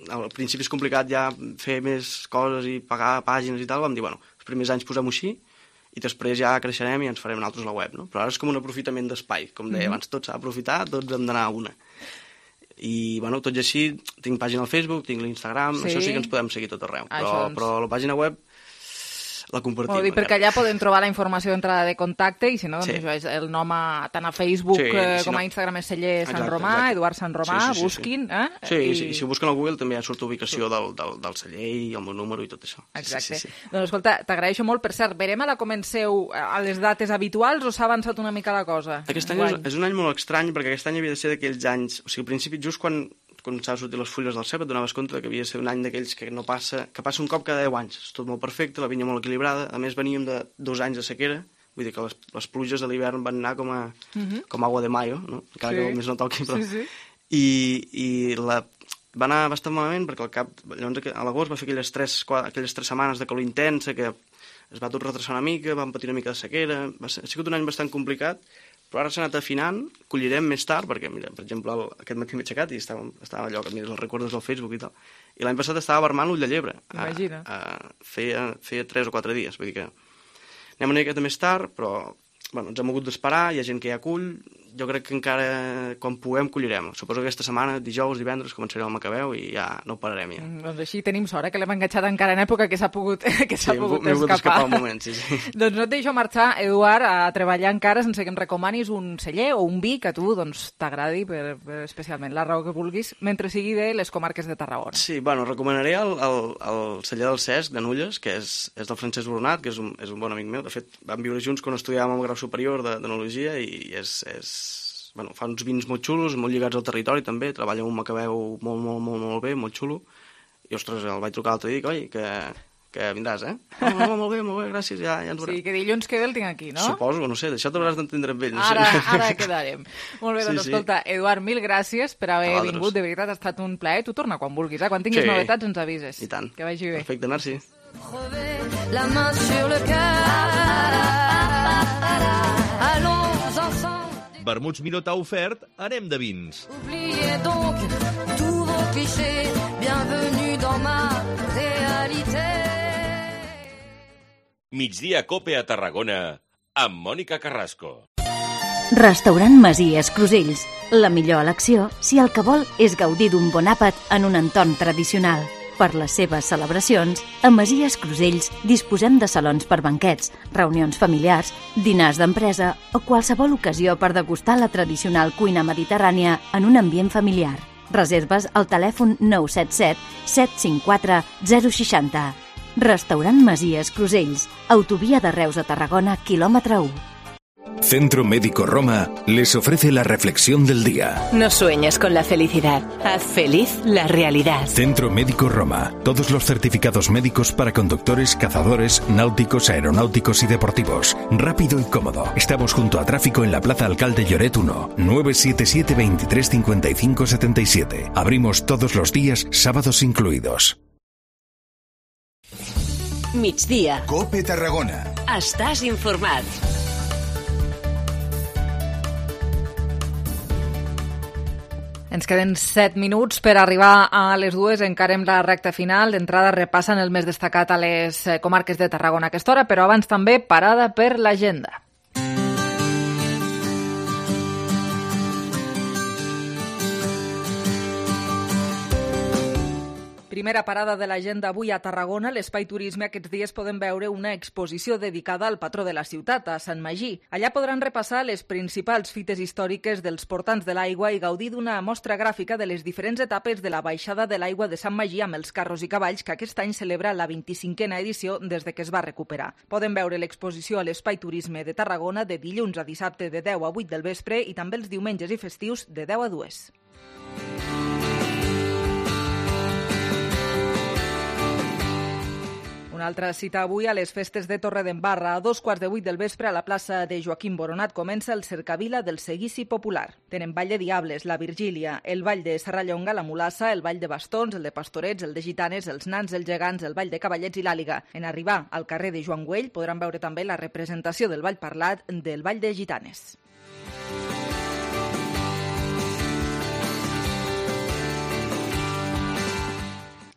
Al principi és complicat ja fer més coses i pagar pàgines i tal, vam dir, bueno, els primers anys posem-ho així i després ja creixerem i ens farem nosaltres la web, no? Però ara és com un aprofitament d'espai, com deia mm-hmm. abans, tot s'ha d'aprofitar, tots hem d'anar a una. I, bueno, tot i així, tinc pàgina al Facebook, tinc l'Instagram, sí. Això sí que ens podem seguir tot arreu, però, doncs... però la pàgina web la compartim. Vol dir, perquè allà poden trobar la informació d'entrada de contacte i si no, doncs sí. Això és el nom a, tant a Facebook sí, eh, com no. A Instagram és celler Sant exacte, Romà, exacte. Eduard Sant Romà, sí, sí, sí, busquin. Sí, eh? sí, I... sí, i si ho busquen al Google també ja surt ubicació del, del, del celler i el meu número i tot això. Exacte. Sí, sí, sí. Doncs escolta, t'agraeixo molt. Per cert, verem a la comenceu a les dates habituals o s'ha avançat una mica la cosa? Aquest any és, és un any molt estrany perquè aquest any havia de ser d'aquells anys, o sigui, al principi just quan quan s'ha sortit les fulles del cep, et donaves compte que havia de ser un any d'aquells que no passa, que passa un cop cada deu anys. És tot molt perfecte, la vinya molt equilibrada. A més, veníem de dos anys de sequera, vull dir que les, les pluges de l'hivern van anar com a, uh-huh. com agua de mayo, no? Encara sí. Que més no toqui, però... Sí, sí. I, i la... va anar bastant malament perquè al cap... Llavors, a l'agost va fer aquelles tres, aquelles tres setmanes de calor intensa que es va tot retrasar una mica, vam patir una mica de sequera... Va ser, ha sigut un any bastant complicat, però ara s'ha anat afinant, collirem més tard, perquè, mira, per exemple, el, aquest matí m'he aixecat i estava, estava allò que mires els recordes del Facebook i tal, i l'any passat estava vermant l'ull de llebre. Imagina. A, a, feia, feia tres o quatre dies, vull dir que anem una miqueta més tard, però bueno, ens hem hagut d'esperar, hi ha gent que ja cull, jo crec que encara quan puguem collirem. Suposo que aquesta setmana, dijous, divendres, començarem el Macabeu i ja no pararem ja. Mm, doncs així tenim sort, eh, que l'hem enganxat encara en època que s'ha pogut, que s'ha sí, pogut escapar. Sí, escapar un moment, sí, sí. Doncs no et deixo marxar, Eduard, a treballar encara sense que em recomanis un celler o un vi que a tu doncs, t'agradi per, per, especialment, la raó que vulguis, mentre sigui de les comarques de Tarragona. Sí, bueno, recomanaré el, el, el celler del Cesc, de Nulles, que és, és del Francesc Brunat, que és un, és un bon amic meu. De fet, vam viure junts quan estudiàvem el grau superior d'enologia i és... és bueno, fa uns vins molt xulos, molt lligats al territori també, treballa un Macabeu molt, molt, molt, molt bé, molt xulo, i ostres, el vaig trucar l'altre dia i dic, oi, que, que vindràs, eh? Oh, no, molt bé, molt bé, gràcies, ja, ja ens veurem. Sí, que dilluns que ve el tinc aquí, no? Suposo, no sé, això t'hauràs d'entendre amb ell. No ara, sé. Ara quedarem. Molt bé, doncs sí, escolta, sí. Eduard, mil gràcies per haver vingut, de veritat ha estat un plaer, tu torna quan vulguis, eh? Quan tinguis sí. Novetats ens avises. I tant. Que vagi bé. Perfecte, merci. La main sur le cœur, allons ensemble. Vermuts Miró t'ha ofert Anem de vins. Oubliez donc tous vos clichés, bienvenue dans ma réalité. Migdia Cope a Tarragona amb Mònica Carrasco. Restaurant Masies Crusells. La millor elecció si el que vol és gaudir d'un bon àpat en un entorn tradicional. Per les seves celebracions, a Masies Crusells disposem de salons per banquets, reunions familiars, dinars d'empresa o qualsevol ocasió per degustar la tradicional cuina mediterrània en un ambient familiar. Reserves al telèfon nou set set set cinc quatre zero sis zero. Restaurant Masies Crusells, autovia de Reus a Tarragona, quilòmetre u. Centro Médico Roma les ofrece la reflexión del día. No sueñes con la felicidad, haz feliz la realidad. Centro Médico Roma. Todos los certificados médicos para conductores, cazadores, náuticos, aeronáuticos y deportivos. Rápido y cómodo. Estamos junto a Tráfico en la Plaza Alcalde Lloret uno, nueve siete siete, veintitrés cincuenta y cinco setenta y siete. Abrimos todos los días, sábados incluidos. Migdia. COPE Tarragona. Estàs informat. Ens queden set minuts per arribar a les dues, encarem la recta final. D'entrada repassen el més destacat a les comarques de Tarragona a aquesta hora, però abans també parada per l'agenda. Primera parada de l'agenda avui a Tarragona. L'Espai Turisme aquests dies poden veure una exposició dedicada al patró de la ciutat, a Sant Magí. Allà podran repassar les principals fites històriques dels portants de l'aigua i gaudir d'una mostra gràfica de les diferents etapes de la baixada de l'aigua de Sant Magí amb els carros i cavalls, que aquest any celebra la vint-i-cinquena edició des de que es va recuperar. Poden veure l'exposició a l'Espai Turisme de Tarragona de dilluns a dissabte de deu a vuit del vespre i també els diumenges i festius de deu a dues. Una altra cita avui a les festes de Torredembarra. A dos quarts de vuit del vespre a la plaça de Joaquim Boronat comença el Cercavila del Seguici Popular. Tenen Ball de Diables, la Virgília, el Ball de Serrallonga, la Mulassa, el Ball de Bastons, el de Pastorets, el de Gitanes, els Nans, els Gegants, el Ball de Cavallets i l'Àliga. En arribar al carrer de Joan Güell podran veure també la representació del ball parlat del Ball de Gitanes.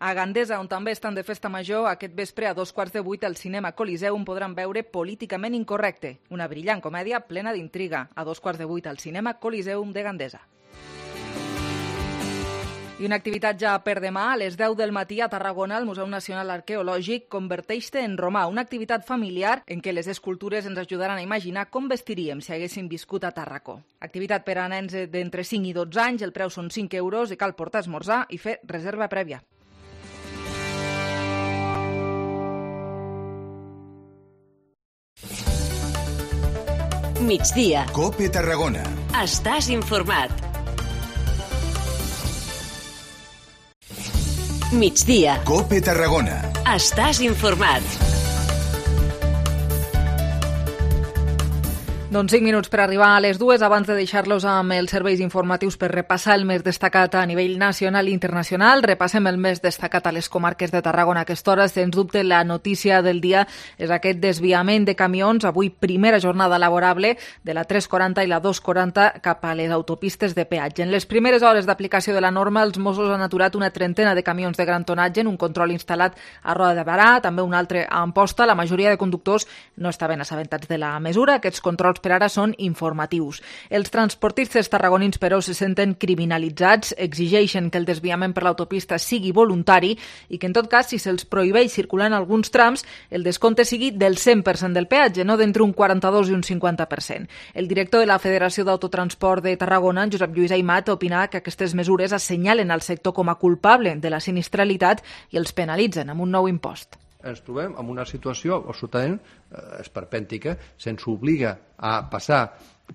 A Gandesa, on també estan de festa major, aquest vespre a dos quarts de vuit al cinema Coliseum podran veure Políticament Incorrecte, una brillant comèdia plena d'intriga. A dos quarts de vuit al cinema Coliseum de Gandesa. I una activitat ja per demà, a les deu del matí a Tarragona, el Museu Nacional Arqueològic Converteix-te en romà, una activitat familiar en què les escultures ens ajudaran a imaginar com vestiríem si haguéssim viscut a Tarracó. Activitat per a nens d'entre cinc i dotze anys, el preu són cinc euros i cal portar esmorzar i fer reserva prèvia. Migdia. COPE Tarragona. Estàs informat. Migdia. COPE Tarragona. Estàs informat. Doncs cinc minuts per arribar a les dues. Abans de deixar-los amb els serveis informatius per repassar el més destacat a nivell nacional i internacional, repassem el més destacat a les comarques de Tarragona a aquesta hora. Sens dubte, la notícia del dia és aquest desviament de camions. Avui, primera jornada laborable de la tres quaranta i la dos quaranta cap a les autopistes de peatge. En les primeres hores d'aplicació de la norma, els Mossos han aturat una trentena de camions de gran tonatge en un control instal·lat a Roda de Barà, també un altre a Amposta. La majoria de conductors no estaven assabentats de la mesura. Aquests controls per ara són informatius. Els transportistes tarragonins, però, se senten criminalitzats, exigeixen que el desviament per l'autopista sigui voluntari i que, en tot cas, si se'ls prohibeix circular en alguns trams, el descompte sigui del cent per cent del peatge, no d'entre un quaranta-dos i un cinquanta per cent. El director de la Federació d'Autotransport de Tarragona, Josep Lluís Aimat, opina que aquestes mesures assenyalen el sector com a culpable de la sinistralitat i els penalitzen amb un nou impost. Ens trobem en una situació absolutament eh, esperpèntica, se'ns obliga a passar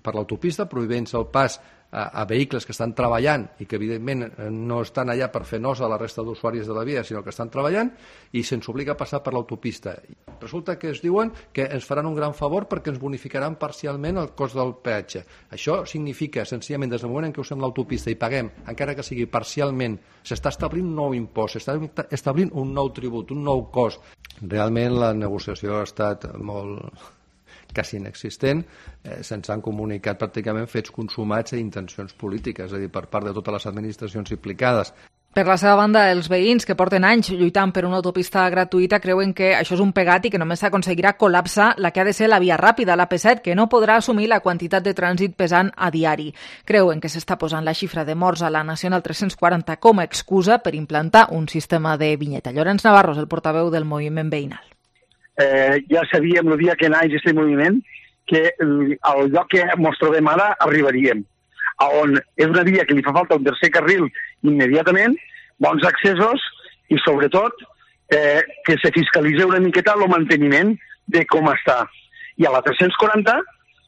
per l'autopista, prohibint-se el pas a, a vehicles que estan treballant i que evidentment no estan allà per fer nosa a la resta d'usuaris de la via, sinó que estan treballant, i se'ns obliga a passar per l'autopista. Resulta que es diuen que ens faran un gran favor perquè ens bonificaran parcialment el cost del peatge. Això significa, senzillament, des del moment en què usem l'autopista i paguem, encara que sigui parcialment, s'està establint un nou impost, s'està establint un nou tribut, un nou cost. Realment la negociació ha estat molt quasi inexistent, eh, se'ns han comunicat pràcticament fets consumats i intencions polítiques, és a dir, per part de totes les administracions implicades. Per la seva banda, els veïns que porten anys lluitant per una autopista gratuïta creuen que això és un pegat i que només s'aconseguirà col·lapsar la que ha de ser la via ràpida, la P set, que no podrà assumir la quantitat de trànsit pesant a diari. Creuen que s'està posant la xifra de morts a la Nacional tres-cents quaranta com a excusa per implantar un sistema de vinyeta. Llorenç Navarro és el portaveu del moviment veïnal. Eh, ja sabíem el dia que naix aquest moviment que al lloc que ens trobem ara arribaríem, on és una via que li fa falta un tercer carril immediatament, bons accessos i sobretot eh, que se fiscalitzi una miqueta el manteniment de com està. I a la tres-cents quaranta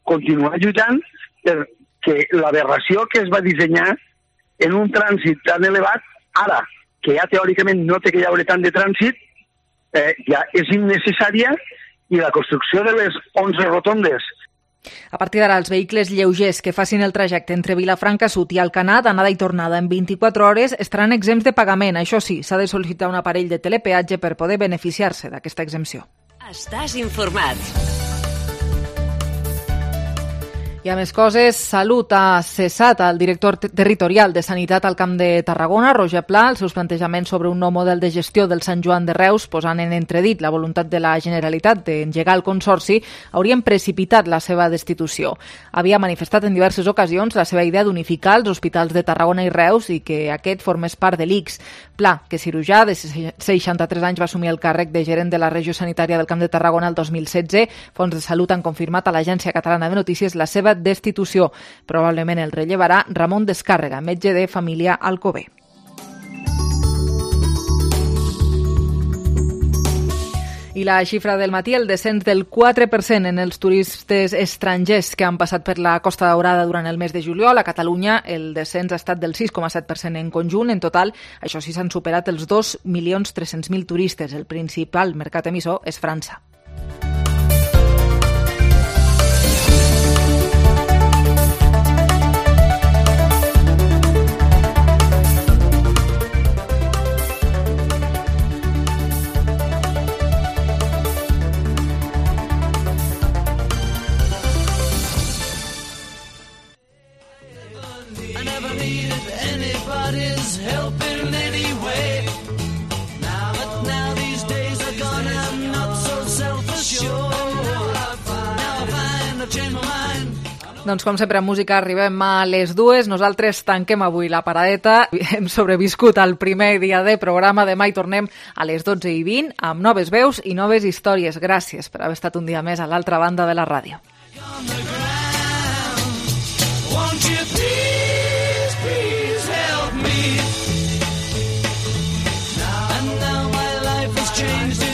continuar lluitant perquè l'aberració que es va dissenyar en un trànsit tan elevat, ara, que ja teòricament no té que hi haure tant de trànsit, eh, ja és innecessària, i la construcció de les onze rotondes. A partir d'ara, els vehicles lleugers que facin el trajecte entre Vilafranca Sud i Alcanar, d'anada i tornada en vint-i-quatre hores, estaran exempts de pagament. Això sí, s'ha de sol·licitar un aparell de telepeatge per poder beneficiar-se d'aquesta exempció. Estàs informat. I a més coses, Salut ha cessat el director territorial de Sanitat al Camp de Tarragona, Roger Pla, els seus plantejaments sobre un nou model de gestió del Sant Joan de Reus, posant en entredit la voluntat de la Generalitat d'engegar el consorci, haurien precipitat la seva destitució. Havia manifestat en diverses ocasions la seva idea d'unificar els hospitals de Tarragona i Reus i que aquest formés part de l'I C S. Pla, que cirurgià de seixanta-tres anys, va assumir el càrrec de gerent de la regió sanitària del Camp de Tarragona el dos mil setze. Fons de Salut han confirmat a l'Agència Catalana de Notícies la seva destitució. Probablement el rellevarà Ramon Descàrrega, metge de família Alcover. I la xifra del matí, el descens del quatre per cent en els turistes estrangers que han passat per la Costa Daurada durant el mes de juliol. A Catalunya el descens ha estat del sis coma set per cent en conjunt. En total, això sí, s'han superat els dos milions tres-cents mil turistes. El principal mercat emissor és França. Doncs com sempre, en música arribem a les dues. Nosaltres tanquem avui la paradeta. Hem sobreviscut al primer dia de programa. Demà hi tornem a les dotze i vint amb noves veus i noves històries. Gràcies per haver estat un dia més a l'altra banda de la ràdio. Won't you please, please help me? And now my life has changed.